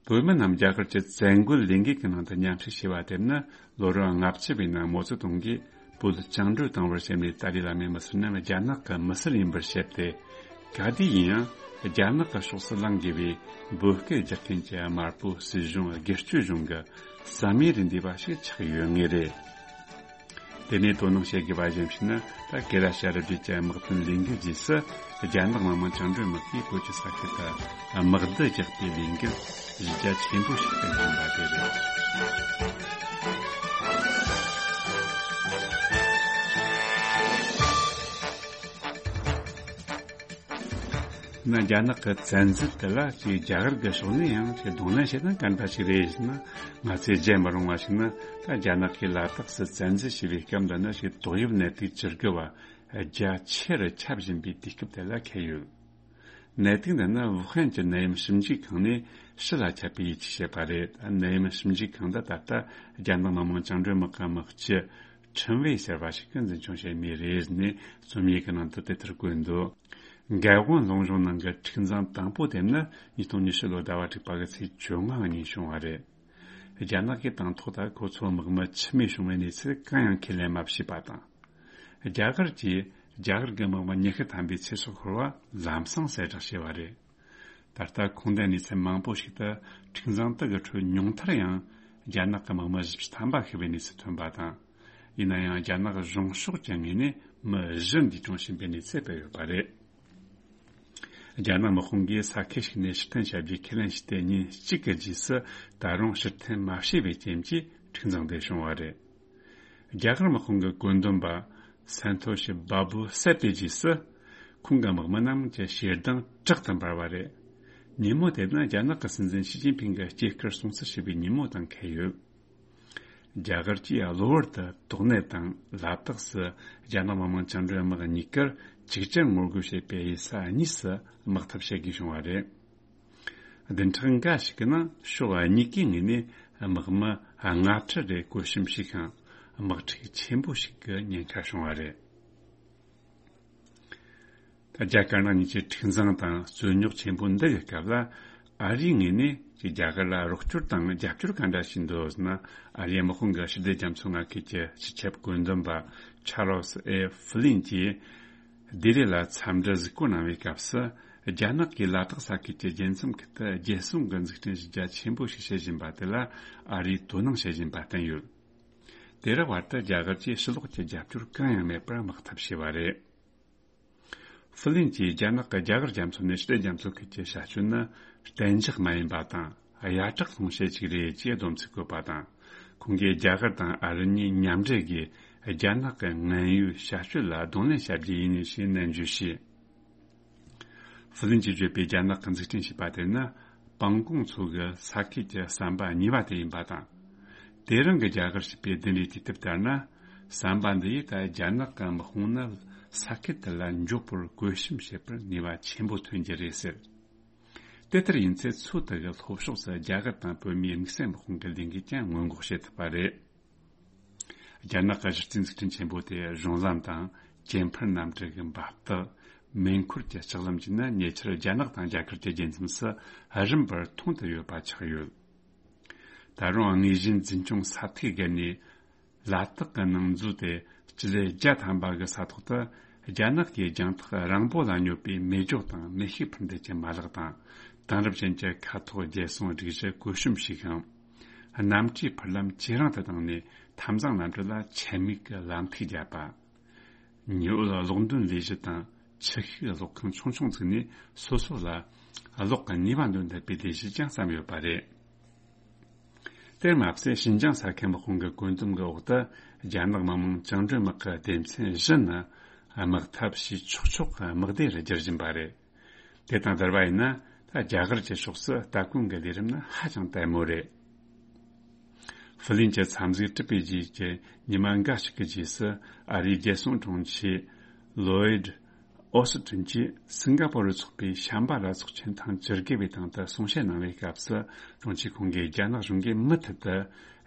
བོད་མི་རྣམས་རྒྱ་གར་གྱི་བཙན་རྒོལ་ལས་འགུལ་གྱི་ནང་དུ་མཉམ་ཞུགས་བྱས་པ་དེ་ནི་ལོ་རབས་ལྔ་བཅུ་པའི་ནང་མའོ་ཙེ་ཏུང་གིས་བོད་བཅིངས་འགྲོལ་བཏང་བར་བྱས་ནས། ཏཱ་ལའི་བླ་མའི་མི་སེར་རྣམས་རྒྱ་ནག་གི་མི་སེར་ཡིན་པར་བཤད་དེ། ག་དུས་ཡིན་ཡང་རྒྱ་ནག་གི་ཕྱོགས་སུ་ལངས་དགོས་པའི་བོད་སྐད་རྒྱག་མཁན་གྱི་དམར་པོ་སྲིད་གཞུང་སྒེར་གཅོད་གཞུང་གི་བསམ་ཡས་རེད་འདུས་པ་ཞིག་ཆགས་ཡོད་ངེས་རེད། དེ་ནས་དོ་སྣང་བྱེད་དགོས་པ་གཞན་ཞིག་ནི། ད་ཀེ་ལ་ཤ་རི་བརྒྱུད་ཀྱི་དམག་དོན་ལས་འགུལ་རྗེས་སུ་རྒྱ་ནག་མི་དམངས་བཅིངས་འགྲོལ་དམག་གིས་བོད་ཀྱི་ས་ཁུལ་དུ་དམག་བསྡུ་རྒྱག་པའི་ལས་འགུལ་གཞི་རྒྱ་ཆེན་པོ་ཞིག་ཏུ་ཕྱིན་པ་དེ་རེད། ན་རྒྱ་ནག་གི་བཙན་འཛུལ་དེ་ལ་ཅིག་རྒྱ་གར་གྱི་ཕྱོགས་ནས་ཡང་ཅིག་གདོང་ལེན་བྱེད་སྟངས་ག་འདྲ་ཞིག་རེད་ཟེར་ན། ང་ཚོས་བརྗེད་མི་རུང་བ་ཞིག་ནི། ད་རྒྱ་ནག་གིས་ལ་དྭགས་སུ་བཙན་འཛུལ་བྱས་པའི་སྐབས་འདི་ནི་ཅིག་ཏོག་དབྱིབས་ནད་དུག་བཅུ་དགུ་བ་རྒྱ་ཆེ་རུ་ཁྱབ་བཞིན་པའི་དུས་སྐབས་དེ་ལ་འཁེལ་ཡོད། ནད་དུག་འདི་ནི་ཝུ་ཧན་གྱི་ནད་ཡམས་ཞིབ་འཇུག་ཁང་ནས་ཕྱི་ལ་ཁྱབ་པའི་ཡིད་ཆེས་བྱས་པ་རེད། ནད་ཡམས་ཞིབ་འཇུག་ཁང་འདི་ད་ལྟ་རྒྱ་ནག་མི་དམངས་བཅིངས་འགྲོལ་དམག་གི་དམག་སྤྱི་ཁྲིན་ཝེ་ཟེར་བ་ཞིག་གིས་འཛིན་སྐྱོང་བྱེད་མུས་རེད་ནས་རྩོམ་ཡིག་གི་ནང་དུ་དེ་ལྟར་བཀོད་འདུག། འགག་དབང་ལུང་གཞུང་ནང་གི་འཁྲུག་འཛིང་དང་པོ་དེ་ནི་ཉིས་སྟོང་ཉི་ཤུ་ལོ་ཟླ་བ་དྲུག་པ་གི་ཚེས་བཅོ་ལྔ་ཉིན་བྱུང་བ་རེད། རྒྱ་ནག་གིས་དང་ཐོག་ད་ཁོ་ཚོ་དམག་མི་འཆི་རྨས་བྱུང་བའི་གནས་ཚུལ་གང་ཡང་ཁས་ལེན་མ་བྱས་པ་དང་། རྒྱ་གར་གྱིས་རྒྱ་གར་གྱི་དམག་མི་ཉི་ཤུ་ཐམ་པའི་ཚེ་སྲོག་ཤོར་བ་ལམ་སང་གསལ་བསྒྲགས་བྱས་པ་རེད། ད་ལྟ་ཁུངས་ལྡན་གནས་ཚུལ་མང་པོ་ཞིག་ཏུ་འཁྲུག་འཛིང་དག་གི་ཁྲོད་ཉུང་མཐར་ཡང་རྒྱ་ནག་གི་དམག་མི་བཞི་བཅུ་ཐམ་པ་ཤི་བའི་གནས་ཚུལ་ཐོན་པ་དང་། ཡིན་ན་ཡང་རྒྱ་ནག་གཞུང་ཕྱོགས་ཀྱི་ངོས་ནས་མི་བཞི་འདས་གྲོངས་ཕྱིན་པའི་གནས་ཚུལ་སྤེལ་ཡོད་པ་རེད། རྒྱ་ནག་དམག་དཔུང་གིས་ས་ཁུལ་ཞིག་ནས་ཕྱིར་འཐེན་བྱ་རྒྱུའི་ཁས་ལེན་བྱས་ཏེ་ཉིན་གཅིག་གི་རྗེས་སུ་ད་རུང་ཕྱིར་འཐེན་མ་བྱས་པའི་རྐྱེན་གྱིས་འཁྲུག་འཛིང་དེ་བྱུང་བ་རེད། རྒྱ་གར་དམག་དཔུང་གི་བཀོད་འདོམས་པ་སན་ཐོ་ཤི་བྷ་བུ་སད་དེ་རྗེས་སུ། ཁོང་གི་དམག་མི་རྣམས་ཀྱི་ཞེ་སྡང་དྲག་ཏུ་འབར་བ་རེད། ཉིན་མོ་དེ་ནི་རྒྱ་ནག་གི་སྲིད་འཛིན་ཞི་ཅིན་ཕིང་གི་སྐྱེས་སྐར་སྲུང་བརྩི་བྱེད་པའི་ཉིན་མོ་དང་འཁེལ་ཡོད། རྒྱ་གར་གྱིས་གློ་བུར་དུ་དོགས་གནད་དང་ལ་དྭགས་སུ་རྒྱ་ནག་མི་དམངས་བཅིངས་འགྲོལ་དམག་གཉིས་ཀར་ཅིག་ཅར་ངོ་རྒོལ་བྱེད་པའི་ས་གཉིས་སུ་དམག་འཐབ་བྱེད་དགོས་བྱུང་བ་རེད། བདུན་ཕྲག་འགའ་ཞིག་གི་ནང་ཕྱོགས་གཉིས་ཀའི་ངོས་ནས་དམག་མི་ལྔ་ཁྲི་རེ་བཀོད་གཤོམ་བྱས་ཤིང་། དམག་འཁྲུག་ཆེན་པོ་ཞིག་གི་ཉེན་ཁ་བྱུང་བ་རེད། ད་རྒྱ་དཀར་ནག་གཉིས་ཀྱི་འཁྲུག་འཛིང་དང་རྩོད་རྙོག་ཆེན་པོ་འདི་གི་སྐབས་ལ། ཨ་རིའི་ངོས་ནས་ཀྱི་རྒྱ་གར་ལ་རོགས་སྐྱོར་དང་རྒྱབ་སྐྱོར་ག་འདྲ་ཞིག་འདུག་ཟེར་ན། ཨ་རིའི་དམག་དཔུང་གི་ཕྱི་སྡོད་རྒྱ་མཚོ་མངའ་ཁུལ་གྱི་སྤྱི་ཁྱབ་བཀོད་འདོམས་པ་ཆར་ལོ་སི་ཨེ་ཧྥི་ལིན་གྱིས་ལྡི་ལི་ལ་འཚམས་འདྲི་གཟིགས་སྐོར་གནང་བའི་སྐབས་སུ། རྒྱ་ནག་གིས་ལ་དྭགས་ས་ཁུལ་གྱི་རྒྱལ་མཚམས་ཁུལ་དུ་རྒྱལ་སྲུང་གི་འཛུགས་སྐྲུན་བྱེད་རྒྱ་ཆེན་པོ་ཞིག་བྱེད་བཞིན་པ་དེ་ལ་ཨ་རིས་དོ་སྣང་བྱེད་བཞིན་པ་བསྟན་ཡོད། དེ་རིང་བར་དུ་རྒྱ་གར་གྱིས་ཕྱི་ལོགས་ཀྱི་རྒྱབ་སྐྱོར་གང་ཡང་མེད་པར་དམག་འཐབ་བྱས་པ་རེད། ཧྥི་ལིན་གྱིས་རྒྱ་ནག་གིས་རྒྱ་གར་རྒྱ་མཚོ་ནས་ཕྱི་སྡོད་རྒྱ་མཚོ་ཁུལ་གྱི་བྱ་སྤྱོད་ནི་གཏན་འཇགས་མ་ཡིན་པ་དང་ཡ་གྲགས་སློང་བྱེད་ཅིག་རེད་ཅེས་སྡོམ་ཚིག་བཀོད་པ་དང་། ཁོང་གིས་རྒྱ་གར་དང་ཨ་རི་གཉིས་མཉམ་འབྲེལ་གྱིས་རྒྱ་ནག་གི་ངན་གཡོའི་བྱ་སྤྱོད་ལ་གདོང་ལེན་བྱ་རྒྱུ་ཡིན་ཞེས་ནན་བརྗོད་བྱས། ཧྥི་ལིན་གྱིས་བརྗོད་པའི་རྒྱ་ནག་གིས་འཛུགས་སྐྲུན་བྱས་པ་དེ་ནི་པང་ཀོང་མཚོ་གི་ས་ཁུལ་གྱི་ཟམ་པ་གཉིས་པ་དེ་ཡིན་པ་དང་། དེ་རིང་གི་རྒྱ་གར་ཞེས་པའི་བདུན་རེའི་དུས་དེབ་ལྟར་ན། ཟམ་པ་འདི་ཡིས་ད་རྒྱ་ནག་གི་དམག་དཔུང་ནི་ས་ཁུལ་དེ་ལ་འཇོག་པར་བཀོད་གཤོམ་བྱེད་པར་ནུས་པ་ཆེན་པོ་ཐོན་གྱི་རེད་ཟེར། དེ་ལྟར་ཡིན་ཚེ་ཚོད་ལྟ་གི་ལྷོ་ཕྱོགས་སུ་རྒྱ་གར་དང་བོད་མིའི་དམིགས་བསལ་དམག་དཔུང་གི་ལས་འགུལ་ཀྱང་སྔོན་འགོག་བྱེད་ཐུབ་པ་རེད། རྒྱ་ནག་གི་གཞི་རྩའི་འཛུགས་སྐྲུན་ཆེན་པོ་དེ་གཞུང་ལམ་དང་། ཇེ་ཕུར་གནམ་གྲུ་གི་འབབ་སྟེགས། མེ་འཁོར་གྱི་ལྕགས་ལམ་བཅས་ནི་ཉེ་ཆར་རྒྱ་ནག་དང་རྒྱ་གར་གྱི་རྒྱལ་མཚམས་སུ་རིམ་པར་མཐོང་དུ་ཡོད་པ་ཆགས་ཡོད། ད་རུང་དངོས་གཞིའི་འཛིན་སྐྱོང་ས་ཐིག་བརྒལ་ནས། ལ་དྭགས་ཀྱི་ནང་མཛོད་དེ་སྤྱི་ལེ་བརྒྱ་ཐམ་པ་གི་ས་ཐོག་ཏུ། རྒྱ་ནག་གིས་རྒྱང་ཐག་རིང་པོ་ལ་སྙོད་པའི་མེ་སྒྱོགས་དང་མེ་ཤུགས་འཕུར་མདེལ་གྱི་མ་ལག་དང་། དེང་རབས་ཅན་གྱི་མཁའ་ཐོག་རྒྱལ་སྲུང་སྒྲིག་གཞི་བཀོད་གཤོམ་བྱས་ཤིང་། གནམ་གྲུའི་འཕུར་ལམ་ཇེ་རིང་དུ་བཏང་ནས་འཐབ་འཛིང་གནམ་གྲུ་ལ་ཆེད་དམིགས་ཀྱི་ལམ་ཐིག་བརྒྱབ་པ། ཉི་འོད་གློག་འདོན་ལས་གཞི་དང་ཆུ་ཤུགས་གློག་ཁང་ཆུང་ཆུང་བཙུགས་ནས་སོ་སོ་ལ་གློག་གི་ནུས་པ་འདོན་ཐུབ་པའི་ལས་གཞི་ཀྱང་བརྩམས་ཡོད་པ་རེད། དེར་མ་ཟད་ཞིན་ཅང་ས་ཁུལ་དམག་དཔུང་གི་བཀོད་འདོམས་ཀྱི་འོག་ཏུ་རྒྱ་ནག་མི་དམངས་བཅིངས་འགྲོལ་དམག་གི་སྡེ་ཚན་བཞི་ནི་དམག་འཐབ་བྱེད་ཆོག་ཆོག་གི་དམག་སྡེ་རུ་བསྒྱུར་བཞིན་པ་རེད། དེ་དང་བསྡུར་བ་ཡིན་ན་ད་རྒྱ་གར་གྱི་ཕྱོགས་སུ་ལྟ་སྐོང་གི་ལས་རིམ་ནི་ཧ་ཅང་ལྟད་མོ་རེད། ཧྥི་ལིན་གྱི་འཚམས་གཟིགས་གྲུབ་པའི་རྗེས་ཀྱི་ཉི་མ་འགའ་ཞིག་གི་རྗེས་སུ་ཨ་རིའི་རྒྱལ་སྲུང་དྲུང་ཆེ་ལོའིད། ཨོ་སི་ཀྲིན་གྱིས་སིང་ག་པོར་རུ་ཚོགས་པའི་བྱམས་པ་ར་ཚོགས་ཆེན་ཐེངས་བཅུ་དགུ་པའི་སྟེང་དུ་གསུང་བཤད་གནང་བའི་སྐབས་སུ། དྲུང་ཆེ་ཁོང་གིས་རྒྱ་ནག་གཞུང་གིས་མུ་མཐུད་དུ་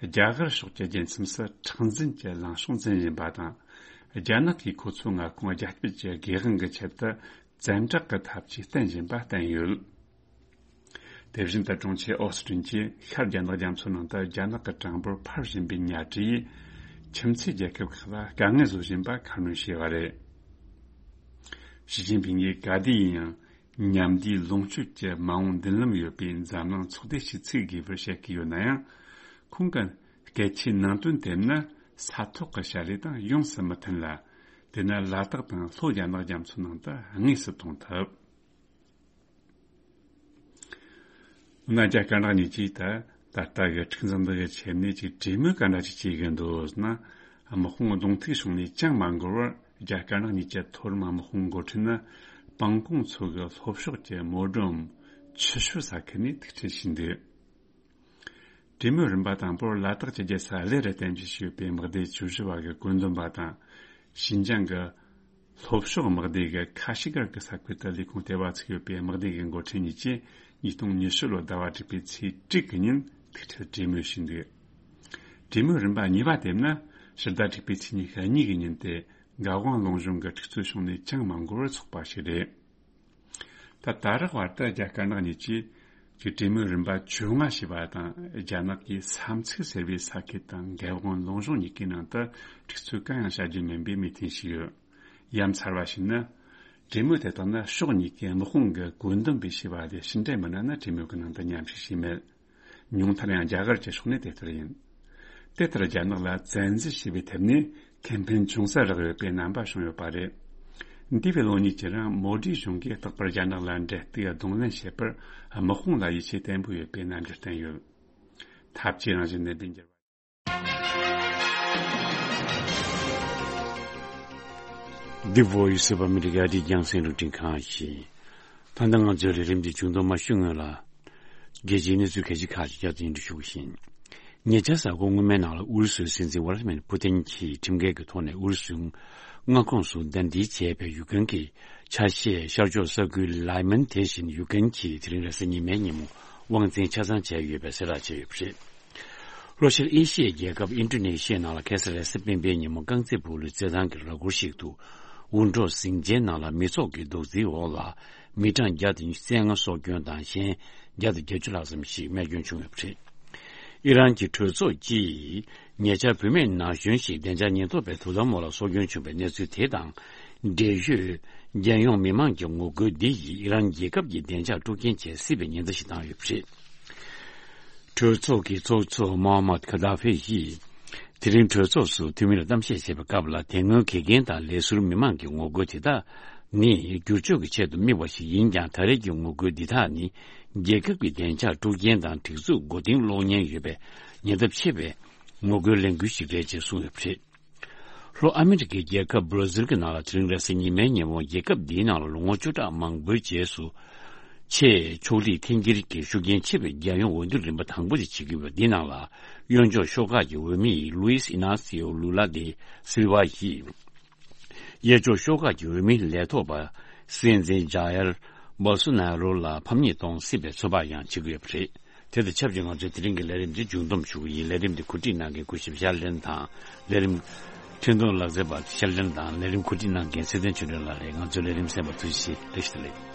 རྒྱ་གར་ཕྱོགས་ཀྱི་རྒྱལ་མཚམས་སུ་མཁྲེགས་འཛིན་གྱི་ལངས་ཕྱོགས་འཛིན་བཞིན་པ་དང་། རྒྱ་ནག་གིས་ཁོ་ཚོའི་མངའ་ཁོངས་རྒྱ་སྐྱེད་ཀྱི་སྒེར་དབང་གི་ཆེད་དུ་བཙན་དྲག་གི་ཐབས་ཇུས་བསྟེན་བཞིན་པ་བསྟན་ཡོད། དེ་བཞིན་དུ་དྲུང་ཆེ་ཨོ་སི་ཀྲིན་གྱིས་ཤར་རྒྱ་ནག་རྒྱ་མཚོ་ནང་དུ་རྒྱ་ནག་གི་གྲངས་འབོར་འཕར་བཞིན་པའི་གཉའ་སྒྲིག་ཡིས་ཁྱིམ་མཚེས་རྒྱལ་ཁབ་ཁག་ལ་དཀའ་ངལ་བཟོ་བཞིན་པ་ཁ་སྣོན་བྱས་པ་རེད། ཞི་ཅིན་ཕིང་གིས་ག་དུས་ཡིན་ཡང་མཉམ་འདུས་ལོངས་སྤྱོད་ཀྱི་མ་འོངས་མདུན་ལམ་ཡོད་པའི་འཛམ་གླིང་ཚོགས་སྡེ་ཞིག་བཙུགས་དགོས་པར་བཤད་ཀྱི་ཡོད་ན་ཡང་། ཁོང་གི་སྐད་ཆའི་ནང་དོན་དེ་ནི་ས་ཐོག་གི་བྱ་ལས་དང་ཡོངས་སུ་མི་མཐུན་ལ། དེ་ནི་ལ་དྭགས་དང་ལྷོ་རྒྱ་ནག་རྒྱ་མཚོ་ནང་དུ་དངོས་སུ་མཐོང་ཐུབ། འོ་ན་རྒྱ་དཀར་ནག་གཉིས་ཀྱིས་ད་ད་ལྟ་གི་འཁྲུག་འཛིང་འདི་གི་ཆེད་ནས་ཅིག་གྲོས་མོལ་ག་འདྲ་ཅིག་བྱེད་གི་འདུག་ཟེར་ན། དམག་དཔུང་གདོང་ཐུག་བྱུང་ནས་ཅང་མ་འགོར་བར་རྒྱ་དཀར་ནག་གཉིས་ཀྱི་མཐོ་རིམ་དམག་དཔུང་འགོ་ཁྲིད་ནི་སྤང་གོང་མཚོ་གི་ལྷོ་ཕྱོགས་ཀྱི་མོ་ཌོམ་ཆུ་ཤུར་ས་ཁུལ་ནས་ཐུག་འཕྲད་བྱས་འདུག་གྲོས་མོལ་རིམ་པ་དང་པོར་ལ་དྭགས་ཀྱི་རྒྱལ་ས་གླེ་རུ་རྟེན་གཞི་བྱས་ཡོད་པའི་དམག་སྡེ་བཅུ་བཞི་པ་གི་བཀོད་འདོམས་པ་དང་། ཞིན་ཅང་གི་ལྷོ་ཕྱོགས་དམག་སྡེ་གི་ཁ་ཤི་གར་གྱི་ས་ཁུལ་དུ་ལས་ཁུངས་ལྟེ་བ་བཙུགས་ཡོད་པའི་དམག་སྡེ་གི་འགོ་ཁྲིད་གཉིས་ཀྱིས་ཉིས་སྟོང་ཉི་ཤུ་ལོའི་ཟླ་བ་དྲུག་པའི་ཚེས་དྲུག་གི་ཉིན་ཐུག་འཕྲད་གྲོས་མོལ་བྱས་འདུག་གྲོས་མོལ་རིམ་པ་གཉིས་པ་དེ་ནི་ཕྱི་ཟླ་དྲུག་པའི་ཚེས་ཉི་ཤུ་གཉིས་ཀྱི་ཉིན་ཏེ། འགག་དབང་ལུང་གཞུང་གི་འཁྲུག་རྩོད་བྱུང་ནས་ཅང་མ་འགོར་བར་ཚོགས་པ་ཞིག་རེད། ད་ད་རག་བར་དུ་རྒྱ་དཀར་ནག་གཉིས་ཀྱིས་ཀྱི་གྲོས་མོལ་རིམ་པ་བཅོ་ལྔ་བྱས་པ་དང་། རྒྱ་ནག་གིས་ས་མཚིགས་ཟེར་བའི་ས་ཁུལ་དང་འགག་དབང་ལུང་གཞུང་གཉིས་ཀའི་ནང་དུ་འཁྲུག་རྩོད་གང་ཡང་བྱ་རྒྱུ་མིན་པའི་མོས་མཐུན་བྱས་ཡོད། ཡ་མཚར་བ་ཞིག་ནི། གྲོས་མོལ་དེ་དག་ནི་ཕྱོགས་གཉིས་ཀའི་དམག་དཔུང་གི་བཀོད་འདོམས་པས་བྱས་པ་ལས་ཕྱི་འབྲེལ་མི་སྣ་ནི་གྲོས་མོལ་གྱི་ནང་དུ་མཉམ་ཞུགས་བྱས་མེད། ཉུང་མཐར་ཡང་རྒྱ་གར་གྱི་ཕྱོགས་ནས་དེ་ལྟར་ཡིན། དེ་ལྟར་རྒྱ་ནག་ལ་བཙན་འཛུལ་བྱས་པའི་ཐད་ནས་ཁེ་ཕན་ཅུང་ཟད་རག་ཡོད་པའི་རྣམ་པ་བྱུང་ཡོད་པ་རེད། འདས་པའི་ལོ་གཉིས་ཀྱི་རིང་མོ་དྷི་གཞུང་གིས་རྟག་པར་རྒྱ་ནག་ལ་འབྲེལ་གཏུག་གདོང་ལེན་བྱེད་པར་དམག་དཔུང་ལ་ཡིད་ཆེས་བརྟན་པོ་ཡོད་པའི་རྣམ་འགྱུར་བསྟན་ཡོད། ཐབས་ཇུས་རང་བཞིན་ལྡན་པའི་འགྱུར་བ། The Voice of America ཨ་རིའི་རྒྱང་སྲིང་རླུང་འཕྲིན་ཁང་ཡིན། ད་ལྟ་ང་ཚོའི་ལས་རིམ་འདི་མཇུག་བསྡོམས་མ་ཞུ་སྔོན་ལ། རྒྱལ་སྤྱིའི་གནས་ཚུལ་ཁ་ཤས་ཁག་ཅིག་བསྐྱར་དུ་སྙན་སྒྲོན་ཞུ་བ་ཡིན། ཉེ་ཆར་གཟའ་འཁོར་སྔོན་མའི་ནང་ལ་ཨུ་རུ་སུའི་སྲིད་འཛིན་ཝ་ལ་མིར་ཕུ་ཏིན་གྱིས་ཁྲིམས་འགལ་གྱི་ཐོག་ནས་ཨུ་རུ་སུའི་མངའ་ཁོངས་སུ་ཟླ་འདིའི་བྱས་པའི་ཡུཀ་རེན་གྱི་ཆ་ཤས་ཤར་ཕྱོགས་ས་ཁུལ་ལའི་མན་དེ་བཞིན་ཡུཀ་རེན་གྱིས་དེ་རིང་རེས་གཟའ་ཉི་མའི་ཉིན་མོ་དབང་འཛིན་ཆ་ཚང་བྱས་ཡོད་པའི་གསལ་བསྒྲགས་བྱས་ཡོད་པ་རེད། ལྷོ་ཤར་ཨེ་ཤི་ཡའི་རྒྱལ་ཁབ་ཨིན་ཌོ་ནེ་ཤི་ཡའི་ནང་ལ་ཁ་སང་རེས་གཟའ་སྤེན་པའི་ཉིན་མོ་རྐང་རྩེད་སྤོ་ལོའི་རྩེད་ཐང་གི་ར་སྐོར་ཞིག་ཏུ་འུར་འདྲོག་ཟིང་ཆེན་ནང་ལ་མི་ཚོགས་ཀྱི་རྡོག་རྫིས་འོག་ལ་མི་གྲངས་བརྒྱ་དང་ཉི་ཤུ་རྩ་ལྔ་སྲོག་སྐྱོན་དང་གཞན་བརྒྱ་དང་བརྒྱད་ཅུ་ལྷག་ཙམ་ཞིག་རྨས་སྐྱོན་བྱུང་ཡོད་པ་རེད། ཨི་རན་གྱི་གྲོས་ཚོགས་ཀྱིས་ཉེ་ཆར་བུད་མེད་ན་གཞོན་ཞིག་བདེ་འཇགས་ཉེན་རྟོག་པའི་དོ་དམ་འོག་ལ་སྲོག་སྐྱོན་བྱུང་བའི་གནས་ཚུལ་དེ་དང་འབྲེལ་ཡོད་རྒྱལ་ཡོངས་མི་མང་གི་ངོ་རྒོལ་འདི་ཡིས་ཨི་རན་རྒྱལ་ཁབ་ཀྱི་བདེ་འཇགས་དཀྲུག་རྐྱེན་བྱེད་སྲིད་པའི་ཉེན་བརྡ་ཞིག་བཏང་ཡོད་པ་རེད། གྲོས་ཚོགས་ཀྱི་ཚོགས་གཙོ་མོ་ཧམ་མད་ཁ་ད་ཧྥེ་ཡིས་དེ་རིང་གྲོས་ཚོགས་སུ་འཐུས་མི་ལ་གཏམ་བཤད་བྱེད་པའི་སྐབས་ལ། དེ་སྔོན་གད་རྒན་དང་ལས་ཟུར་མི་མང་གི་ངོ་རྒོལ་དེ་དག་ནི་བསྒྱུར་བཅོས་ཀྱི་ཆེད་དུ་དམིགས་པ་ཞིག་ཡིན་ཀྱང་། ད་རེས་ཀྱི་ངོ་རྒོལ་འདི་དག་ནི་རྒྱལ་ཁབ་ཀྱི་བདེ་འཇགས་དཀྲུག་རྐྱེན་དང་སྒྲིག་འཛུགས་མགོ་རྟིང་སློག་ཉེན་ཡོད་པའི་ཉེན་ཚབས་ཆེ་བའི་ངོ་རྒོལ་ལས་འགུལ་ཞིག་རེད་ཅེས་གསུངས་ཡོད་པ་རེད། ལྷོ་ཨ་མི་རི་ཀའི་རྒྱལ་ཁབ་བྷར་ཛིལ་གྱི་ནང་ལ་དེ་རིང་རེས་གཟའ་ཉི་མའི་ཉིན་མོ་རྒྱལ་ཁབ་འདིའི་ནང་ལ་ལོ་ངོ་བཅུ་ཕྲག་མང་པོའི་རྗེས་སུ། ཆེས་ཕྱོགས་སྒྲིག་འཐེན་འཁྱེར་གྱི་ཤུགས་རྐྱེན་ཆེ་བའི་རྒྱལ་ཡོངས་འོས་བསྡུ་རིམ་པ་དང་པོ་དེ་བྱེད་ཀྱི་ཡོད་པ་འདིའི་ནང་ལ། གཡོན་ཕྱོགས་ཤོག་ཁག་གི་འོས་མི་ལུའིས་ཨི་ནཱ་སི་ཨོ་ལུ་ལ་དེ་སིལ་ཝ་ཡིས། གཡས་ཕྱོགས་ཤོག་ཁག་གི་འོས་མི་ལས་ཐོག་པ་སྲིད་འཛིན་ཇཱ་ཡར་བོལ་སོ་ན་རོ་ལ་ཕམ་ཉེས་གཏོང་སྲིད་པའི་ཚོད་དཔག་ཡང་བྱེད་ཀྱི་ཡོད་པ་རེད། དེ་དང་ཆབས་ཅིག་ང་ཚོའི་དེ་རིང་གི་ལས་རིམ་འདི་མཇུག་བསྡོམས་ཞུ་གི་ཡིན། ལས་རིམ་འདི་གོ་སྒྲིག་གནང་མཁན་སྐུ་ཞབས་ཤར་ལེན་དང་། ལས་རིམ་འཕྲིན་གཏོང་ལག་རྩལ་པ་ཤར་ལེན་དང་། ལས་རིམ་གོ་སྒྲིག་གནང་མཁན་ཚེ་བརྟན་ཆོས་སྒྲོན་ལགས་རེད། ང་ཚོའི་ལས་རིམ་གསན་པར་ཐུགས་རྗེ་ཆེ། བཀྲ་ཤིས་བདེ་ལེགས།